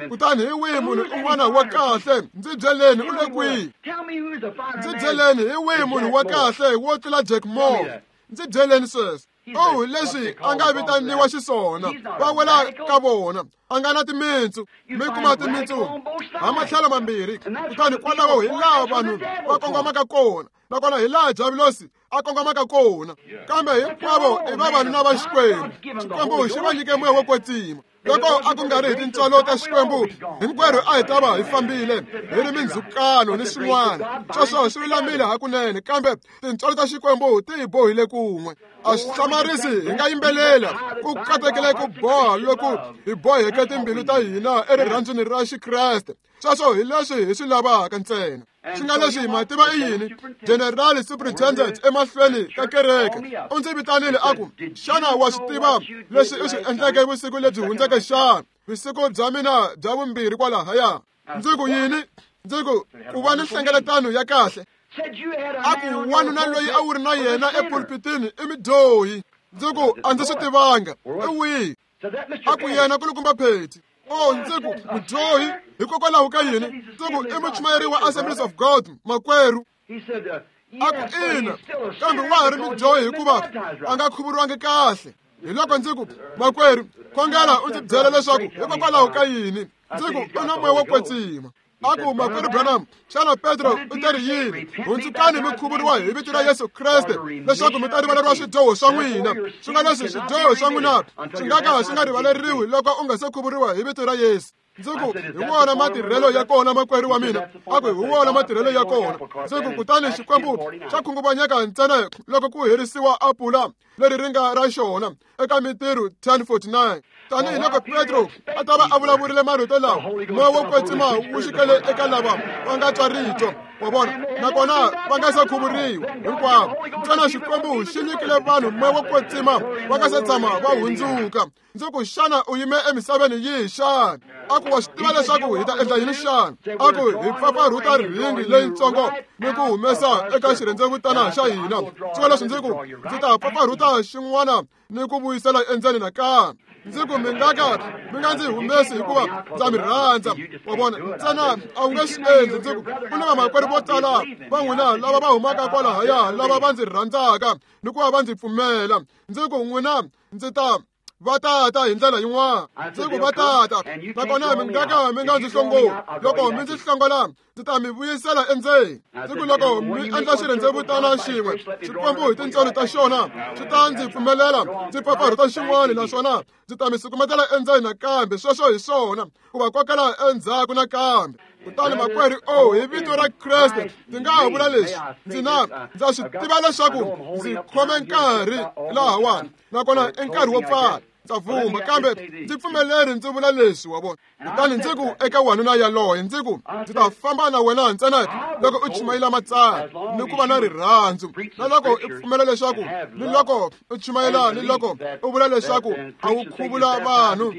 S1: Kutani hi wihi munhu un'wana wa kahle? Ndzi byeleni, u le kwihi? Ndzi byeleni, hi wihi munhu wa kahle wo tlula Jack Moore? Ndzi byeleni sweswo. Oh, leswi a nga vitaniwa xiswona, va wela ka vona, a nga na timintsu. Mi kuma timintsu ha matlhelo mambirhi, kutani kwalaho hi laha vanhu va kongomaka kona, nakona hi laha Diabulosi a kongomaka kona. Kambe hinkwavo i vavanuna va Xikwembu. Xikwembu xi va nyike moya wo kwetsima. Loko a ku nga ri hi tintswalo ta Xikwembu, hinkwerhu a hi ta va hi fambile hi ri mindzhukano ni swin'wana. Sweswo swi lulamile hakunene, kambe tintswalo ta Xikwembu ti hi bohile kun'we. A swi hlamarisi hi nga yimbelela ku katekile ku boha loku hi boheke timbilu ta hina erirhandzwini ra Xikreste. Sweswo hi leswi hi swi lavaka ntsena. Swi nga leswi ma tiva i yini? General Superintendent emahlweni ka kereke u ndzi vitanile a ku, xana wa swi tiva leswi u swi endleke vusiku lebyi hundzeke xana? Vusiku bya mina bya vumbirhi kwalahaya. Ndzi ku yini? Ndzi ku, ku va ni nhlengeletano ya kahle. A ku wanuna loyi a wu ri na yena epulpitini i mudyohi. Ndzi ku a ndzi swi tivanga i wihi. A ku yena kulukumba Pheti. O ndzi ku mudyohi hikokwalaho ka yini? Ndzi ku i muchumayeri wa Assemblies of God makwerhu. A ku ina, kambe wa ha ri mudyohi hikuva a nga khuvuriwangi kahle. Hi loko ndzi ku makwerhu khongela u ndzi byela leswaku hikokwalaho ka yini. Ndzi ku u na moya wo kwetsima. A ku makwerhu Branham, xana Petro u te ri yini? Hundzukani mi khuvuriwa hi vito ra Yesu Kreste leswaku mi ta rivaleriwa swidyoho swa n'wina. Swi nga leswi swidyoho swa n'wina swi nga ka swi nga rivaleriwi loko u nga se khuvuriwa hi vito ra Yesu. Ndzi ku hi wona matirhelo ya kona makwerhu wa mina. A ku hi wona matirhelo ya kona. Ndzi ku kutani Xikwembu xa khunguvanyeka ntsena loko ku herisiwa apula leri ri nga ra xona eka Mintirho 10:49. Tanihi loko Petro a ta va a vulavurile marito lawa, moya wo kwetsima wu xikele eka lava va nga twa rito wa vona, nakona va nga se khuvuriwa hinkwavo. Ntsena Xikwembu xi nyikile vanhu moya wo kwetsima va nga se tshama va hundzuka. Ndzi ku xana u yime emisaveni yihi xana? A ku wa swi tiva leswaku hi ta endla yini xana? A ku hi pfapfarhuta rhingi leyitsongo ni ku humesa eka xirhendzevutana xa hina. Swi leswi ndzi ku ndzi ta pfapfarhuta xin'wana ni ku vuyisela endzeni nakambe. Ndzi ku mi nga ka mi nga ndzi humesi hikuva ndza mi rhandza. Wa vona, ntsena a wu nge swi endli. Ndzi ku ku ni vamakwerhu vo tala va n'wina lava va humaka kwalahaya lava va ndzi rhandzaka ni ku va va ndzi pfumela. Ndzi ku n'wina ndzi ta va tata hi ndlela yin'wana. Ndzi ku va tata, nakona mi nga ka mi nga ndzi hlongoli. Loko mi ndzi hlongola ndzi ta mi vuyisela endzeni. Ndzi ku loko mi endla xirhendzevutana xin'we, Xikwembu hi tintswalo ta xona xi ta ndzi pfumelela ndzi pfapfarhuta xin'wana, naswona ndzi ta mi sukumetela endzeni nakambe. Sweswo hi swona ku va kokela endzhaku nakambe. Kutani makwerhu, o hi vito ra Kreste ndzi nga ha vula leswi, ndzi na ndza swi tiva leswaku ndzi khome nkarhi lahawani, nakona i nkarhi wo pfala. Ndza vumba, kambe ndzi pfumeleri ndzi vula leswi wa vona. Kutani ndzi ku eka wanuna yaloye, ndzi ku ndzi ta famba na wena ntsena loko u chumayela matsalwa ni ku va na rirhandzu, na loko u pfumela leswaku ni loko u chumayela ni loko u vula leswaku a wu khuvula vanhu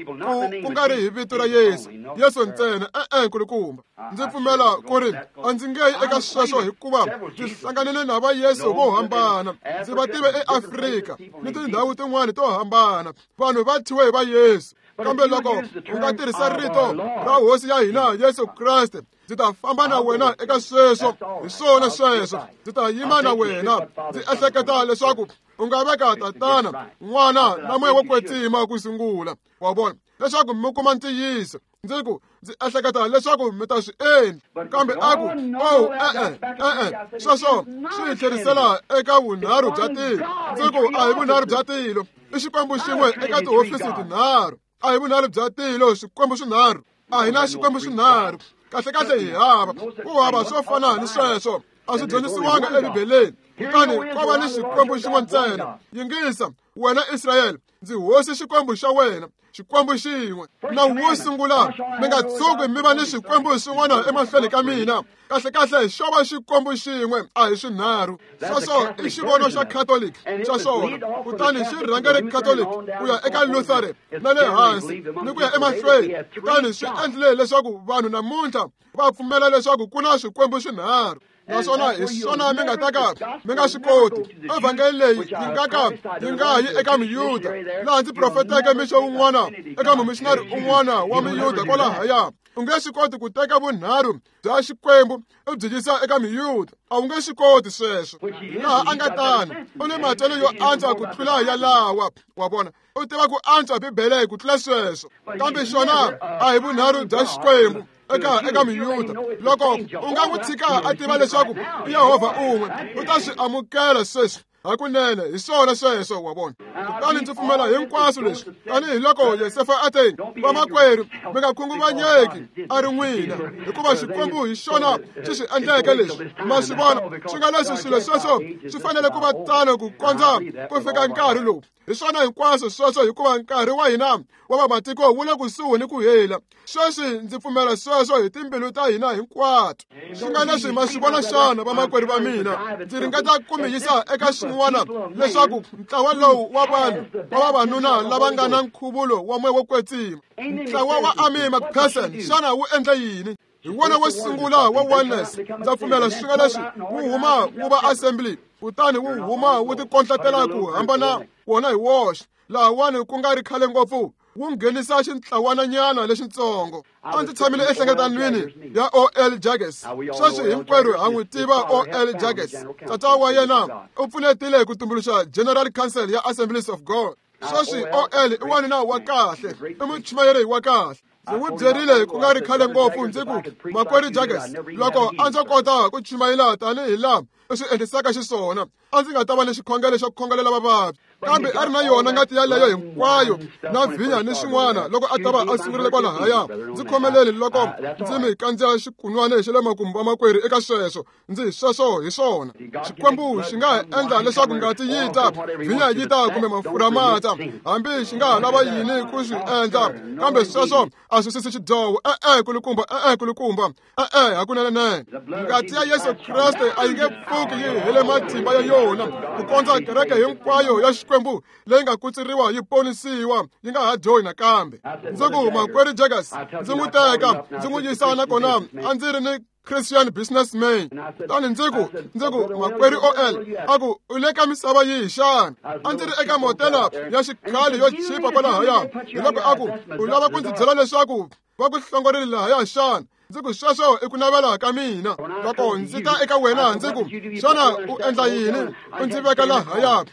S1: ku nga ri hi vito ra Yesu, Yesu ntsena. E-e nkulukumba, ndzi pfumela ku ri a ndzi nge yi eka sweswo hikuva ndzi hlanganile na va Yesu vo hambana. Ndzi va tive eAfrika ni tindhawu tin'wana to hambana, vanhu va thyiwe hi va Yesu. Kambe loko u nga tirhisa rito ra Hosi ya hina Yesu Kreste, ndzi ta famba na wena eka sweswo. Hi swona sweswo, ndzi ta yima na wena. Ndzi ehleketa leswaku u nga veka Tatana, N'wana na Moya wo Kwetsima ku sungula, wa vona, leswaku mi kuma ntiyiso. Ndzi ku ndzi ehleketa leswaku mi ta swi endla. Kambe a ku o e-e e-e, sweswo swi hi tlherisela eka vunharhu bya tilo. Ndzi ku a hi vunharhu bya tilo, i Xikwembu xin'we eka tihofisi tinharhu. A hi vunharhu bya tilo, Xikwembu swinharhu. A hi na Xikwembu swinharhu. Kahlekahle hi hava ku hava swo fana ni sweswo, a swi dyondzisiwanga eBibeleni. Kutani ko va ni Xikwembu xin'we ntsena. Yingisa wena Israyele, ndzi hosi Xikwembu xa wena, Xikwembu xin'we. Nawu wo sungula, mi nga tshuki mi va ni xikwembu xin'wana emahlweni ka mina. Kahlekahle xo va Xikwembu xin'we, a hi swinharhu. Sweswo i xivono xa Catholic xa xona. Kutani xi rhangele Catholic ku ya eka Lutheran na le hansi ni ku ya emahlweni. Kutani swi endlile leswaku vanhu namuntlha va pfumela leswaku ku na swikwembu swinharhu. Naswona hi swona mi nga ta ka mi nga swi koti. Evhangeli leyi yi nga ka yi nga yi eka Miyuda, laha ndzi profeteke mixo wun'wana eka mumishinari un'wana wa Miyuda kwalahaya. U nge swi koti ku teka vunharhu bya Xikwembu u byi yisa eka Miyuda, a wu nge swi koti sweswo. Laha a nga tano, u ni matwelo yo antswa ku tlula yalawa, wa vona, u tiva ku antswa Bibele ku tlula sweswo. Kambe xona a hi vunharhu bya Xikwembu eka Miyuda. Loko u nga n'wi tshika a tiva leswaku i Yehovha un'we, u ta swi amukela sweswi hakunene. Hi swona sweswo, wa vona. Kutani ndzi pfumela hinkwaswo leswi, tanihiloko Yosefa a te, vamakwerhu mi nga khunguvanyeki a ri n'wina, hikuva Xikwembu hi xona xi swi endleke leswi. Ma swi vona, swi nga leswi swilo sweswo swi fanele ku va tano ku kondza ku fika nkarhi lowu. Hi swona hinkwaswo sweswo, hikuva nkarhi wa hina wa vamatiko wu le kusuhi ni ku hela. Sweswi ndzi pfumela sweswo hi timbilu ta hina hinkwato. Swi nga leswi ma swi vona xana, vamakwerhu va mina, ndzi ringeta ku mi yisa eka xin'wana leswaku ntlawa lowu wa vanhu wa vavanuna lava nga na nkhuvulo wa moya wo kwetsima, ntlawa wa Amy McPherson, xana wu endle yini? Hi wona wo sungula wa oneness. Ndza pfumela swi nga leswi wu huma wu va assembly, kutani wu huma wu tikondletela ku hambana wona hi woxe. Lahawani ku nga ri khale ngopfu wu nghenisa xintlawananyana lexitsongo. A ndzi tshamile enhlengetanweni ya O.L. Jaggers. Sweswi hinkwerhu ha n'wi tiva O.L. Jaggers. Tata wa yena u pfunetile ku tumbuluxa General Council ya Assemblies of God. Sweswi O.L. i wanuna wa kahle, i muchumayeri wa kahle. Ndzi n'wi byerile ku nga ri khale ngopfu ndzi ku, Makwerhu Jaggers, loko a ndzo kota ku chumayela tanihi laha u swi endlisaka xiswona, a ndzi nga ta va ni xikhongelo xo khongelela vavabyi. Kambe a ri na yona ngati yaleyo hinkwayo na vhinya ni swin'wana loko a ta va a sungurile kwalahaya. Ndzi khomeleli loko ndzi mi kandziya xikunwana xa le makumu vamakwerhu eka sweswo. Ndzi sweswo hi swona. Xikwembu xi nga ha endla leswaku ngati yi ta, vhinya yi ta kumbe mafurha ma ta, hambi xi nga ha lava yini ku swi endla, kambe sweswo a swi susi xidyoho. E-e kulukumba, e-e kulukumba, e-e hakunene. Ngati ya Yesu Kreste a yi nge pfuki yi hele matimba ya yona ku kondza kereke hinkwayo ya Xikwembu leyi nga kutsuriwa yi ponisiwa yi nga ha dyohi nakambe. Ndzi ku, Makwerhu Jaggers, ndzi n'wi teka ndzi n'wi yisa nakona a ndzi ri ni Christian businessman. Kutani ndzi ku, Makwerhu O.L. a ku, u le ka misava yihi xana? A ndzi ri eka motela ya xikhale yo chipa kwalahaya. Hiloko a ku, u lava ku ndzi byela leswaku va ku hlongorile lahaya xana? Ndzi ku, sweswo i ku navela ka mina. Loko ndzi ta eka wena ndzi ku, xana u endla yini? U ndzi veka lahaya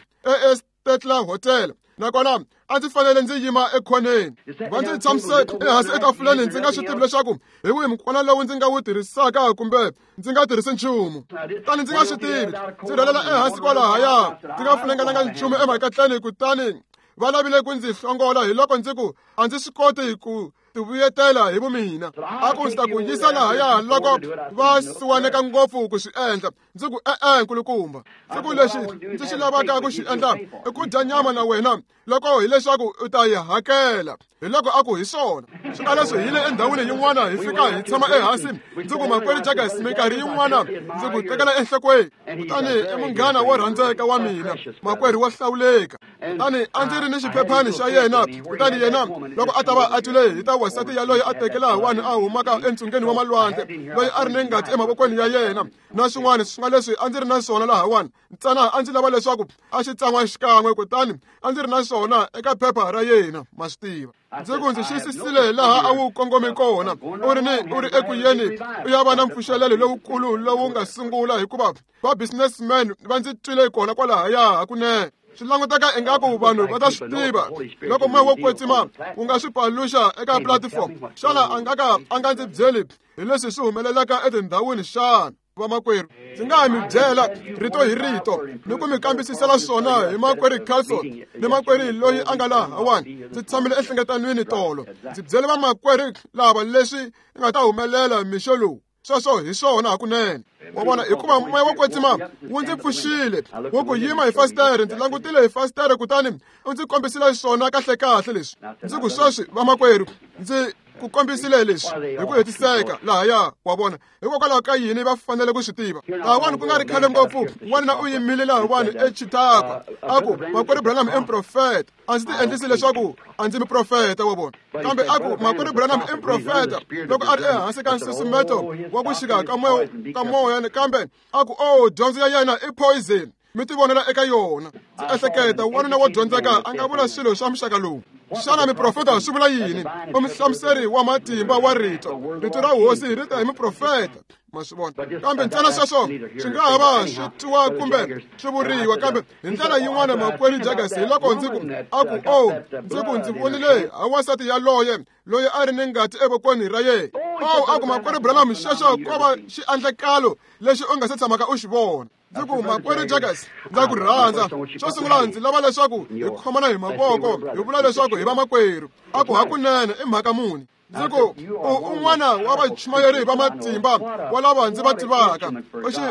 S1: eStetler Hotel. Nakona a ndzi fanele ndzi yima ekhoneni. Va ndzi tshamise ehansi etafuleni ndzi nga swi tivi leswaku hi wihi mukwana lowu ndzi nga wu tirhisaka kumbe ndzi nga tirhisi nchumu. Kutani ndzi nga swi tivi, ndzi rhelela ehansi kwalahaya ndzi nga funengelanga nchumu emakatleni. Kutani va lavile ku ndzi hlongola, hiloko ndzi ku, a ndzi swi koti ku tivuyetela hi vumina. A ku, ndzi ta ku yisa lahaya loko va siwaneka ngopfu ku swi endla. Ndzi ku, e-e nkulukumba. Ndzi ku, lexi ndzi xi lavaka ku xi endla i ku dya nyama na wena loko hileswaku u ta yi hakela. Hiloko a ku, hi swona. Swi nga leswi hi le endhawini yin'wana hi fika hi tshama ehansi. Ndzi ku, Makwerhu Jaggers, minkarhi yin'wana ndzi ku tekela enhlokweni. Kutani i munghana wo rhandzeka wa mina, makwerhu wo hlawuleka. Kutani a ndzi ri ni xiphephani xa yena. Kutani yena loko a ta va a twile hi ta wansati yaloye a teke lahawani a humaka entsungeni wa malwandle, loyi a ri ni ngati emavokweni ya yena na swin'wana swi nga leswi a ndzi ri na swona lahawani. Ntsena a ndzi lava leswaku a xi tsan'wa xikan'we, kutani a ndzi ri na swona eka phepha ra yena, ma swi tiva. Ndzi ku, ndzi xiyisisile laha a wu kongomi kona. U ri ni u ri eku yeni u ya va na mpfuxelelo lowukulu lowu nga sungula, hikuva va businessman va ndzi twile kona kwalahaya hakunene. Swi languteka ingaku vanhu va ta swi tiva loko moya wo kwetsima wu nga swi paluxa eka platform. Xana a nga ka a nga ndzi byeli hi leswi swi humelelaka etindhawini xana? Vamakwerhu, ndzi nga ha mi byela rito hi rito ni ku mi kambisisela swona hi Makwerhu Carlson ni makwerhu loyi a nga lahawani. Ndzi tshamile enhlengetanweni tolo, ndzi byele vamakwerhu lava leswi nga ta humelela mixo lowu. Sweswo hi swona hakunene. Wa vona, hikuva moya wo kwetsima wu ndzi pfuxile, wu ku yima hi fasitere. Ndzi langutile hi fasitere, kutani u ndzi kombisile swona kahlekahle leswi. Ndzi ku, sweswi vamakwerhu, ndzi ku kombisile leswi hi ku hetiseka lahaya. Wa vona, hikokwalaho ka yini va fanele ku swi tiva? Lahawani ku nga ri khale ngopfu, wanuna u yimile lahawani eChitagwa, a ku, Makwerhu Branham i muprofeta. A ndzi ti endlisi leswaku a ndzi muprofeta, wa vona. Kambe a ku, Makwerhu Branham i muprofeta loko a ri ehansi ka nsusumeto wa ku xika ka moya. Kambe a ku, oh, dyondzo ya yena i poison, mi ti vonela eka yona. Ndzi ehleketa wanuna wo dyondzeka a nga vula swilo swa muxaka lowu. Xana miprofeta swi vula yini? U muhlamuseri wa matimba wa rito. Rito ra hosi ri ta hi muprofeta, ma swi vona. Kambe ntsena sweswo swi nga ha va swi twiwa kumbe swi vuriwa, kambe hi ndlela yin'wana Makwerhu Jaggers, hi loko ndzi ku, a ku, oh, ndzi ku, ndzi vonile ha wansati yaloye loyi a ri ni ngati evokweni ra yena. Oh, a ku, Makwerhu Branham, xexo ko va xiendlakalo lexi u nga se tshamaka u xi vona. Ndzi ku, Makwerhu Jaggers, ndza ku rhandza. Xo sungula ndzi lava leswaku hi khomana hi mavoko, hi vula leswaku hi vamakwerhu. A ku, hakunene i mhaka muni? Ndzi ku, u un'wana wa vachumayeri va matimba wa lava ndzi va tivaka.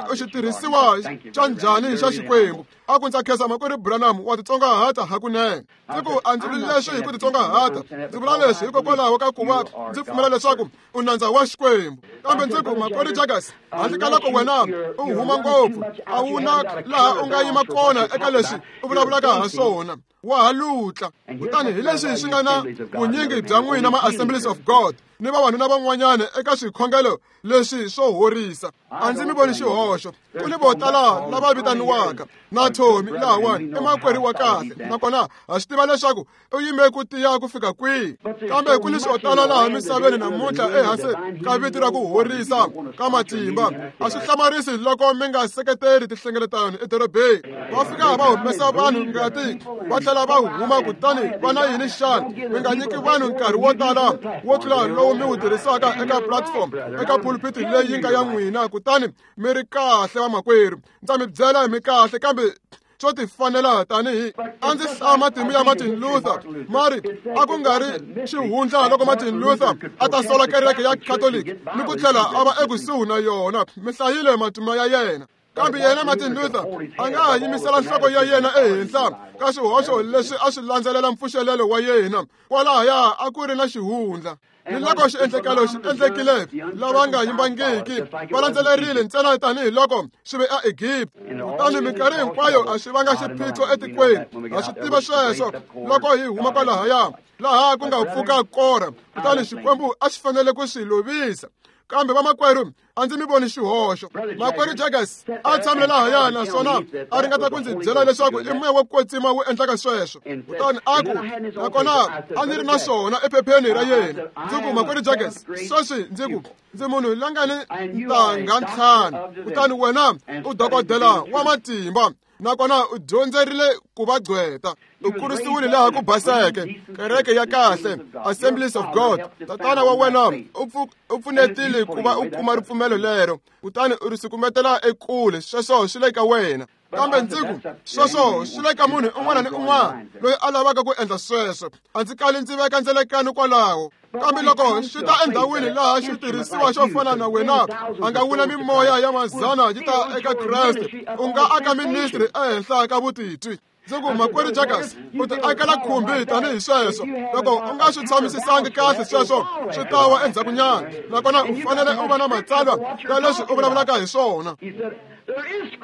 S1: U xitirhisiwa xa njhani xa Xikwembu? A ku, ndza khensa Makwerhu Branham, wa titsongahata hakunene. Ndzi ku, a ndzi vuli leswi hi ku titsongahata, ndzi vula leswi hikokwalaho ka ku va ndzi pfumela leswaku u nandza wa Xikwembu. Kambe ndzi ku, Makwerhu Jaggers, handle ka loko wena u huma ngopfu, a wu na laha u nga yima kona eka leswi u vulavulaka ha swona. Wa ha lutla. Kutani hi leswi swi nga na vunyingi bya n'wina ma Assemblies of God ni vavanuna van'wanyana eka swikhongelo leswi swo horisa. A ndzi mi voni xihoxo. Ku ni vo tala lava vitaniwaka na Tommy lahawani i makwerhu wa kahle, nakona ha swi tiva leswaku u yime ku tiya ku fika kwihi. Kambe ku ni swo tala laha misaveni namuntlha ehansi ka vito ra ku horisa ka matimba. A swi hlamarisi loko mi nga seketeri tinhlengeletano edorobeni. Va fika va humesa vanhu ngati va tlhela va huma, kutani va na yini xana? Mi nga nyiki vanhu nkarhi wo tala wo tlula lowu mi wu tirhisaka eka platform, eka pulpit leyi nga ya n'wina, kutani mi ri kahle vamakwerhu. Ndza mi byela mi kahle, kambe swo tifanela tanihi a ndzi hlaya matimu ya Martin Luther. Mari a ku nga ri xihundla loko Martin Luther a ta sola kereke ya Catholic ni ku tlhela a va ekusuhi na yona. Mi hlayile matimu ya yena. Kambe yena Martin Luther a nga ha yimisela nhloko ya yena ehenhla ka swihoxo leswi a swi landzelela mpfuxelelo wa yena. Kwalahaya a ku ri na xihundla. Ni loko xiendlekelo xi endlekile, lava nga yimbangiki va landzelerile ntsena tanihiloko swi ve aEgipta. Kutani minkarhi hinkwayo a swi vanga xiphiqo etikweni. Ha swi tiva sweswo loko hi huma kwalahaya, laha ku nga pfuka Kora, kutani Xikwembu a xi fanele ku swi lovisa. Kambe vamakwerhu, a ndzi mi voni xihoxo. Makwerhu Jaggers a tshamile lahaya naswona a ringeta ku ndzi byela leswaku i moya wo kwetsima wu endlaka sweswo. Kutani a ku, nakona a ndzi ri na swona ephepheni ra yena. Ndzi ku, Makwerhu Jaggers, sweswi ndzi ku, ndzi munhu la nga ni ntangha 5, kutani wena u dokodela wa matimba, nakona u dyondzerile ku va gqweta. U kurisiwile laha ku baseke, kereke ya kahle, Assemblies of God. Tatana wa wena u pfunetile ku va u kuma ripfumelo lero, kutani u ri sukumetela ekule. Sweswo swi le ka wena. Kambe ndzi ku, sweswo swi le ka munhu un'wana ni un'wana loyi a lavaka ku endla sweswo. A ndzi kali ndzi veka ndzelekano kwalaho. Kambe loko swi ta endhawini laha xitirhisiwa xo fana na wena a nga wina mimoya ya mazana yi ta eka Kreste, u nga aka ministry ehenhla ka vutitwi. Ndzi ku, Makwerhu Jaggers, u ti akela khumbi tanihi sweswo. Loko u nga swi tshamisisangi kahle sweswo, swi ta wa endzhakunyana. Nakona u fanele u va na matsalwa ya leswi u vulavulaka hi swona.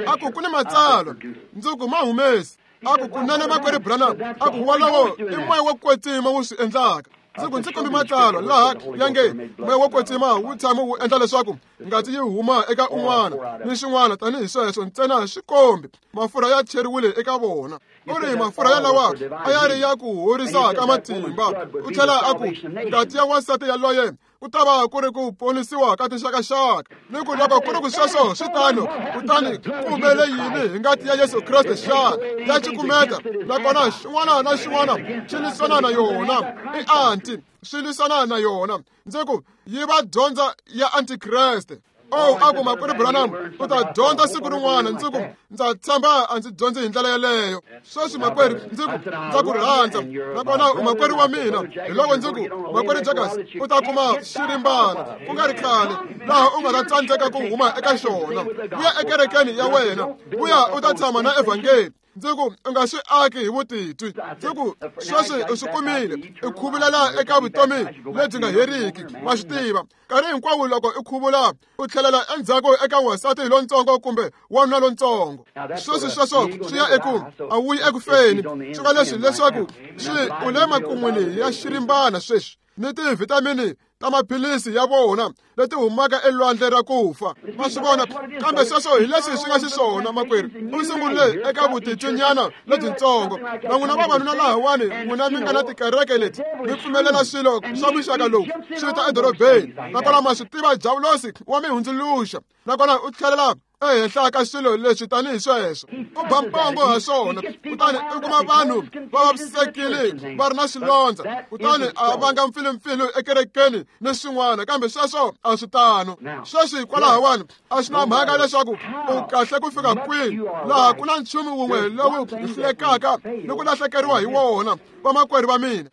S1: A ku, ku ni matsalwa. Ndzi ku, ma humesi. A ku, kunene Makwerhu Branham, a ku wolowo i moya wo kwetsima wu swi endlaka. Ndzi ku, ndzi kombi matsalwa laha ya nge moya wo kwetsima wu tshama wu endla leswaku ngati yi huma eka un'wana ni xin'wana tanihi sweswo, ntsena swi kombi mafurha ya cheriwile eka vona. U ri mafurha yalawa a ya ri ya ku horisa ka matimba. U tlhela a ku ngati ya wansati yaloye ku ta va ku ri ku ponisiwa ka tinxakaxaka. Ni ku loko ku ri ku sweswo swi tano, kutani ku humele yini hi ngati ya Yesu Kreste xana? Ya cukumeta, nakona xin'wana na xin'wana xi lwisana na yona. I anti, swi lwisana na yona. Ndzi ku, yi va dyondza ya antikreste. Oh, a ku, Makwerhu Branham, u ta dyondza siku rin'wana. Ndzi ku, ndza tshemba a ndzi dyondzi hi ndlela yeleyo. Sweswi makwerhu, ndzi ku, ndza ku rhandza, nakona u makwerhu wa mina. Hi loko ndzi ku, Makwerhu Jaggers, u ta kuma xirimbana ku nga ri khale laha u nga ta tsandzeka ku huma eka xona. Vuya ekerekeni ya wena, vuya u ta tshama na evhangeli. Ndzi ku, u nga swi aki hi vutitwi. Ndzi ku, sweswi u swi kumile, u khuvulela eka vutomi lebyi nga heriki. Wa swi tiva, nkarhi hinkwawo loko u khuvula, u tlhelela endzhaku eka wansati lontsongo kumbe wanuna lontsongo. Sweswi sweswo swi ya eku a wuyi eku feni. Swi nga leswi leswaku swi u le makun'wini ya xirimbana sweswi ni tivhitamini ta maphilisi ya vona leti humaka elwandle ra ku fa. Ma swi vona? Kambe sweswo hi leswi swi nga xiswona, makwerhu. U sungule eka vutitwinyana lebyintsongo. Na n'wina vavanuna lahawani, n'wina mi nga na tikereke leti, mi pfumelela swilo swa muxaka lowu swi ta edorobeni. Nakona ma swi tiva, Diavulosi wa mi hundzuluxa, nakona u tlhelela ehenhla ka swilo leswi tanihi sweswo. U ba mpongo ha swona, kutani u kuma vanhu va vavisekile va ri na swilondza, kutani a vanga mpfilumpfilu ekerekeni ni swin'wana. Kambe sweswo a swi tano. Sweswi hikwalahawani a swi na mhaka leswaku u kahle ku fika kwihi, laha ku na nchumu wun'we lowu hi hlulekaka ni ku lahlekeriwa hi wona, vamakwerhu va mina.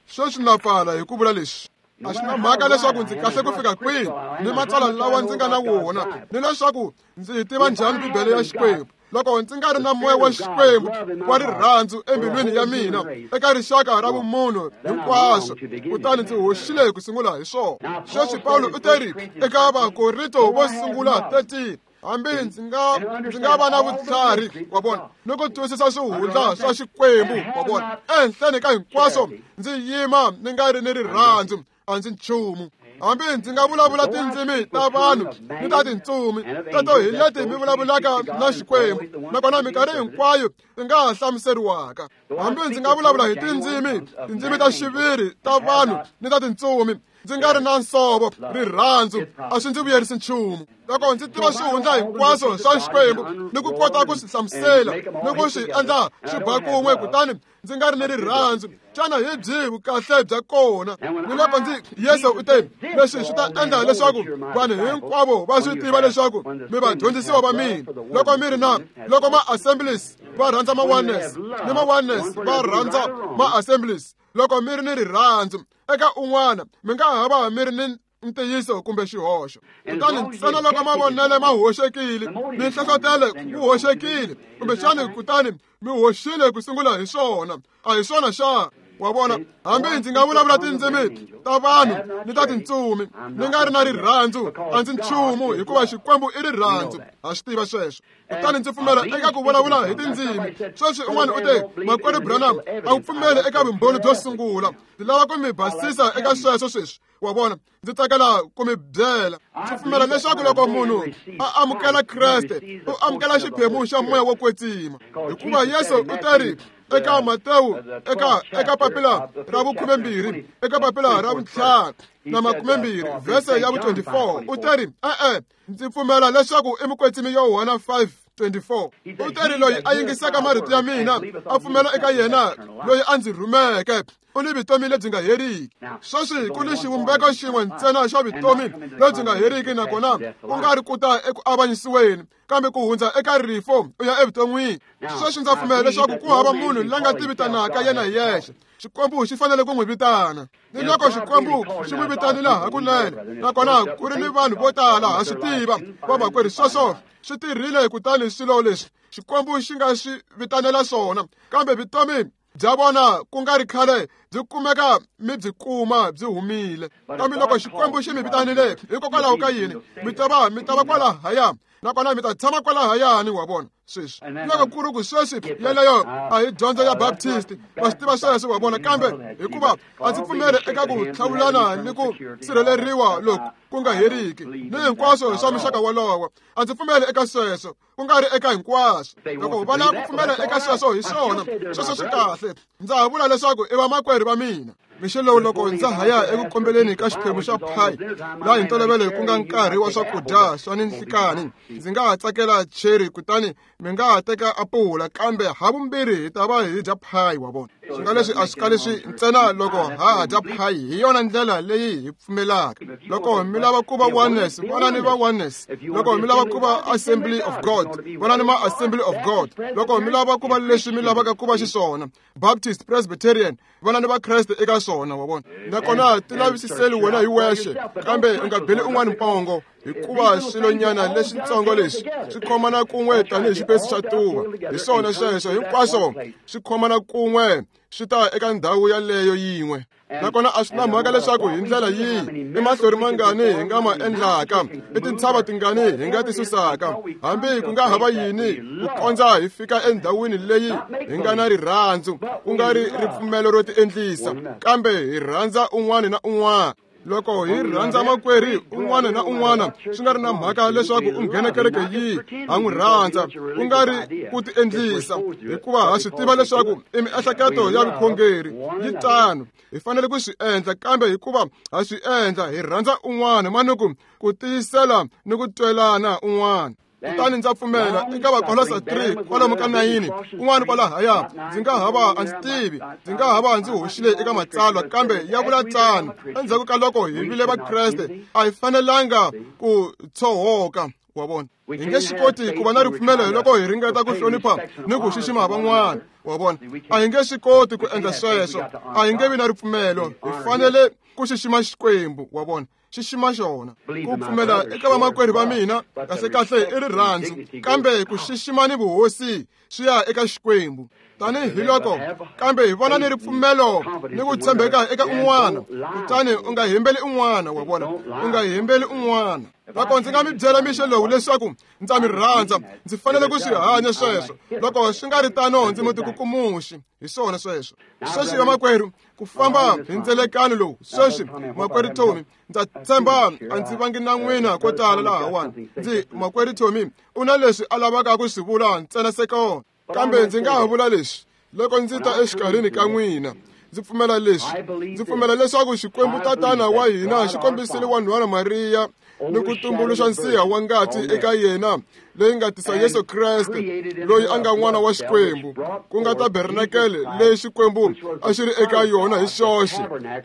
S1: Sweswi na pfala hi ku vula leswi. A swi na mhaka leswaku ndzi kahle ku fika kwihi ni matsalwa lawa ndzi nga na wona, ni leswaku ndzi yi tiva njhani Bibele ya Xikwembu, loko ndzi nga ri na moya wa Xikwembu wa rirhandzu embilwini ya mina eka rixaka ra vumunhu hinkwaswo, kutani ndzi hoxile ku sungula hi swona. Sweswi Pawulo u teri eka Vakorinto vo sungula 13, Hambi ndzi nga va na vutlhari, wa vona, ni ku twisisa swihundla swa Xikwembu, wa vona, ehenhleni ka hinkwaswo ndzi yima ni nga ri ni rirhandzu, a ndzi nchumu. Hambi ndzi nga vulavula tindzimi ta vanhu ni ta tintsumi, teto hi leti mi vulavulaka na Xikwembu, nakona minkarhi hinkwayo ti nga ha hlamuseriwaka. Hambi ndzi nga vulavula hi tindzimi ta xiviri ta vanhu ni ta tintsumi, ndzi nga ri na nsovo, rirhandzu, a swi ndzi vuyerisi nchumu. Loko ndzi tiva swihundla hinkwaswo swa Xikwembu ni ku kota ku swi hlamusela ni ku swi endla swi ba kun'we, kutani ndzi nga ri ni rirhandzu, xana hi byihi vukahle bya kona? Ni loko ndzi Yesu u te, leswi swi ta endla leswaku vanhu hinkwavo va swi tiva leswaku mi vadyondzisiwa va mina, loko mi ri na loko ma-assemblies va rhandza ma-oneness ni ma-oneness va rhandza ma-assemblies. Loko mi ri ni rirhandzu eka un'wana, mi nga ha va mi ri ni ntiyiso kumbe xihoxo. Kutani ntsena loko mavonelo ma hoxekile, minhlohlotelo wu hoxekile, kumbexani kutani mi hoxile ku sungula hi swona, a hi swona xa? Wa vona, hambi ndzi nga vulavula tindzimi ta vanhu ni ta tintsumi, ni nga ri na rirhandzu, a ndzi nchumu, hikuva Xikwembu i rirhandzu. Ha swi tiva sweswo. Kutani ndzi pfumela eka ku vulavula hi tindzimi. Sweswi un'wana u te, Makwerhu Branham, a wu pfumeli eka vumbhoni byo sungula. Ndzi lava ku mi basisa eka sweswo sweswi. Wa vona, ndzi tsakela ku mi byela. Ndzi pfumela leswaku loko munhu a amukela Kreste, u amukela xiphemu xa moya wo kwetsima. Hikuva Yesu u teri eka Matewu, eka papila ra vu-12, eka papila ra vu-5 na 20, vhese ya vu-24, u teri, e-e, ndzi pfumela leswaku i mukwetsimi Yohana 5:24. U teri loyi a yingisaka marito ya mina, a pfumela eka yena loyi a ndzi rhumeke, u ni vutomi lebyi nga heriki. Sweswi ku ni xivumbeko xin'we ntsena xa vutomi lebyi nga heriki, nakona ku nga ri ku ta eku avanyisiweni, kambe ku hundza eka rifo u ya evuton'wini. Sweswi ndza pfumela leswaku ku hava munhu la nga tivitanaka yena hi yexe. Xikwembu xi fanele ku n'wi vitana. Ni loko Xikwembu xi n'wi vitanile hakunene, nakona ku ri ni vanhu vo tala, ha swi tiva, vamakwerhu, sweswo swi tirhile. Kutani swilo leswi Xikwembu xi nga swi vitanela swona, kambe vutomi bya vona ku nga ri khale byi kumeka mi byi kuma byi humile. Kambe loko Xikwembu xi mi vitanile, hikokwalaho ka yini mi ta va kwalahaya, nakona mi ta tshama kwalahayani, wa vona. Sweswi loko ku ri ku sweswi yeleyo a hi dyondzo ya Baptist, va swi tiva sweswo, wa vona. Kambe hikuva a ndzi pfumeli eka ku hlawulana ni ku sirheleriwa loku ku nga heriki ni hinkwaswo swa muxaka wolowo, a ndzi pfumeli eka sweswo, ku nga ri eka hinkwaswo. Loko va lava ku pfumela eka sweswo, hi swona sweswo swi kahle. Ndza ha vula leswaku i vamakwerhu va mina. Mixo lowu loko ndza ha ya eku kombeleni ka xiphemu xa pie, laha hi ntolovelo ku nga nkarhi wa swakudya swa ninhlikani, ndzi nga ha tsakela cherry, kutani mi nga ha teka apula, kambe havumbirhi hi ta va hi dya pie, wa vona. Swi nga leswi a swi kali swi ntsena loko ha ha dya pie, hi yona ndlela leyi hi pfumelaka. Loko mi lava ku va oneness, vonani va oneness. Loko mi lava ku va Assembly of God, vonani ma Assembly of God. Loko mi lava ku va leswi mi lavaka ku va xiswona, Baptist, Presbyterian, vonani va Kreste eka swona, wa vona. Nakona ti lavisiseli wena hi wexe, kambe u nga beli un'wana mpongo, hikuva swilonyana leswitsongo leswi swi khomana kun'we tanihi xipesi xa tuva. Hi swona sweswo hinkwaswo swi khomana kun'we, swi ta eka ndhawu yaleyo yin'we. Nakona a swi na mhaka leswaku hi ndlela yihi, i mahlori mangani hi nga ma endlaka, i tintshava tingani hi nga ti susaka, hambi ku nga hava yini, ku kondza hi fika endhawini leyi hi nga na rirhandzu, ku nga ri ripfumelo ro tiendlisa, kambe hi rhandza un'wana na un'wana. Loko hi rhandza makwerhu un'wana na un'wana, swi nga ri na mhaka leswaku u nghena kereke yihi, ha n'wi rhandza, ku nga ri ku tiendlisa, hikuva ha swi tiva leswaku i miehleketo ya vukhongeri yi tano. Hi fanele ku swi endla, kambe hikuva ha swi endla, hi rhandza un'wana, manuku ku tiyisela ni ku twelana un'wana. Kutani ndza pfumela eka Vakolosa 3 kwalomu ka 9, kun'wana kwalahaya, ndzi nga ha va a ndzi tivi, ndzi nga ha va ndzi hoxile eka matsalwa, kambe ya vula tano. Endzhaku ka loko hi vile Vakreste, a hi fanelanga ku tshohoka, wa vona. Hi nge swi koti ku va na ripfumelo loko hi ringeta ku hlonipha ni ku xixima van'wana, wa vona. A hi nge swi koti ku endla sweswo, a hi nge vi na ripfumelo. Hi fanele ku xixima Xikwembu, wa vona. Xixima xona. Ku pfumela eka vamakwerhu va mina kahlekahle i rirhandzu, kambe ku xixima ni vuhosi swi ya eka Xikwembu. Tanihiloko kambe hi vona ni ripfumelo ni ku tshembeka eka un'wana, kutani u nga hembeli un'wana, wa vona, u nga hembeli un'wana. Loko ndzi nga mi byela mixo lowu leswaku ndza mi rhandza, ndzi fanele ku swi hanya sweswo. Loko swi nga ri tano, ndzi mutikukumuxi. Hi swona sweswo. Sweswi vamakwerhu, ku famba hi ndzelekano lowu sweswi, makwerhu Tommy, ndza tshemba a ndzi vangi na n'wina ko tala lahawani. Ndzi makwerhu Tommy u na leswi a lavaka ku swi vula ntsena sekona. Kambe ndzi nga ha vula leswi loko ndzi ta exikarhini ka n'wina. Ndzi pfumela leswi. Ndzi pfumela leswaku Xikwembu Tatana wa hina xi kombisile wanhwana Mariya ni ku tumbuluxa nsiha wa ngati eka yena leyi nga tisa Yesu Kreste, loyi a nga n'wana wa Xikwembu, ku nga tabernakele leyi Xikwembu a xi ri eka yona hi xoxe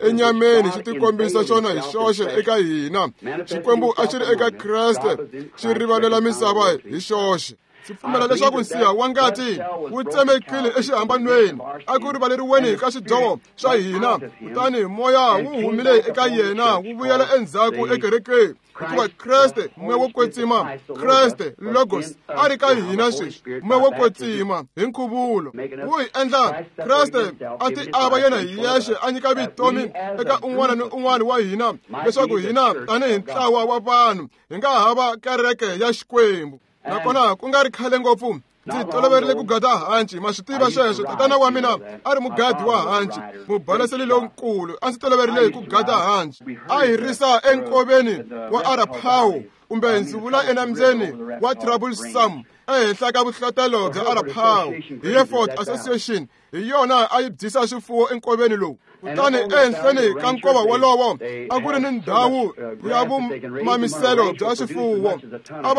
S1: enyameni, xi tikombisa xona hi xoxe eka hina. Xikwembu a xi ri eka Kreste, xi rivalela misava hi xoxe. Ndzi pfumela leswaku nsiha wa ngati wu tsemekile exihambanweni, a ku rivaleriweni ka swidyoho swa hina, kutani moya wu humile eka yena wu vuyela endzhaku ekerekeni, hikuva Kreste moya wo kwetsima, Kreste Logos a ri ka hina sweswi, moya wo kwetsima hi nkhuvulo wu hi endla Kreste a ti ava yena hi yexe, a nyika vutomi eka un'wana ni un'wana wa hina, leswaku hina tanihi ntlawa wa vanhu hi nga hava kereke ya Xikwembu. Nakona ku nga ri khale ngopfu ndzi toloverile ku gada hanci, ma swi tiva sweswo. Tatana wa mina a ri mugadi wa hanci, mubalaseli lonkulu. A ndzi toloverile ku gada hanci. A hi risa enkoveni wa Arapaho, kumbe ndzi vula enambyeni wa Troublesome, ehenhla ka vuhlatelo bya Arapaho. Hi Hereford Association hi yona a yi byisa swifuwo enkoveni lowu. Kutani ehenhleni ka nkova wolowo a ku ri ni ndhawu ya vumamiselo bya swifuwo. A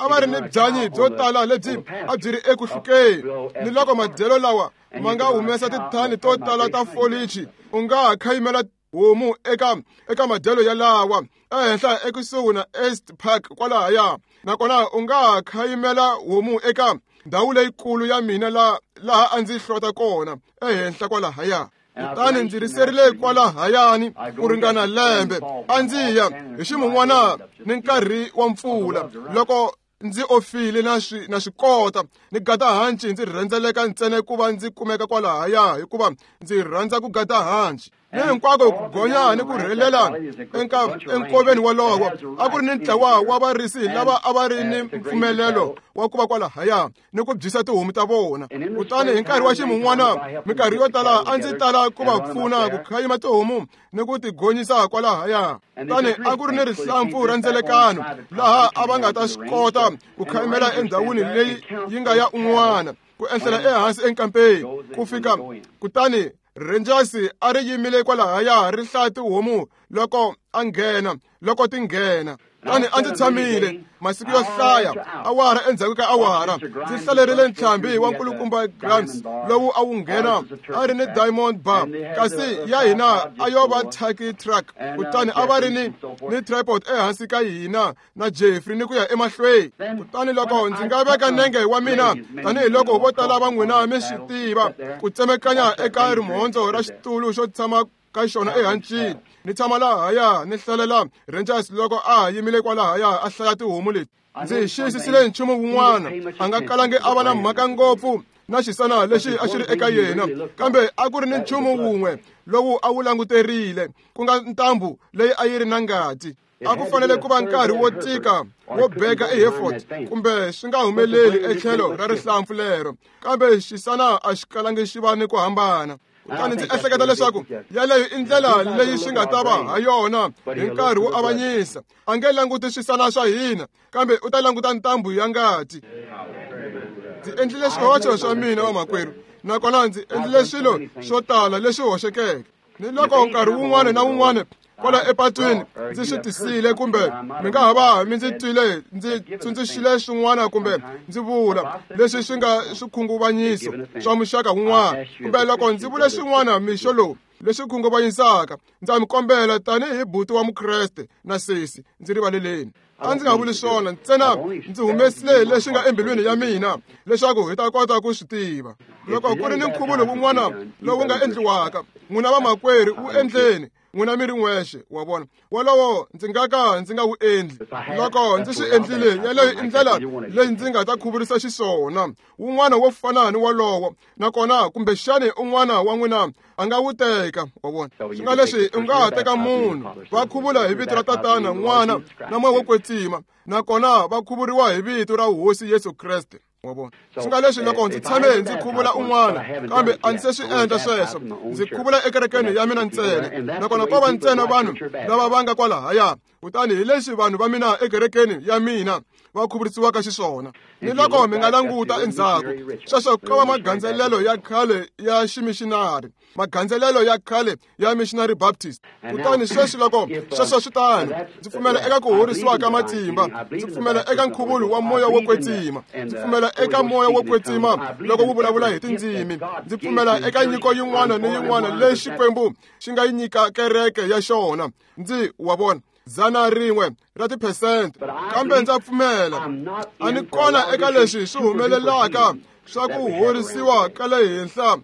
S1: va ri ni byanyi byo tala lebyi a byi ri eku hlukeni, ni loko madyelo lawa ma nga humesa tithani to tala ta folichi, u nga ha khayimela homu eka madyelo yalawa ehenhla ekusuhi na East Park kwalahaya. Nakona u nga ha khayimela homu eka ndhawu leyikulu ya mina laha a ndzi hlota kona ehenhla kwalahaya. Kutani ndzi riserile kwalahayani ku ringana lembe. A ndzi ya hi ximun'wana ni nkarhi wa mpfula, loko ndzi ofile na swi kota ni gada hanci, ndzi rhendzeleka ntsena ku va ndzi kumeka kwalahaya, hikuva ndzi rhandza ku gada hanci. Ni hinkwako ku gonya ni ku rhelela enkoveni wolowo, a ku ri ni ntlawa wa varisi lava a va ri ni mpfumelelo wa ku va kwalahaya ni ku byisa tihomu ta vona. Kutani hi nkarhi wa ximun'wana, minkarhi yo tala a ndzi tala ku va pfuna ku khayima tihomu ni ku ti gonyisa kwalahaya. Kutani a ku ri ni rihlampfu ra ndzelekano laha a va nga ta swi kota ku khayimela endhawini leyi yi nga ya un'wana, ku enhlela ehansi enkampeni ku fika. Kutani Rangers a ri yimile kwalahaya ri hlaya tihomu loko a nghena, loko ti nghena. Kutani a ndzi tshamile masiku yo hlaya, awara endzhaku ka awara, ndzi hlalerile ntlhambi wa nkulukumba Grimes lowu a wu nghena, a ri ni Diamond Bar, kasi ya hina a yo va Turkey Truck. Kutani a va ri ni tripod ehansi ka hina na Jeffrey ni ku ya emahlweni. Kutani loko ndzi nga veka nenge wa mina, tanihiloko vo tala va n'wina mi swi tiva, ku tsemekanya eka rimhondzo ra xitulu xo tshama ka xona ehancini, ni tshama lahaya ni hlalela Rangers loko a ha yimile kwalahaya a hlaya tihomu leti. Ndzi xiyisisile nchumu wun'wana, a nga kalangi a va na mhaka ngopfu na xisana lexi a xi ri eka yena, kambe a ku ri ni nchumu wun'we lowu a wu languterile, ku nga ntambu leyi a yi ri na ngati. A ku fanele ku va nkarhi wo tika wo beka eHereford, kumbe swi nga humeleli etlhelo ra rihlampfu lero, kambe xisana a xi kalangi xi va ni ku hambana. Kutani ndzi ehleketa leswaku yaleyo i ndlela leyi swi nga ta va ha yona hi nkarhi wo avanyisa. A nge languti swisana swa hina, kambe u ta languta ntambu ya ngati. Ndzi endlile swihoxo swa mina vamakwerhu, nakona ndzi endlile swilo swo tala leswi hoxekeke. Ni loko nkarhi wun'wana na wun'wana kwala epatwini ndzi swi tisile, kumbe mi nga ha va mi ndzi twile ndzi tsundzuxile swin'wana, kumbe ndzi vula leswi swi nga swikhunguvanyiso swa muxaka wun'wana, kumbe loko ndzi vule swin'wana mixo lowu leswi khunguvanyisaka, ndza mi kombela tanihi buti wa Mukreste na sesi, ndzi rivaleleni. A ndzi nga vuli swona ntsena, ndzi humesile leswi nga embilwini ya mina leswaku hi ta kota ku swi tiva. Loko ku ri ni nkhuvulo wun'wana lowu nga endliwaka, n'wina vamakwerhu wu endleni. n'wina mi ri n'wexe, wa vona. Wolowo ndzi nga ka ndzi nga wu endli. Loko ndzi swi endlile, yeleyo i ndlela leyi ndzi nga ta khuvurisa xiswona. Wun'wana wo fana ni wolowo, nakona kumbexani un'wana wa n'wina a nga wu teka, wa vona. Swi nga leswi u nga ha teka munhu va khuvula hi vito ra Tatana, N'wana na Moya wo Kwetsima, nakona va khuvuriwa hi vito ra Hosi Yesu Kreste, wa vona. Swi nga leswi loko ndzi tshame ndzi khuvula un'wana, kambe a ndzi se swi endla sweswo, ndzi khuvula ekerekeni ya mina ntsena, nakona ko va ntsena vanhu lava va nga kwalahaya. Kutani hi leswi vanhu va mina ekerekeni ya mina va khuvurisiwaka xiswona. Ni loko mi nga languta endzhaku, sweswo ko va magandzelelo ya khale ya ximixinari, magandzelelo ya khale ya Missionary Baptist. Kutani sweswi loko sweswo swi tano, ndzi pfumela eka ku horisiwa ka matimba, ndzi pfumela eka nkhuvulo wa Moya wo Kwetsima, ndzi pfumela eka Moya wo Kwetsima loko wu vulavula hi tindzimi, ndzi pfumela eka nyiko yin'wana ni yin'wana leyi Xikwembu xi nga yi nyika kereke ya xona. Ndzi wa vona 100 ra tiphesente, kambe ndza pfumela a ni kona eka leswi swi humelelaka swa ku horisiwa ka le henhla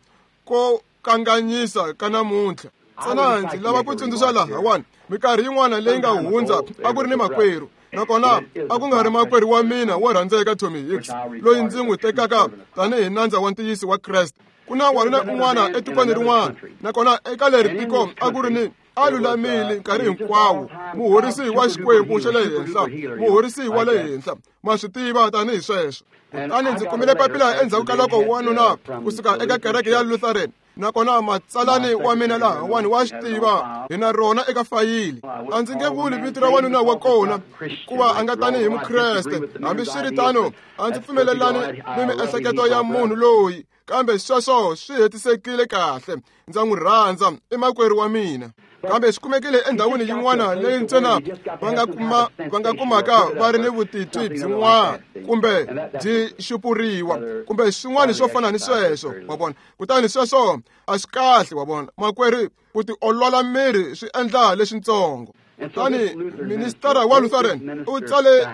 S1: ko kanganyisa ka namuntlha. Ntsena ndzi lava ku tsundzuxa lahawani, minkarhi yin'wana leyi nga hundza a ku ri ni makwerhu, nakona a ku nga ri makwerhu wa mina wo rhandzeka Tommy Hicks, loyi ndzi n'wi tekaka tanihi nandza wa ntiyiso wa Kreste. Ku na wanuna un'wana etikweni rin'wana, nakona eka leri tiko a ku ri ni a lulamile nkarhi hinkwawo, muhorisi wa Xikwembu xa le henhla, muhorisi wa le henhla, ma swi tiva tanihi sweswo. Kutani ndzi kumile papila endzhaku ka loko wanuna kusuka eka kereke ya Lutheran, nakona matsalani wa mina lahawani wa swi tiva, hi na rona eka fayili. A ndzi nge vuli vito ra wanuna wa kona hikuva a nga tanihi Mukreste. Hambiswiritano, a ndzi pfumelelani ni miehleketo ya munhu loyi, kambe sweswo swi hetisekile kahle. Ndza n'wi rhandza, i makwerhu wa mina. Kambe swi kumekile endhawini yin'wana leyi ntsena va nga kumaka va ri ni vutitwi byin'wana kumbe byi xupuriwa kumbe swin'wana swo fana ni sweswo, wa vona. Kutani sweswo a swi kahle, wa vona. Makwerhu, ku tiolola miri swi endla leswintsongo. Kutani ministara wa Lutheran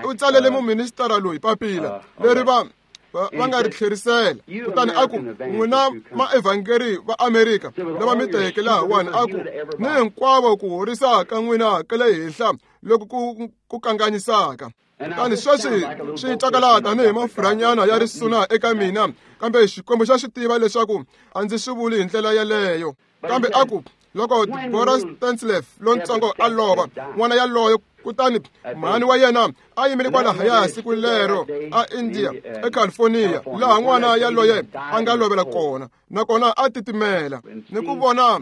S1: u tsalele muministara loyi papila leri va nga ri tlherisela. Kutani a ku, n'wina maevhangeri va Amerika lava mi teke lahawani, a ku ni hinkwavo ku horisa ka n'wina ka le henhla loku ku kanganyisaka. Kutani sweswi swi twakala tanihi mafurhanyana ya risuna eka mina, kambe Xikwembu xa swi tiva leswaku a ndzi swi vuli hi ndlela yeleyo. Kambe a ku, loko Boris Stanslef lontsongo a lova, n'wana yaloyo, kutani mhani wa yena a yimile kwalahaya siku lero a India, eCalifornia, laha n'wana yaloye a nga lovela kona, nakona a titimela. Ni ku vona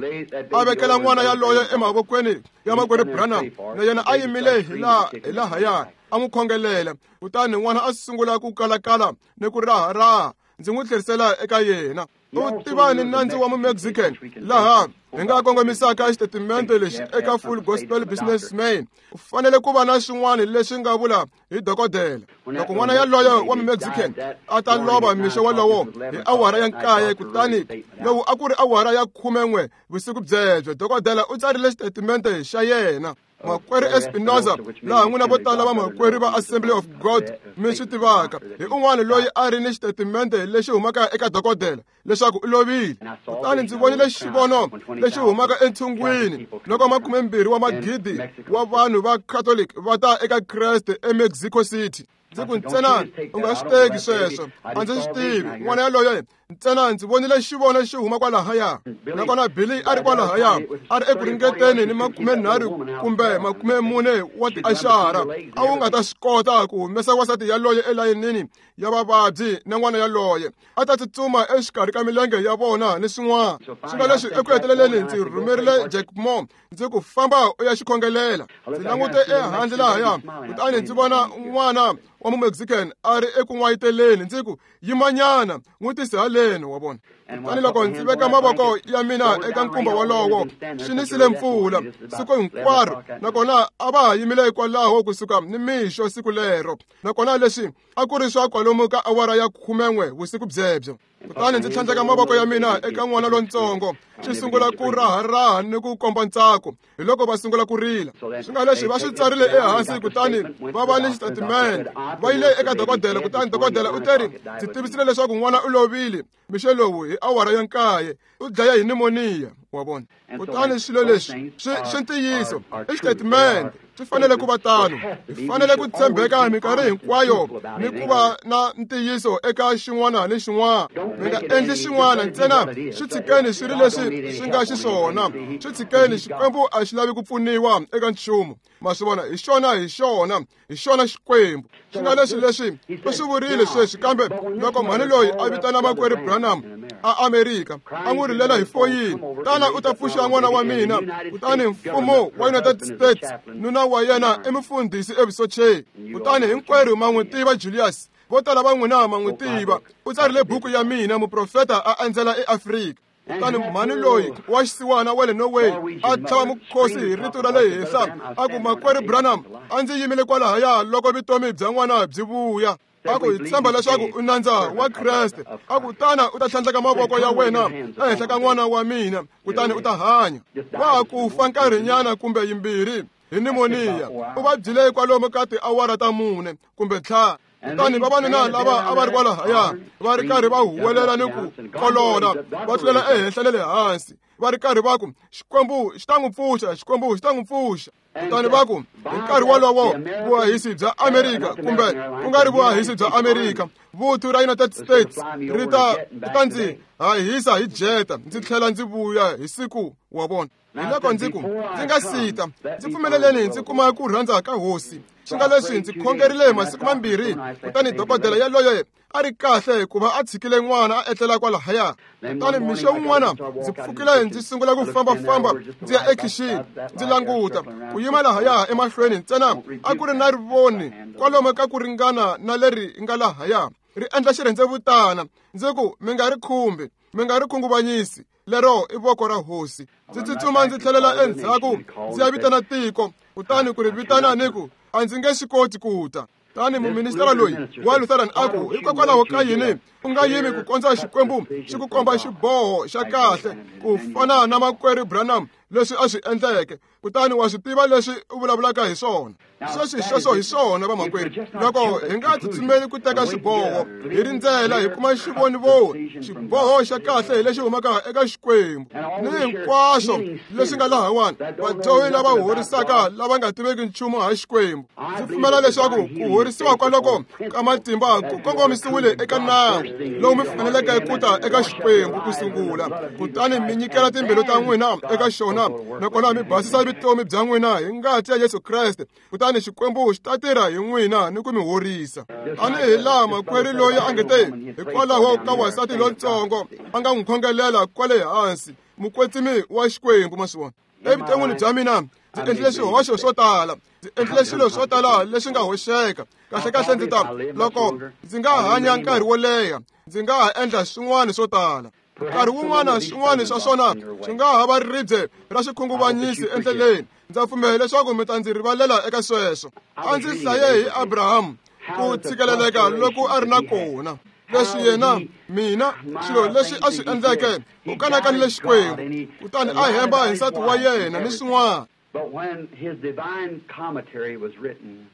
S1: a vekela n'wana yaloye emavokweni ya makwerhu Branham, na yena a yimile hi lahaya a n'wi khongelela. Kutani n'wana a sungula ku kalakala ni ku raharaha, ndzi n'wi tlherisela eka yena. U tiva ni nandzu wa Mumexican laha hi nga kongomisaka xitatimende lexi eka Full Gospel Businessman. U fanele ku va na swin'wana leswi nga vula hi dokodela. Loko n'wana yaloyo wa Mumexican a ta lova mixo wolowo hi awara ya 9, kutani lowu a ku ri awara ya 11 vusiku byebyo, dokodela u tsarile xitatimende xa yena. Makwerhu Espinoza, laha n'wina vo tala va makwerhu va Assembly of God mi swi tivaka, hi un'wana loyi a ri ni xitatimende lexi humaka eka dokodela leswaku u lovile. Kutani ndzi vonile xivono lexi humaka entshungwini loko 20 wa magidi wa vanhu va Catholic va ta eka Kreste eMexico City. Ndzi ku, ntsena u nga swi teki sweswo, a ndzi swi tivi. N'wana yaloye ntsena ndzi vonile xivono xi huma kwalahaya, nakona Billy a ri kwalahaya a ri eku ringeteni ni 30 kumbe 40 wa tiaxara. A wu nga ta swi kota ku humesa wansati yaloye elayinini ya vavabyi na n'wana yaloye a ta tsutsuma exikarhi ka milenge ya vona ni swin'wana. Swi nga leswi eku heteleleni ndzi rhumerile Jack Moore, ndzi ku, famba u ya xikhongelela. Ndzi langute ehandle lahaya, kutani ndzi vona n'wana wa Mumexican a ri eku n'wayiteleni. Ndzi ku, yimanyana, n'wi tise haleni, wa vona. Kutani loko ndzi veka mavoko ya mina eka nkumba wolowo, swi nisile mpfula siku hinkwaro, nakona a va ha yimile kwalaho kusuka ni mixo siku lero. Nakona leswi a ku ri swa kwalomu ka awara ya 11 vusiku byebyo. Kutani ndzi tlhandleka mavoko ya mina eka n'wana lontsongo, xi sungula ku raharaha ni ku komba ntsako. Hi loko va sungula ku rila. Swi nga leswi va swi tsarile ehansi, kutani va va ni xitatimende. Va yile eka dokodela, kutani dokodela u teri, ndzi tivisile leswaku n'wana u lovile. Mixo lowu hi awara ya 9 u dlaya hi pneumonia wa vona. Kutani swilo leswi swi ntiyiso i xitatimende swi fanele ku va tano. Hi fanele ku tshembeka minkarhi hinkwayo ni ku va na ntiyiso eka xin'wana ni xin'wana. Mi nga endli xin'wana ntsena swi tshikeni swi ri leswi swi nga xiswona. Swi tshikeni, Xikwembu a xi lavi ku pfuniwa eka nchumu. Ma swi vona, hi xona hi xona hi xona Xikwembu. Swi nga leswi leswi u swi vurile sweswi, kambe loko mhani loyi a vitana makwerhu Branham a Amerika a n'wi rilela hi foyini, tana u ta pfuxa n'wana wa mina. Kutani mfumo wa United States, nuna wa yena i mufundhisi evusocheni. Kutani hinkwerhu ma n'wi tiva Julius, vo tala va n'wina ma n'wi tiva. U tsarile buku ya mina Muprofeta a endzela eAfrika. Kutani mhani loyi wa xisiwana wa le Norway a tlhava mukhosi hi rito ra le henhla a ku, makwerhu Branham, a ndzi yimile kwalahaya loko vutomi bya n'wana byi vuya. A ku, hi tshemba leswaku u nandza wa Kreste. A ku, tana u ta tlhandleka mavoko ya wena ehenhla ka n'wana wa mina, kutani u ta hanya. Wa ha ku fa nkarhinyana kumbe yimbirhi hi pneumonia. U vabyile kwalomu ka tiawara ta 4 kumbe 5. Kutani vavanuna lava a va ri kwalahaya va ri karhi va huwelela ni ku kolola, va tlulela ehenhla na le hansi, va ri karhi va ku, Xikwembu xi ta n'wi pfuxa, Xikwembu xi ta n'wi pfuxa. Kutani va ku, hi nkarhi wolowo vuhahisi bya Amerika, kumbe ku nga ri vuhahisi bya Amerika, vuthu ra United States ri ta ndzi hahisa hi jeta, ndzi tlhela ndzi vuya hi siku wa vona. Hi loko ndzi ku, ndzi nga sita, ndzi pfumeleleni ndzi kuma ku rhandza ka Hosi. Swi nga leswi ndzi khongerile masiku 2, kutani dokodela yaloye a ri kahle hikuva a tshikile n'wana a etlela kwalahaya. Kutani mixo wun'wana ndzi pfukile ndzi sungula ku fambafamba ndzi ya ekhixini, ndzi languta ku yima lahaya emahlweni ntsena a ku ri na rivoni kwalomu ka ku ringana na leri nga lahaya, ri endla xirhendzevutana. Ndzi ku, mi nga ri khumbi, mi nga ri khunguvanyisi, lero i voko ra Hosi. Ndzi tsutsuma ndzi tlhelela endzhaku ndzi ya vitana tiko, kutani ku ri vitana ni ku, a ndzi nge swi koti ku ta. Tani muministara loyi wa Lutheran a ku, hikokwalaho ka yini u nga yimi ku kondza Xikwembu xi ku komba xiboho xa kahle ku fana na makwerhu Branham leswi a swi endleke, kutani wa swi tiva leswi u vulavulaka hi swona. Sweswi sweswo hi swona vamakwerhu, loko hi nga tsutsumeli ku teka xiboho, hi rindzela hi kuma xivonivoni, xiboho xa kahle hi lexi humaka eka Xikwembu. Ni hinkwaswo leswi nga lahawani, vadyohi lava horisaka lava nga tiveki nchumu ha Xikwembu. Ndzi pfumela leswaku ku horisiwa kwaloko ka matimba ku kongomisiwile eka nawu lowu mi faneleke ku ta eka Xikwembu ku sungula, kutani mi nyikela timbilu ta n'wina eka xona, nakona mi basisa vutomi bya n'wina hi ngati ya Yesu Kreste, kutani Xikwembu xi ta tirha hi n'wina ni ku mi horisa. Tanihi laha makwerhu loyi a nge te, hikwalaho ka wansati lontsongo a nga n'wi khongelela kwale hansi, mukwetsimi wa Xikwembu. Ma swi vona, evuton'wini bya mina ndzi endlile swihoxo swo tala, ndzi endlile swilo swo tala leswi nga hoxeka. Kahlekahle ndzi ta, loko ndzi nga hanya nkarhi wo leha, ndzi nga ha endla swin'wana swo tala. Nkarhi wun'wana swin'wana swa swona swi nga ha va ribye ra xikhunguvanyisi endleleni. Ndza pfumela leswaku mi ta ndzi rivalela eka sweswo. A ndzi hlaye hi Abraham ku tshikeleleka loko a ri na kona, leswi yena mina swilo leswi a swi endleke, u kanakanile Xikwembu, kutani a hemba hi nsati wa yena ni swin'wana.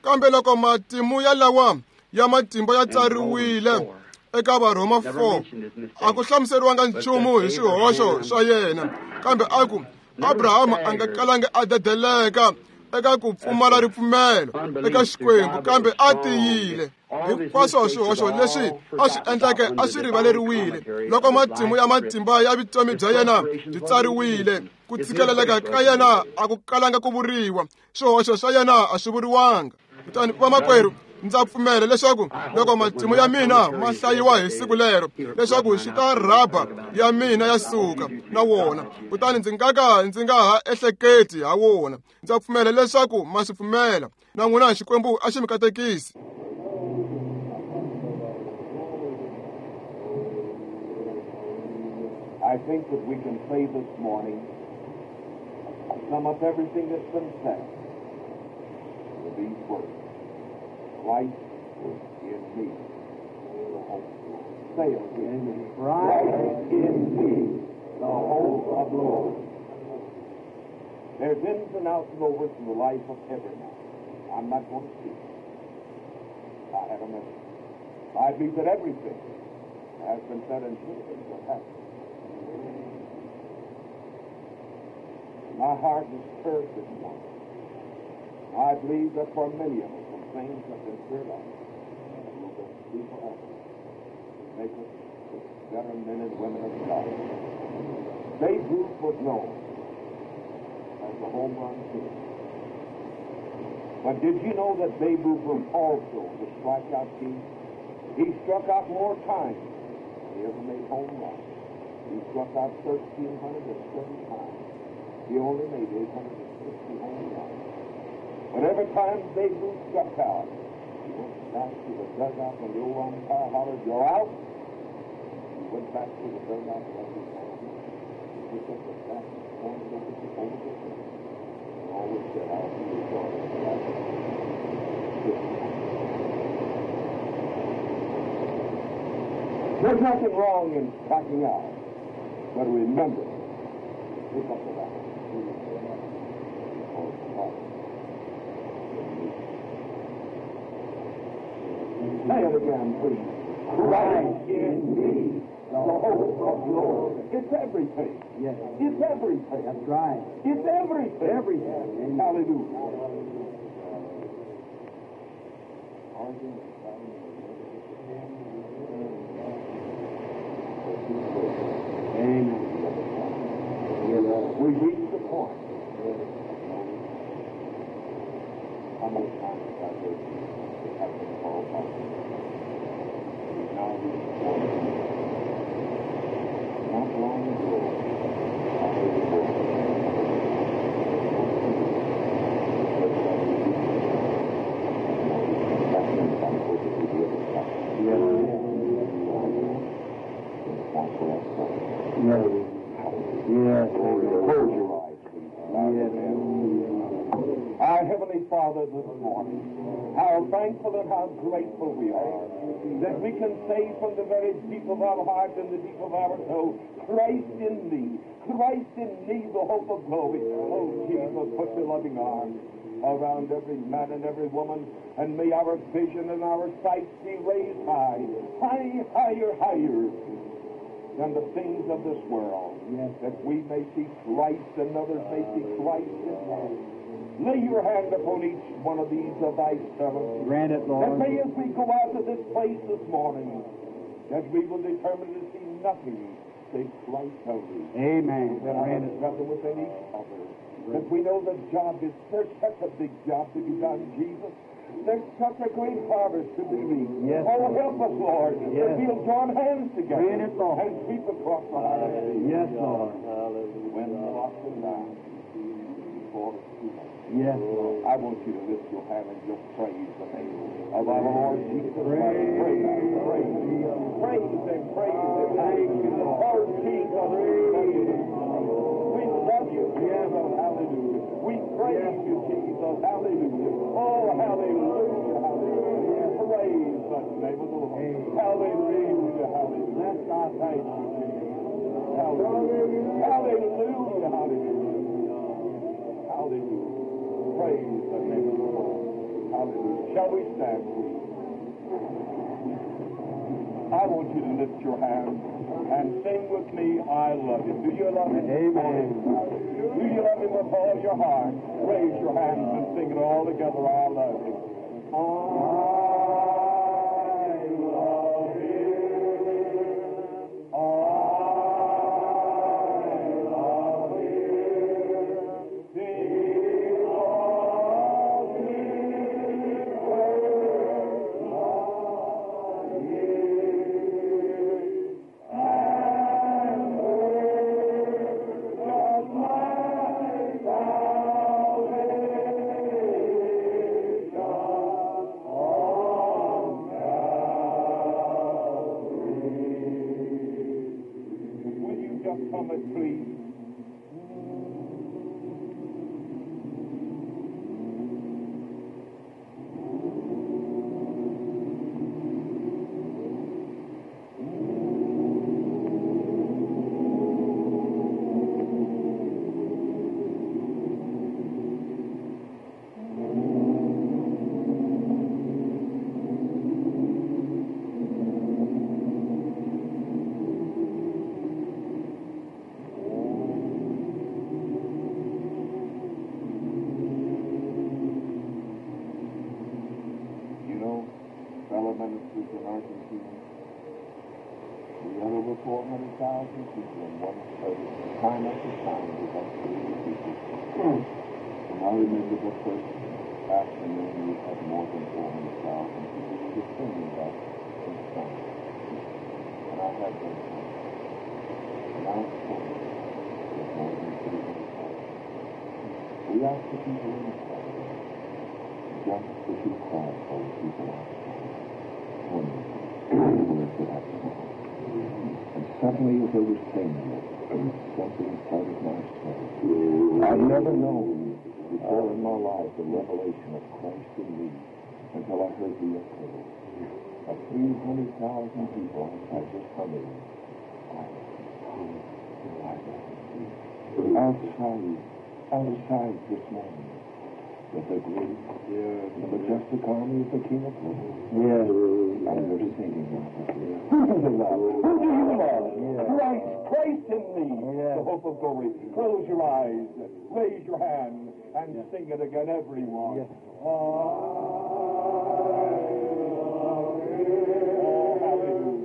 S1: Kambe loko matimu ya lawa ya matimba ya tsariwile eka Varhoma 4, a ku hlamuseriwanga nchumu hi swihoxo swa yena, kambe a ku Abraham a nga kalanga a dedeleka eka ku pfumala ripfumelo eka Xikwembu, kambe a tiyile. Hinkwaswo swihoxo leswi a swi endleke a swi rivaleriwile loko matimu ya matimba ya vutomi bya yena byi tsariwile. Ku tshikeleleka ka yena a ku kalanga ku vuriwa, swihoxo swa yena a swi vuriwanga. Kutani vamakwerhu, ndza pfumela leswaku loko matimu ya mina ma hlayiwa hi siku lero, leswaku xi ta rhaba ya mina ya suka na wona, kutani ndzi nga ka ndzi nga ha ehleketi ha wona. Ndza pfumela leswaku ma swi pfumela na n'wina. Xikwembu a xi mi katekisi.
S2: I think that we can say this morning, to sum up everything that's been said with these words: Christ in me, the hope of glory. Say it again. Christ in me, the hope of glory. There's ins and outs and overs in the life of every man. I'm not going to speak. I have a message. I believe that everything It has been said and should have been what happened. My heart is stirred this morning. I believe that for many of us, some things have been stirred up that will just be forever. Make us better men and women of God. Babe Ruth was known as the home run king. But did you know that Babe Ruth was also the strikeout king? He struck out more times than he ever made home runs. He struck out 1,330 times. He only made 860 home runs. But every time Babe Ruth struck out, he went back to the dugout when the old umpire hollered, "You're out!" He went back to the dugout every time. He picked up the bat and pointed over the fence. And always said, "I'll be your daughter." There's nothing wrong in striking out, but remember, pick up the bat. Say it again, please. Christ in me, the hope of glory. It's everything.
S3: Yes.
S2: It's everything.
S3: That's right.
S2: It's everything.
S3: Everything.
S2: Hallelujah.
S3: Amen.
S2: We reach the point. How many times have I heard it have been called out? We now reach the point. Not long ago, I heard a voice.
S3: Yes.
S2: Close your eyes, please.
S3: Yes.
S2: Our Heavenly Father, this morning, how thankful and how grateful we are that we can say from the very deep of our heart and the deep of our soul, Christ in me, Christ in me, the hope of glory. Oh, Jesus, put your loving arms around every man and every woman, and may our vision and our sight be raised high, high, higher, higher than the things of this world,
S3: yes,
S2: that we may see Christ and others may see Christ in us. Lay your hand upon each one of these of thy servants.
S3: Grant it, Lord.
S2: That may, as we go out of this place this morning, that we will determine to see nothing save Christ only.
S3: Amen.
S2: That
S3: Grant
S2: our
S3: it.
S2: Brother within each other. That we know the job is, there's such a big job to be done, Jesus. There's such a great harvest to be reaped.
S3: Yes,
S2: oh,
S3: Lord.
S2: Help us, Lord,
S3: yes,
S2: that we'll join hands together
S3: Grant it, Lord.
S2: And sweep across the harvest.
S3: Yes, Lord.
S2: When the lost and dying before it's too late.
S3: Yes, Lord.
S2: I want you to lift your hand and just praise the name of our Lord Jesus Christ. Praise, praise, praise and praise and thank you, Lord Jesus. We love you, Jesus. Hallelujah. We praise you, Jesus. Hallelujah. Oh, hallelujah, hallelujah. Praise the name of the Lord. Hallelujah, hallelujah. Thank you, Jesus. Hallelujah, hallelujah, hallelujah. Hallelujah. Praise the name of the Lord. Hallelujah. Shall we stand, please? I want you to lift your hands and sing with me, I love him. Do you love him?
S3: Amen.
S2: Do you love him with all your heart? Raise your hands and sing it all together. I love him. I love him. I love him. He loves me first. Love him. And purchased my salvation on Calvary. Will you just come and please? 300,000 people in one service, time after time, we've had 3 people. And I remember the first afternoon we had more than 400,000 people. We were singing that song. And I had those songs. And now it's there's more than 300,000. We asked the people inside, just as you cried for the people outside, wondering where could have come. And suddenly, as they were saying it, something flooded my soul. I'd never known before in my life the revelation of Christ in me until I heard the echo of 300,000 people outside just humming. Outside this morning, with the great and majestic army of the King of Glory.
S3: Yes.
S2: And they're singing out of here. Who do they love? Who do you love?
S3: Yeah.
S2: Christ, Christ in me,
S3: Yeah.
S2: the hope of glory. Close your eyes, raise your hand, and sing it again, everyone.
S3: Yes.
S2: I love him. Oh, hallelujah.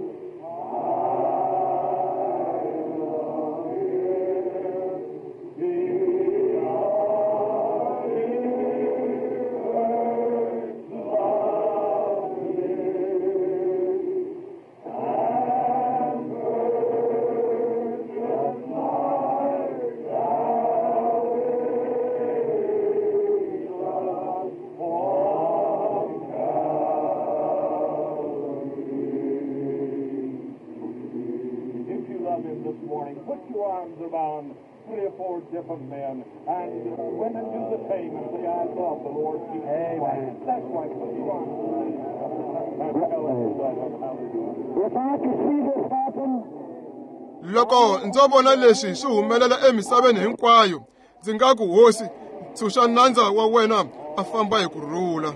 S2: If you love him this morning, put your arms around 3 or 4 different men, and women do the same and say, I love the Lord Jesus
S3: Amen.
S2: Christ. That's right. Put your arms around each other and tell him you love him. Hallelujah.
S3: If I could see this happen,
S1: Loko ndzo vona leswi swi humelela emisaveni hinkwayo, ndzi nga ku hosi, tshunxa nandza wa wena a famba hi ku rhula.